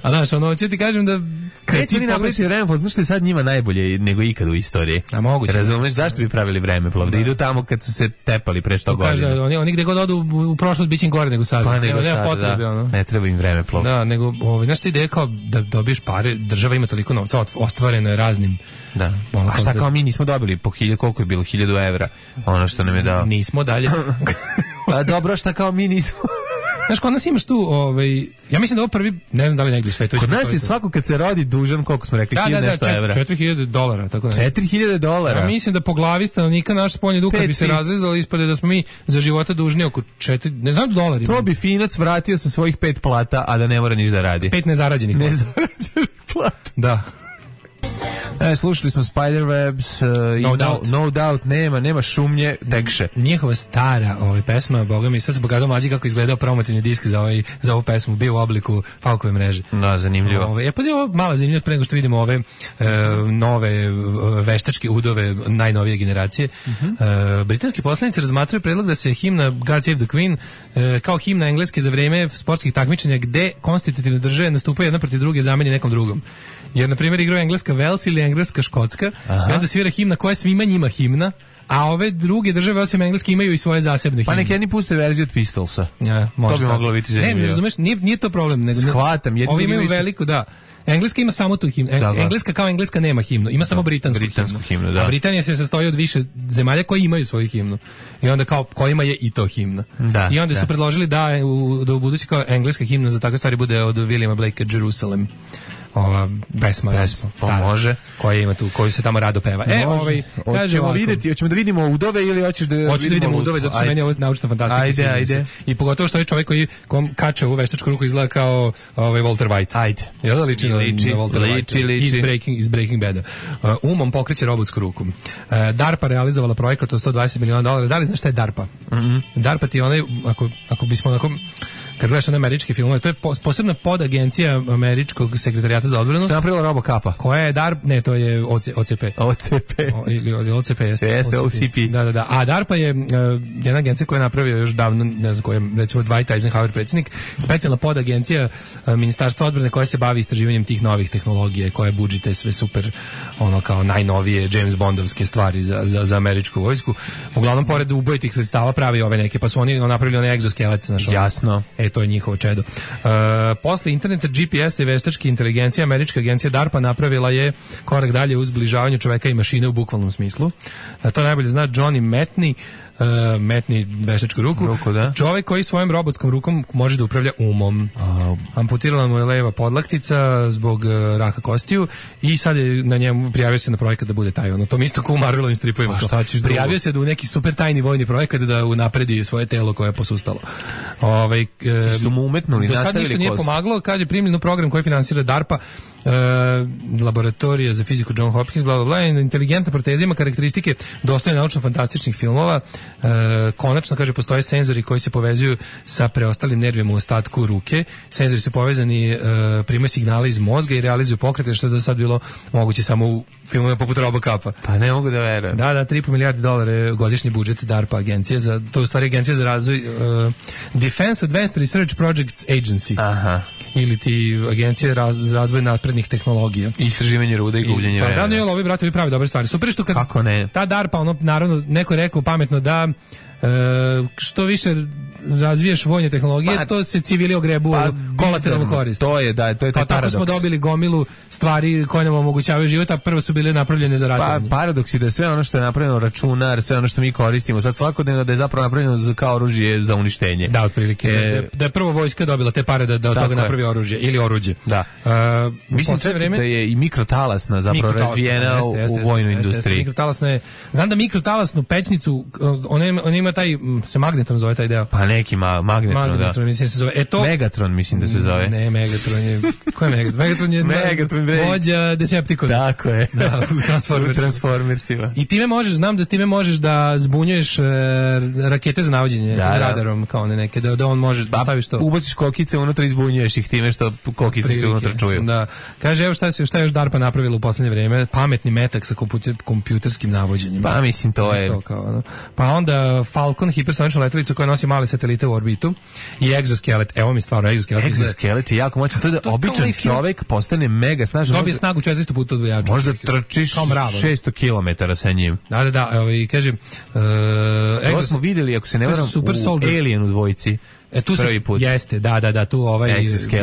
A znaš, ono, ću ti kažem da kad ti napraviš vremeplov, znaš što je sad njima najbolje nego ikad u istoriji. A moguće. Razumeš zašto bi pravili vremeplov? Da, da idu tamo kad su se tepali pre sto godina. Kaže, oni, oni gde god odu u, u prošlost biće im gore nego sad. Pa nego nema sad, potrebe, da. Ono. Ne treba im vremeplov. Da, nego, ovaj, znaš ti ideja kao da dobiješ pare, država ima toliko novca, ostvareno je raznim. Da. A šta kao mi nismo dobili po hiljadu, koliko je bilo, hiljadu evra, ono što nam je dao. Nismo dalje. Pa dobro, šta kao mi nismo. Znaš, kod nas imaš tu, ovaj, ja mislim da ovo prvi, ne znam da li negdje u svetu. Kod nas je svako kad se rodi dužan, koliko smo rekli, da, hiljadu da, da, nešto čet, evra. četiri hiljade dolara, tako da. Četiri hiljade dolara? Ja mislim da po glavi stanovnika naš spoljni dug, kad bi se razrezali, ispade da smo mi za života dužni oko četiri, ne znam dolara. To bi Finac vratio sa svojih pet plata, a da ne mora niš da radi. Pet nezarađenih plata. Nezarađenih plata. Da. E, slušali smo Spiderwebs uh, no, i doubt. No, no Doubt, nema, nema šumnje, tekše. Njihova stara ovaj, pesma, boga mi, sad se pokazao mlađi kako izgledao promotivni disk za, ovaj, za ovu pesmu, bio u obliku Falkove mreže. Da, zanimljivo. Ove, ja pazi, ovo mala zanimljivo, pre nego što vidimo ove e, nove veštačke udove najnovije generacije. Uh-huh. E, britanski poslanici razmatraju predlog da se himna God Save the Queen e, kao himna engleske za vreme sportskih takmičenja gde konstitutivne države nastupaju jedna protiv druge zameni nekom drugom. Jer, na primjer, igraju engleska Wales ili engleska Škotska, i onda svira himna koja je svima njima himna, a ove druge države osim engleske imaju i svoje zasebne himne. Pa neki jedni puste verziju od Pistolsa. Ja, to bi moglo biti zanimljivo. Ne, ne razumeš, nije, nije to problem. Nego, shvatam. Ovi imaju veliku, da. Engleska ima samo tu himnu. Da, da. Engleska kao Engleska nema himnu, ima samo britansku, britansku himnu. himnu Da. A Britanija se sastoji od više zemalja koji imaju svoju himnu. I onda kao kojima je i to himna. Da, I onda da. su predložili da u, da u budući kao engleska himna za takve stvari bude od Williama Blakea Jerusalem. Ova pesma, pesma stara, može, koja ima tu, koju se tamo rado peva. E, ovaj kaže hoćemo videti, hoćemo da vidimo udove ili hoćeš da hoćeš da vidimo udove, zato što meni je ovo naučna fantastika. Ajde, ajde. I pogotovo što je čovjek koji kom kače u veštačku ruku izgleda kao ovaj Walter White. Ajde. Jel da liči na liči, Walter liči, White? liči. Iz Breaking, iz Breaking Bada. Uh, umom pokreće robotsku ruku. Uh, DARPA realizovala projekat od sto dvadeset miliona dolara. Da li znaš šta je DARPA? Mm -hmm. DARPA ti je onaj, ako, ako bismo onako kad gledaš na američke filmove, to je posebna podagencija američkog sekretarijata za odbranu. Šta je napravila RoboCapa? Koja je DARPA? Ne, to je O C P. O C P. O, ili, ili O C P jeste. Jeste O C P. Da, da, da. A DARPA je uh, jedna agencija koja je napravio još davno, ne znam, koja je recimo Dwight Eisenhower predsjednik, specijalna podagencija uh, Ministarstva odbrane koja se bavi istraživanjem tih novih tehnologija, koja budžite sve super, ono kao najnovije James Bondovske stvari za, za, za američku vojsku. Uglavnom, pored ubojitih sredstava pravi ove neke, pa su oni napravili onaj egzoskelet. Znaš, jasno. E, to je njihovo čedo. Uh, posle interneta, G P S i veštačke inteligencije, američka agencija DARPA napravila je korak dalje u zbližavanju čoveka i mašine u bukvalnom smislu. Uh, to najbolje zna Johnny Metney, Uh, metni veštačku ruku. Ruku, da. Čovjek koji svojom robotskom rukom može da upravlja umom. A, amputirala mu je leva podlaktica zbog uh, raka kostiju i sad je na njemu prijavio se na projekat da bude taj ono. To mi isto kao u Marvelovim stripovima. Šta ćeš prijavio drugo? se da u neki super tajni vojni projekat da unapredi svoje telo koje je posustalo. Ovaj uh, su mu umetnuli, do sad nastavili ništa nije kost. pomagalo kad je primljen u program koji finansira DARPA, Uh, laboratorija za fiziku John Hopkins, bla bla bla, inteligentna proteza ima karakteristike dostojne naučno-fantastičnih filmova. Uh, konačno, kaže, postoje senzori koji se povezuju sa preostalim nervima u ostatku ruke. Senzori su povezani, uh, primaju signale iz mozga i realizuju pokrete, što je do sad bilo moguće samo u filmovima poput RoboCapa. Pa ne mogu da verujem. Da, da, tri i po milijarde dolara je godišnji budžet DARPA agencije, za, to je u stvari agencija za razvoj uh, Defense Advanced Research Projects Agency. Aha. Ili ti agencija raz, za razvoj naprednih tehnologija. Istraživanje ruda i gubljenje vremena. Pa da, ne, ovi brate, ovi pravi dobre stvari. Super što kad kako ne? Ta DARPA, ono, naravno, neko je rekao pametno da e, što više razviješ vojne tehnologije, pa, to se civili ogrebu pa, kolateralnu korist. To je, da, to je taj pa, paradoks. Tako smo dobili gomilu stvari koje nam omogućavaju život, a prvo su bile napravljene za ratovanje. Pa, paradoks je da sve ono što je napravljeno računar, sve ono što mi koristimo sad svakodnevno da je zapravo napravljeno za, kao oružje za uništenje. Da, otprilike. E, da, da je prvo vojska dobila te pare da, da od toga napravi oružje ili oruđe. Da. Uh, Mislim čak vreme, da je i mikrotalasna zapravo mikrotalasna, razvijena jeste, jeste, u vojnoj jeste, industriji. Jeste, mikrotalasna je, znam da mikrotalasnu pećnicu, ona ima, ona ima taj, se magnetron zove taj deo. Pa neki ma, magnetron, magnetron da. Mislim se zove. E to, Megatron mislim da se zove. Ne, Megatron je, ko je Megatron? Megatron je Megatron vođa Decepticon. Tako je. Da, u Transformers. U Transformersima. I time možeš, znam da time možeš da zbunjuješ e, rakete za navođenje da, radarom, kao ne neke, da, da on može da staviš to. Ubaciš kokice unutra i zbunjuješ ih time što kokice se unutra čuju. Da. Kaže, evo šta, se, šta je još DARPA napravila u poslednje vreme, pametni metak sa kompjuter, kompjuterskim navođenjem. Pa mislim, to je. Kao, no. Pa onda Falcon, hipersonična letelica koja nosi male satelite u orbitu i egzoskelet, evo mi stvarno egzoskelet. Egzoskelet je jako moćan, to je da običan čovek postane mega snažan. Dobije snagu četiristo puta od vojača. Možda trčiš šesto kilometara sa njim. Da, da, da, evo i kažem, uh, to smo videli, ako se ne varam, u Alien u dvojici. E, tu prvi put. Jeste, da, da, da, tu ovaj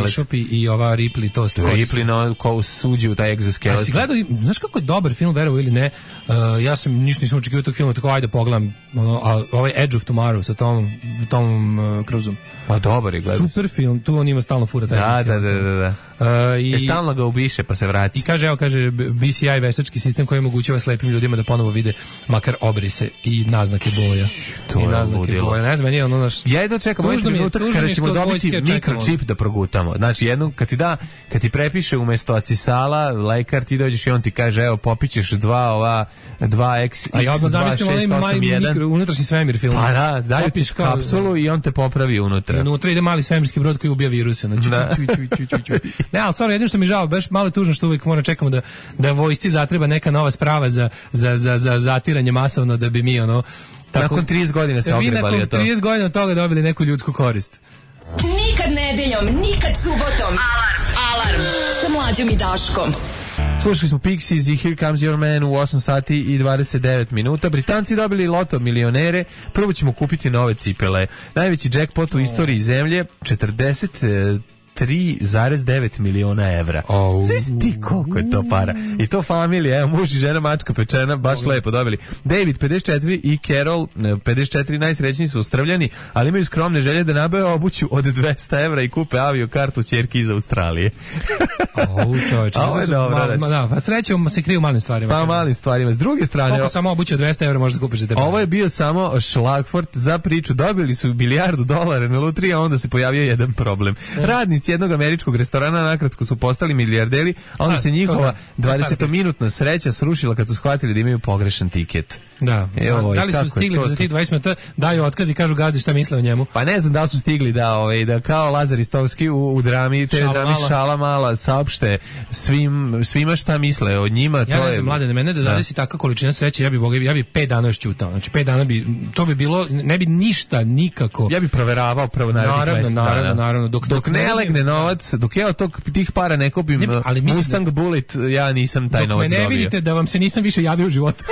Bishop i, i ova Ripley to ste Ripley no, ko suđi u taj egzoskelet. A si gledao, znaš kako je dobar film, verovo ili ne, uh, ja sam ništa nisam očekivao tog filma, tako ajde pogledam, ono, a, ovaj Edge of Tomorrow sa Tomom, Tomom uh, Cruiseom. Pa dobar je, gledaš. Super film, tu on ima stalno fura taj. Da, da, da, da, da. Uh, i, e, stalno ga ubiše pa se vrati. I kaže, evo, kaže, B C I veštački sistem koji omogućava slepim ljudima da ponovo vide makar obrise i naznake boja. To I naznake budilo. boja. Ne znam, nije ono naš... Ja jedno čekam ovaj trenutak kada ćemo dobiti mikročip da progutamo. Znači, jednu, kad ti da, kad ti prepiše umesto acisala, lekar, ti dođeš i on ti kaže, evo, popićeš dva ova, dva X, a ja odmah zamislim onaj mali mikro, unutrašnji svemir film. Pa da, daju ti kapsulu i on te popravi unutra. Unutra ide mali svemirski brod koji ubija viruse. Znači, da. ču, ču, ču, ču, ču. Ne, ali stvarno, jedino što mi žao, baš malo tužno što uvijek moramo čekamo da, da vojsci zatreba neka nova sprava za, za, za, za zatiranje masovno da bi mi ono... Tako, nakon trideset godina se ogrebali to. Vi nakon trideset godina od toga dobili neku ljudsku korist. Nikad nedeljom, nikad subotom. Alarm, alarm, sa Mlađom i Daškom. Slušali smo Pixies i Here Comes Your Man u osam sati i dvadeset devet minuta. Britanci dobili loto milionere. Prvo ćemo kupiti nove cipele. Najveći jackpot u istoriji zemlje, četrdeset tri zarez devet miliona evra. Oh. Znaš ti koliko je to para? I to familija, evo, muž i žena, mačka pečena, baš oh. lepo dobili. David, pedeset četiri, i Carol, pedeset četiri, najsrećniji su Australjani, ali imaju skromne želje da nabave obuću od dvesta evra i kupe avio kartu ćerki iz Australije. Au, čovječe. Ovo je dobro, ma, ma, da, pa srećom se kriju malim stvarima. Pa malim stvarima. S druge strane... Koliko samo obuće od dvesta evra možda kupiš za tebe? Ovo je bio samo šlagfort za priču. Dobili su milijardu dolara na lutriji, a onda se pojavio jedan problem. Radnici jednog američkog restorana nakratko su postali milijarderi, a onda a, se njihova dvadesetominutna sreća srušila kad su shvatili da imaju pogrešan tiket. Da. Evo, da li su stigli za tih dvadeset minuta, daju otkaz i kažu gazdi šta misle o njemu? Pa ne znam da li su stigli da, ovaj, da kao Lazar Istovski u, u drami, te šala drami mala. Šala mala saopšte svim, svima šta misle o njima. Ja to ne je, znam, mlade, na mene da zadesi da. Taka količina sreće, ja bi, boga, ja bi pet dana još ćutao. Znači, pet dana bi, to bi bilo, ne bi ništa, nikako. Ja bi proveravao prvo narednih naravno, mesec naravno, dana. naravno. Dok, dok, dok ne legne novac, dok ja od tog, tih para ne kupim ne, ali Mustang da, Bullet, ja nisam taj novac dobio. Dok me ne dobio. vidite da vam se nisam više javio u životu.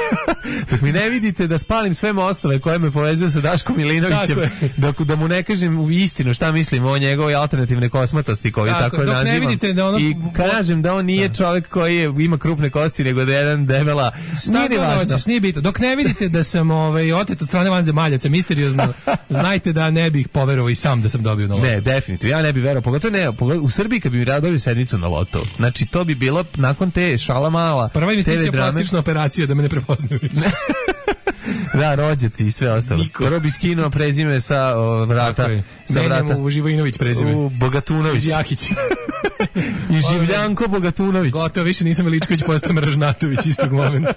Dok mi ne vidite da spalim sve mostove koje me povezuju sa Daškom Milinovićem, dok da mu ne kažem istinu šta mislim o njegovoj alternativne kosmatosti koju tako, tako nazivam. Da ono, i kažem da on nije da. čovjek koji je, ima krupne kosti, nego da je jedan debela. Šta nije hoćeš, nije bitno. Dok ne vidite da sam ovaj, otet od strane vanzemaljaca misteriozno, znajte da ne bih poverovao i sam da sam dobio na lotu. Ne, definitivno. Ja ne bih verovao. Pogotovo ne, pogotovo u Srbiji kad bi mi dobio sedmicu na lotu. Znači, to bi bilo nakon te Šala mala. Prva investicija plastična operacija da me ne prepoznaju. Da, rođaci i sve ostalo. Prvo bi skinuo prezime sa o, vrata. Sa vrata. U Živojinović prezime. U Bogatunović. Iz Jahić. I Življanko Bogatunović. Gotovo, više nisam Veličković, postao Mražnatović istog momenta.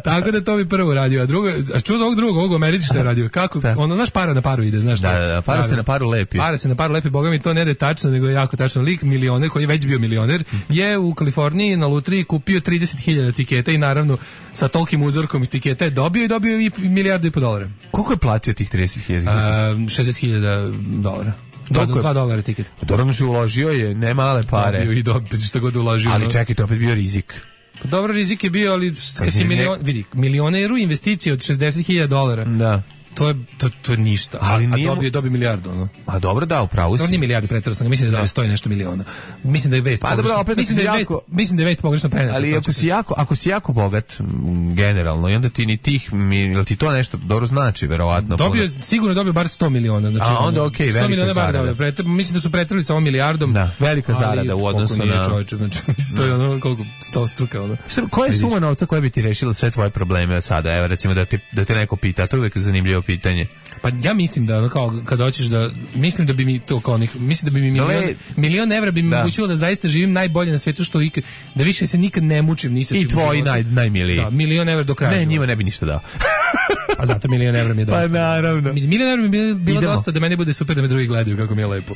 Tako da to bi prvo radio, a drugo, a čuo za ovog drugog, ovog Americi što je radio, kako, šta? Ono, znaš, para na paru ide, znaš da, da, da, para Pravi. se na paru lepi. Para se na paru lepi, boga mi to ne da je tačno, nego je jako tačno. Lik milioner, koji je već bio milioner, je u Kaliforniji na lutriji kupio trideset hiljada tiketa i naravno sa tolikim uzorkom tiketa je dobio i dobio i milijardu i po dolara. Koliko je platio tih trideset hiljada? šezdeset hiljada dolara. dva dolara tiket. Dobro mu se uložio je, ne male pare. Dobio i dobio, šta god uložio. Ali čekaj, to opet bio rizik. Pa dobro, rizik je bio, ali kad si milion, vidi, milioneru investicije od šezdeset hiljada dolara. Da. To je to to je ništa. Ali a, a dobio dobio milijardu, ono. A dobro, da, upravo si. To nije milijardu, preterao sam, mislim da da stoji nešto miliona. Mislim da je vest. Pa dobro, opet mislim da je vest, mislim da je vest pogrešno preneta. Ali ako si jako, ako si jako bogat generalno, i onda ti ni tih, jel ti to nešto dobro znači, verovatno. Dobio, sigurno dobio bar sto miliona, znači. A onda okej, okay, velika zarada. Preter, mislim da su preterali sa ovom milijardom. Da, velika zarada u odnosu na čovječe, znači to je ono koliko sto struka, ono. Koja je suma novca koja bi ti rešila sve tvoje probleme od sada? Evo recimo da te da te neko pita, to je uvek zanimljivo pitanje. Pa ja mislim da ono kao kad hoćeš da mislim da bi mi to kao onih, mislim da bi mi milion, Dole, milion evra bi mi da. omogućilo da zaista živim najbolje na svetu što ikad, da više se nikad ne mučim ni sa čim. I tvoji naj, najmiliji. Da, milion evra do kraja. Ne, njima ne bi ništa dao. A zato milion evra mi je dosta. Pa naravno. Milion evra mi je bilo dosta da meni bude super da me drugi gledaju kako mi je lepo.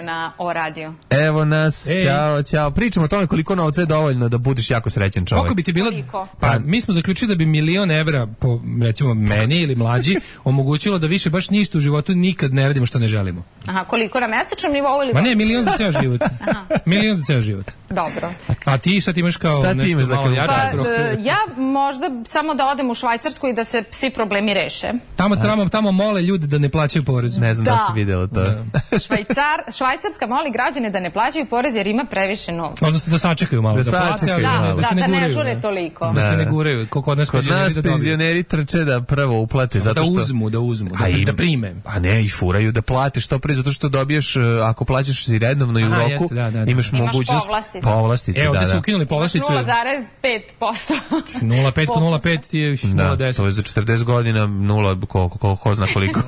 Na O radio. Evo nas, Ej. Ćao, ćao. Pričamo o tome koliko novca je dovoljno da budeš jako srećan čovjek. Koliko bi ti bilo? Koliko? Pa mi smo zaključili da bi milion evra po recimo meni ili mlađi omogućilo da više baš ništa u životu nikad ne radimo što ne želimo. Aha, koliko na mesečnom nivou ili? Ma ne, milion za ceo život. Aha. Milion za ceo život. Dobro. A ti šta ti imaš kao šta nešto imaš malo jače? Pa, ja možda samo da odem u Švajcarsku i da se svi problemi reše. Tamo tamo tamo mole ljude da ne plaćaju porez. Ne znam da, da si videla to. Da. Švajcar, Švajcarska moli građane da ne plaćaju porez jer ima previše novca. Odnosno da sačekaju malo, da, da plate, ali da, da, da, se ne da guraju. Ne žure toliko. Da, da se ne guraju. Kod nas kod nas penzioneri trče da prvo uplate zato što da uzmu, da uzmu, da, im, da prime. A ne, i furaju da plate što pre zato što dobiješ ako plaćaš si redovno i u Aha, roku, jeste, da, da, da. imaš mogućnost povlastice. Evo, da, da da. su ukinuli povlasticu nula zarez pet posto. nula zarez pet po nula zarez pet je nula zarez deset. Da, to je za četrdeset godina nula, ko, ko, ko zna koliko.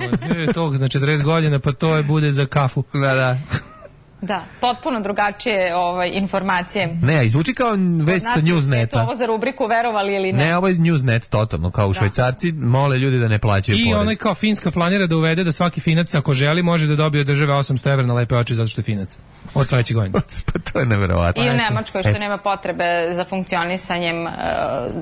To za četrdeset godina, pa to je bude za kafu. Da, da. Da, potpuno drugačije ovaj, informacije. Ne, izvuči kao vest sa Newsneta. Ovo za rubriku verovali ili ne? Ne, ovo je Newsnet totalno, kao u da. Švajcarci mole ljudi da ne plaćaju I porez. I onaj kao Finska planira da uvede da svaki Finac ako želi može da dobije od države osamsto evra na lepe oči zato što je Finac. Od sledeće godine. Pa to je neverovatno. I u Nemačkoj što e. nema potrebe za funkcionisanjem uh,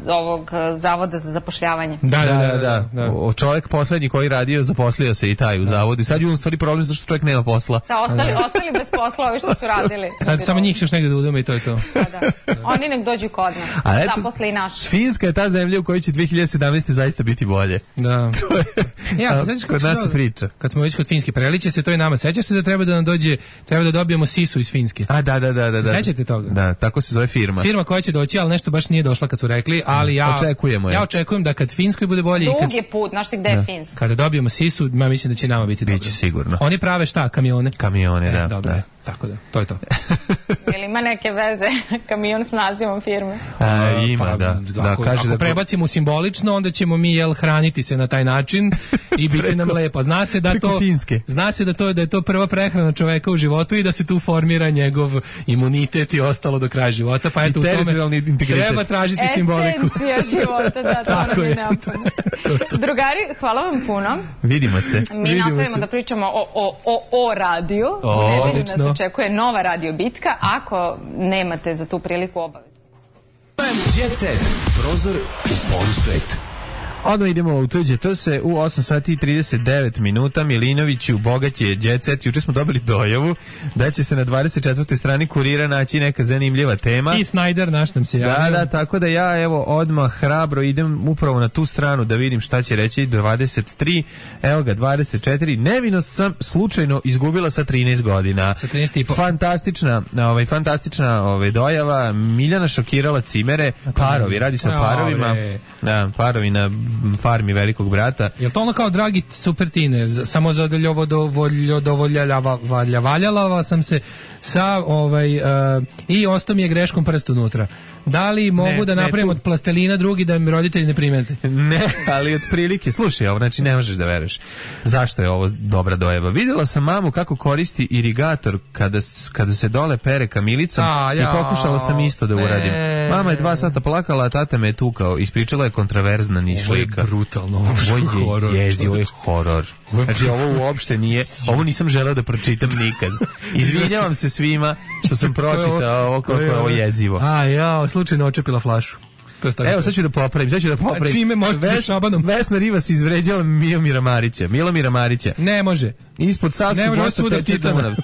ovog zavoda za zapošljavanje. Da, da, da. da, da. da. O, čovjek poslednji koji radio zaposlio se i taj u zavodu. Sad je on stvari problem zašto čovjek nema posla. Sa ostali, ostali bez posla. posla ovi što su radili. Sad samo njih još negdje da udome i to je to. Da, da. Oni nek dođu kod nas. Zaposle i naš. Finska je ta zemlja u kojoj će dve hiljade sedamnaeste zaista biti bolje. Da. To je, ja, se sećaš kod nas se priča. Kad smo već kod Finske, preliče se to i nama. Sećaš se da treba da nam dođe, treba da dobijemo sisu iz Finske. A da, da, da, da. da. Sećate toga? Da, tako se zove firma. Firma koja će doći, ali nešto baš nije došla kad su rekli, ali ja očekujemo je. Ja očekujem da kad Finskoj bude bolje i kad Dug je put, znaš ti gde je Finska. Kada dobijemo sisu, ja mislim da će nama biti dobro. Biće sigurno. Oni prave šta, kamione? Kamione, e, da. Dobro, da. Tako da, to je to. Jel ima neke veze kamion s nazivom firme? A, ima, pa, da. da ako, kaže ako da prebacimo simbolično, onda ćemo mi jel hraniti se na taj način i bit će nam lepo. Zna se da to Finske. Zna se da to da je to prva prehrana čoveka u životu i da se tu formira njegov imunitet i ostalo do kraja života, pa eto u tome treba tražiti Esencija simboliku. Esencija života, da, to nam je neophodno. Drugari, hvala vam puno. Vidimo se. Mi Vidimo nastavimo se. da pričamo o, o, o, o radiju. O, ne odlično. nas očekuje nova radio bitka. Ako nemate za tu priliku obavezu. Jet Set. Prozor u polusvet. Odmah idemo u tuđe to se u osam sati i trideset devet minuta. Milinoviću, bogat je Jet Set. Juče smo dobili dojavu da će se na dvadeset četvrtoj strani Kurira naći neka zanimljiva tema. I Snyder naš nam se javio. Da, da, tako da ja evo odmah hrabro idem upravo na tu stranu da vidim šta će reći. Dvadeset tri, evo ga dvadeset četiri. Nevinost sam slučajno izgubila sa trinaest godina. Sa trinaest i po. Fantastična, ovaj fantastična ovaj dojava. Miljana šokirala cimere, parovi, radi se o parovima. Da, parovi na farmi Velikog brata. Jel to ono kao dragi super tine, samo zadoljovo dovoljavaljala sam se sa ovaj uh, i ostao mi je greškom prst unutra. Da li mogu ne, da napravim od plastelina drugi da mi roditelji ne primete? Ne, ali otprilike, slušaj ovo, znači ne možeš da veruješ. Zašto je ovo dobra dojava? Videla sam mamu kako koristi irigator kada, kada se dole pere kamilicom a, ja, i pokušala sam isto da uradim. Ne. Mama je dva sata plakala, a tata me je tukao. Ispričala je kontraverzna nišlika. Ovo je brutalno, ovo je horor. Jezi, ovo je horor. Znači ovo uopšte nije, ovo nisam želeo da pročitam nikad. Izvinjavam se svima što sam pročitao ovo kako je ovo jezivo. A ja, slučajno očepila flašu. Evo sad ću da popravim, sad ću da popravim. A čime možete Šabanom? Vesna Rivas izvređala Milomira Marića. Milomira Marića. Ne može. Ispod Savskog mosta sudar Titana.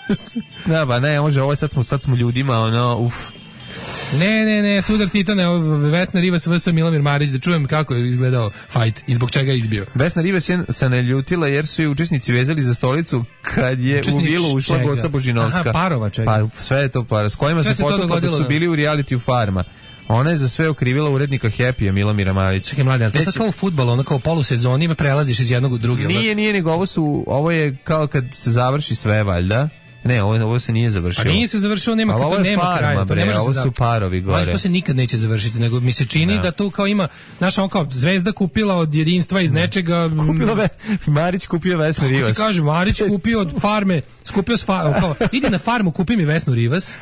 Da, ba ne, može, ovo sad smo, sad smo ljudima, ono, uf. Ne, ne, ne, sudar Titana, Vesna Rivas vs Milomir Marić, da čujem kako je izgledao fight i zbog čega je izbio. Vesna Rivas je se naljutila jer su je učesnici vezali za stolicu kad je Učesnik u vilu ušla Goca Božinovska. Aha, parova čega. Pa sve je to para. S kojima sve se potukla dok su bili u realitiju Farma. Ona je za sve okrivila urednika Happy-a Milomira Marića. Čekaj, mlade, to sad kao u fudbalu, ono kao polusezoni, prelaziš iz jednog u drugi. Nije, nije, nego ovo su, ovo je kao kad se završi sve, valjda. Ne, ovo, ovo se nije završilo. A nije se završilo, nema, kako, nema farma, kraja. Bre, ne ovo su parovi gore. To se nikad neće završiti, nego mi se čini da, da tu kao ima, znaš, on kao Zvezda kupila od jedinstva iz nečega. Kupila ve, Marić kupio Vesnu Rivas. Kako ti kažem, Marić kupio od farme, skupio s fa, kao, ide na farmu, kupi mi Vesnu Rivas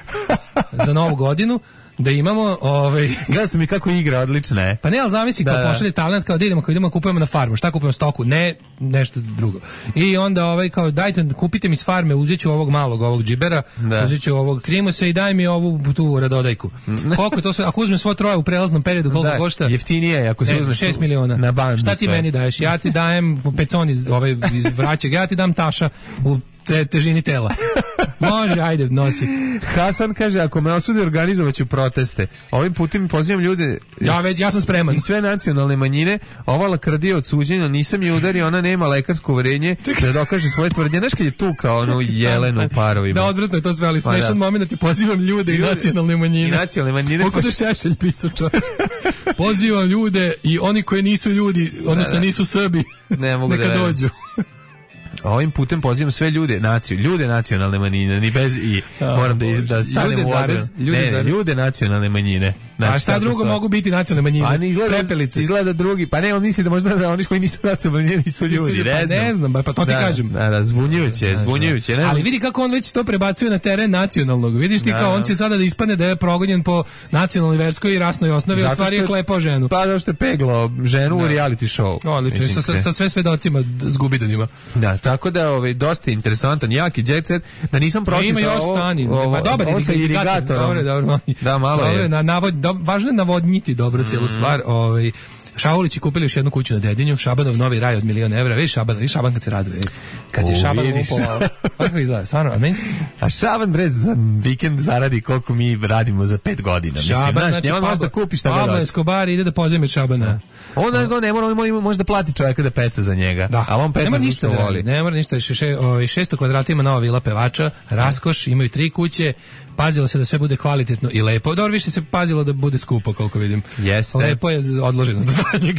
za novu godinu. Da imamo, ovaj... Gledao sam i kako igra, odlična je. Pa ne, ali zamisli, kao pošalje talent, kao da idemo, kao idemo, kupujemo na farmu. Šta kupujemo? Stoku? Ne, nešto drugo. I onda, ovaj, kao, dajte, kupite mi s farme, uzet ću ovog malog, ovog džibera, da. Uzet ću ovog krimusa i daj mi ovu tu radodajku. Koliko to sve, ako uzmem svo troje u prelaznom periodu, koliko da, košta? Jeftinije je, ako se uzmeš šest miliona. Na bandu. Šta ti sve. Meni daješ? Ja ti dajem pecon iz, ovaj, iz vraćeg, ja ti dam taša u te, težini tela. Može, ajde, nosi. Hasan kaže, ako me osude, organizovaću proteste. Ovim putem pozivam ljude... Ja, već, ja sam spreman. I sve nacionalne manjine. Ova lakrdija od suđenja, nisam je udario, ona nema lekarsko uverenje da dokaže svoje tvrdnje. Znaš kad je tu kao onu Jelenu u parovima. Da, odvratno je to sve, ali smešan moment da ti pozivam ljude i nacionalne manjine. I nacionalne manjine. Koliko da Šešelj pisao, čovječ. Pozivam ljude i oni koji nisu ljudi, odnosno da, da. nisu Srbi, ne mogu neka da dođu. Ovim putem pozivam sve ljude, naciju, ljude nacionalne manjine, ni bez i moram da, da stanem ljude u zarez, ljude, ne, ljude nacionalne manjine. Znači, a šta drugo mogu biti nacionalne manjine? A ne izgleda, prepelice. Izgleda drugi, pa ne, on misli da možda da oni koji nisu nacionalne manjine nisu ljudi, nisu, ne, pa znam. ne znam, pa to ti da, kažem. Da, da, zbunjujuće, zbunjujuće. Ne ali vidi kako on već to prebacuje na teren nacionalnog. Vidiš ti da, kao on će sada da ispadne da je progonjen po nacionalnoj, verskoj i rasnoj osnovi, a stvari je klepao ženu. Pa zašto je peglo ženu da. u reality show. Odlično, sa, sa, sa sve svedocima zgubidanima. Da, tako da ovaj dosta interesantan, jaki jet set, da nisam pročitao ima još stani. Pa dobar je irigator. Dobro, dobro. Da, malo je. Na navod, važno je navodniti dobro cijelu stvar. Ovaj Šaulići kupili još jednu kuću na Dedinju, Šabanov novi raj od milion evra. Vidi Šaban, vidi Šaban kad se raduje. Kad je Šaban upovao. Kako izgleda, stvarno, a meni... A Šaban, bre, za vikend zaradi koliko mi radimo za pet godina. Mislim, Šaban, znaš, njema možda kupiš šta ga Pablo dođe. Escobar ide da pozajmi Šabana. On, znaš, on ne mora, on može da plati čovjeka da peca za njega. Da. A on peca ne mora za ništa što da voli. radi, ne mora ništa, še, še, o, šesto kvadrata ima nova vila pevača, raskoš, imaju tri kuće, pazilo se da sve bude kvalitetno i lepo. Dobro, više se pazilo da bude skupo, koliko vidim. Jeste. Lepo je odloženo do danjeg.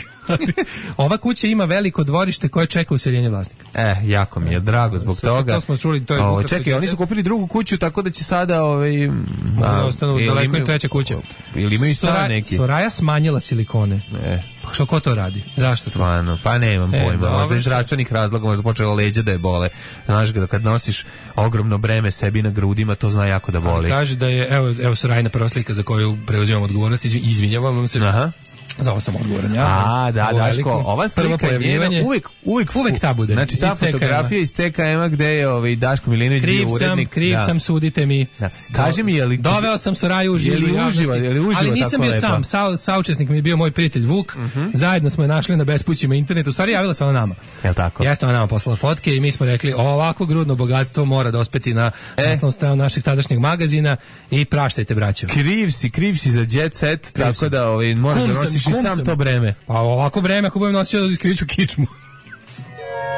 Ova kuća ima veliko dvorište koje čeka useljenje vlasnika. E, jako mi je drago zbog Sve, toga. to smo čuli, to je O, ukratko čekaj, oni su kupili drugu kuću, tako da će sada ovaj da ostanu daleko i treća kuća. Ili imaju stan Sora- neki. Soraja smanjila silikone. E, Pa što ko to radi? Zašto to? stvarno, pa nemam E, pojma. dobro, Možda iz što- zdravstvenih razloga, možda počelo leđa da je bole. Znaš, kad kad nosiš ogromno breme sebi na grudima, to zna jako da boli. Kaže da je, evo, evo Sorajina prva slika za koju preuzimam odgovornost, izvi- izvinjavam vam se. Aha. Za ovo sam odgovoran ja. A, da, Ovo Daško, veliko ova prvo slika je pojavljivanje. njena, uvek, uvek, Uvek ta bude. Znači, ta Iz C K M-a. fotografija iz C K M-a gde je ovaj, Daško Milinović Kriv bio sam, urednik. kriv da. sam, sudite mi. Da. Kaži mi, je li... Doveo sam Soraju u Je li žižu javnosti, uživa- je li uživa ali nisam tako bio lepo? sam, sa, saučesnik mi je bio moj prijatelj Vuk, zajedno smo je našli na bespućima internetu, u stvari javila se ona nama. Jel tako? Jeste ona nama poslala fotke i mi smo rekli ovako grudno bogatstvo mora dospeti na E. naslovnu stranu našeg tadašnjeg magazina i praštajte braćo. Kriv si, kriv si za jet set, tako sam. da ovaj, moraš Kum da sam, nosiš i kum sam sam. to breme. Pa ovako vreme ako budem nosio da iskriću kičmu.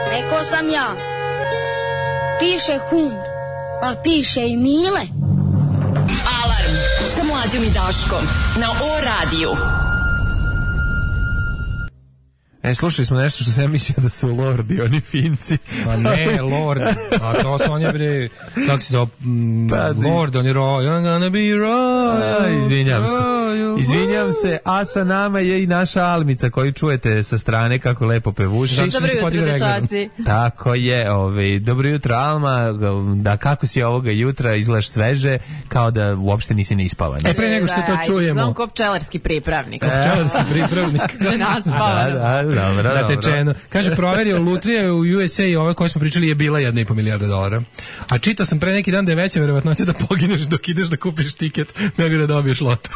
Rekao sam ja. Piše hum, pa piše i Mile. Alarm sa Mlađom i Daškom na O radiju. E, slušali smo nešto što sam ja mislio da su lordi, oni Finci. Pa ne, Lord, a to su on je bre, kako se zove, mm, Pa, di- Lord, on je ro, you're gonna be royal. A, izvinjam se. royal. Izvinjam se, a sa nama je i naša Almica koju čujete sa strane kako lepo pevuši. Zato što mi se podigao regler. Tako je, ovaj, dobro jutro Alma, da kako si ovoga jutra, izgledaš sveže, kao da uopšte nisi ne ispavan. E, pre nego što to čujemo. Znam ko pčelarski pripravnik. Pčelarski pripravnik. Naspavano. Da, da, dobro, dobro. Natečeno. Kaže, proverio, lutrija u U S A, ove koje smo pričali, je bila jedna i po milijarda dolara. A čitao sam pre neki dan da je veća verovatnoća da pogineš dok ideš da kupiš tiket, nego da dobiješ loto.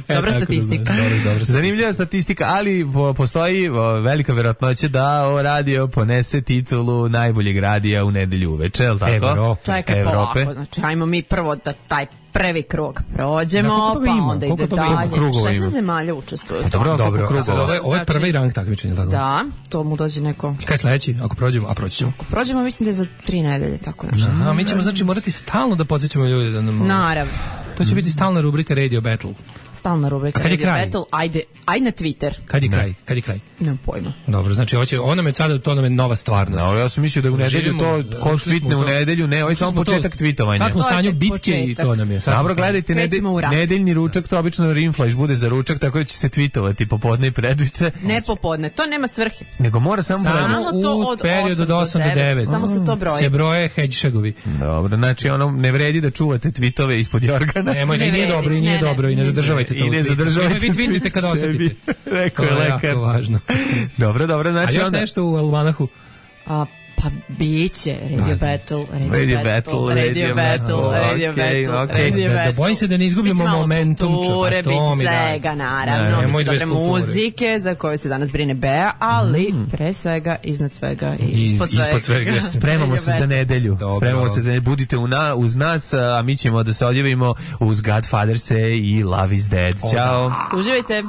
E, Dobra tako da statistika. znaš, dobra, dobra Zanimljiva statistika, ali po- postoji o, velika verovatnoća da o radio ponese titulu najboljeg radija u nedelju uveče, je li tako? Evrope. Čekaj, Evrope. polako. Znači, ajmo mi prvo da taj prvi krug prođemo, Da, koliko toga pa ima? onda Koliko ide toga ima? dalje. Krugova ima? šesnaest zemalja učestvuje u Dobro, tome. Dobro, koliko a sad krugova? ovo je, ovo je prvi Znači- rang takmičenja, tako? Da, to mu dođe neko... Kaj je sledeći? Ako prođemo, a proći ćemo. Ako prođemo, mislim da je za tri nedelje, tako nešto. A mi ćemo znači morati stalno da podsjećamo ljude da nam... Naravno. To će biti stalna rubrika Radio Battle. Stalna rubrika A kad je Radio kraj? Battle. Ajde, ajde na Twitter. Kad je kraj? Kad je kraj? Nemam pojma. Dobro, znači ovo će, ono me sada, to nam je nova stvarnost. No, ja sam mislio da u nedelju Živimo, to, da, ko ušli smo tvitne u u to. nedelju, ne, ovo je Ušli samo smo to- početak tvitovanja. Sad smo u To je stanju tek bitke i početak. to nam je. Sad smo Dobro, u stanju- gledajte, nedelj, Krećemo u rat. nedeljni ručak, to obično Rimflash bude za ručak, tako da će se tvitovati popodne i predviče, Ne popodne, to nema svrhe. nego mora samo... Samo vreme- Samo to u od periodu od osam do devet. Samo se to broji. Se broje hedgehogovi. Dobro, znači ono, ne vredi da čuvate tvitove ispod jorgana. Nemoj, ne, Ne nije vredi. dobro i nije Ne, ne. dobro i ne zadržavajte to. I u ne tweetu. zadržavajte Vi vidite kada sebi. osetite. Rekao To je je lekar. jako važno. Dobro, dobro, A znači još onda... nešto u almanahu? A, pa biće Radio Battle, Radio, Radio Battle, Battle, Radio Radio Battle, Battle, Radio okej, Battle, okej. Radio Da, da Battle. bojim se da ne izgubimo Biće malo momentum. kulture, ča- pa to biće mi daj. svega, Ne, naravno, nemoj biće bez dobre kulture. muzike za koju se danas brine Bea, ali pre svega, iznad svega i, I ispod svega. ispod svega. Spremamo se za nedelju. Dobro. Spremamo se za nedelju. Budite u na, uz nas, a mi ćemo da se odjavimo uz Godfather Se i Love is Dead. Ćao. Uživajte.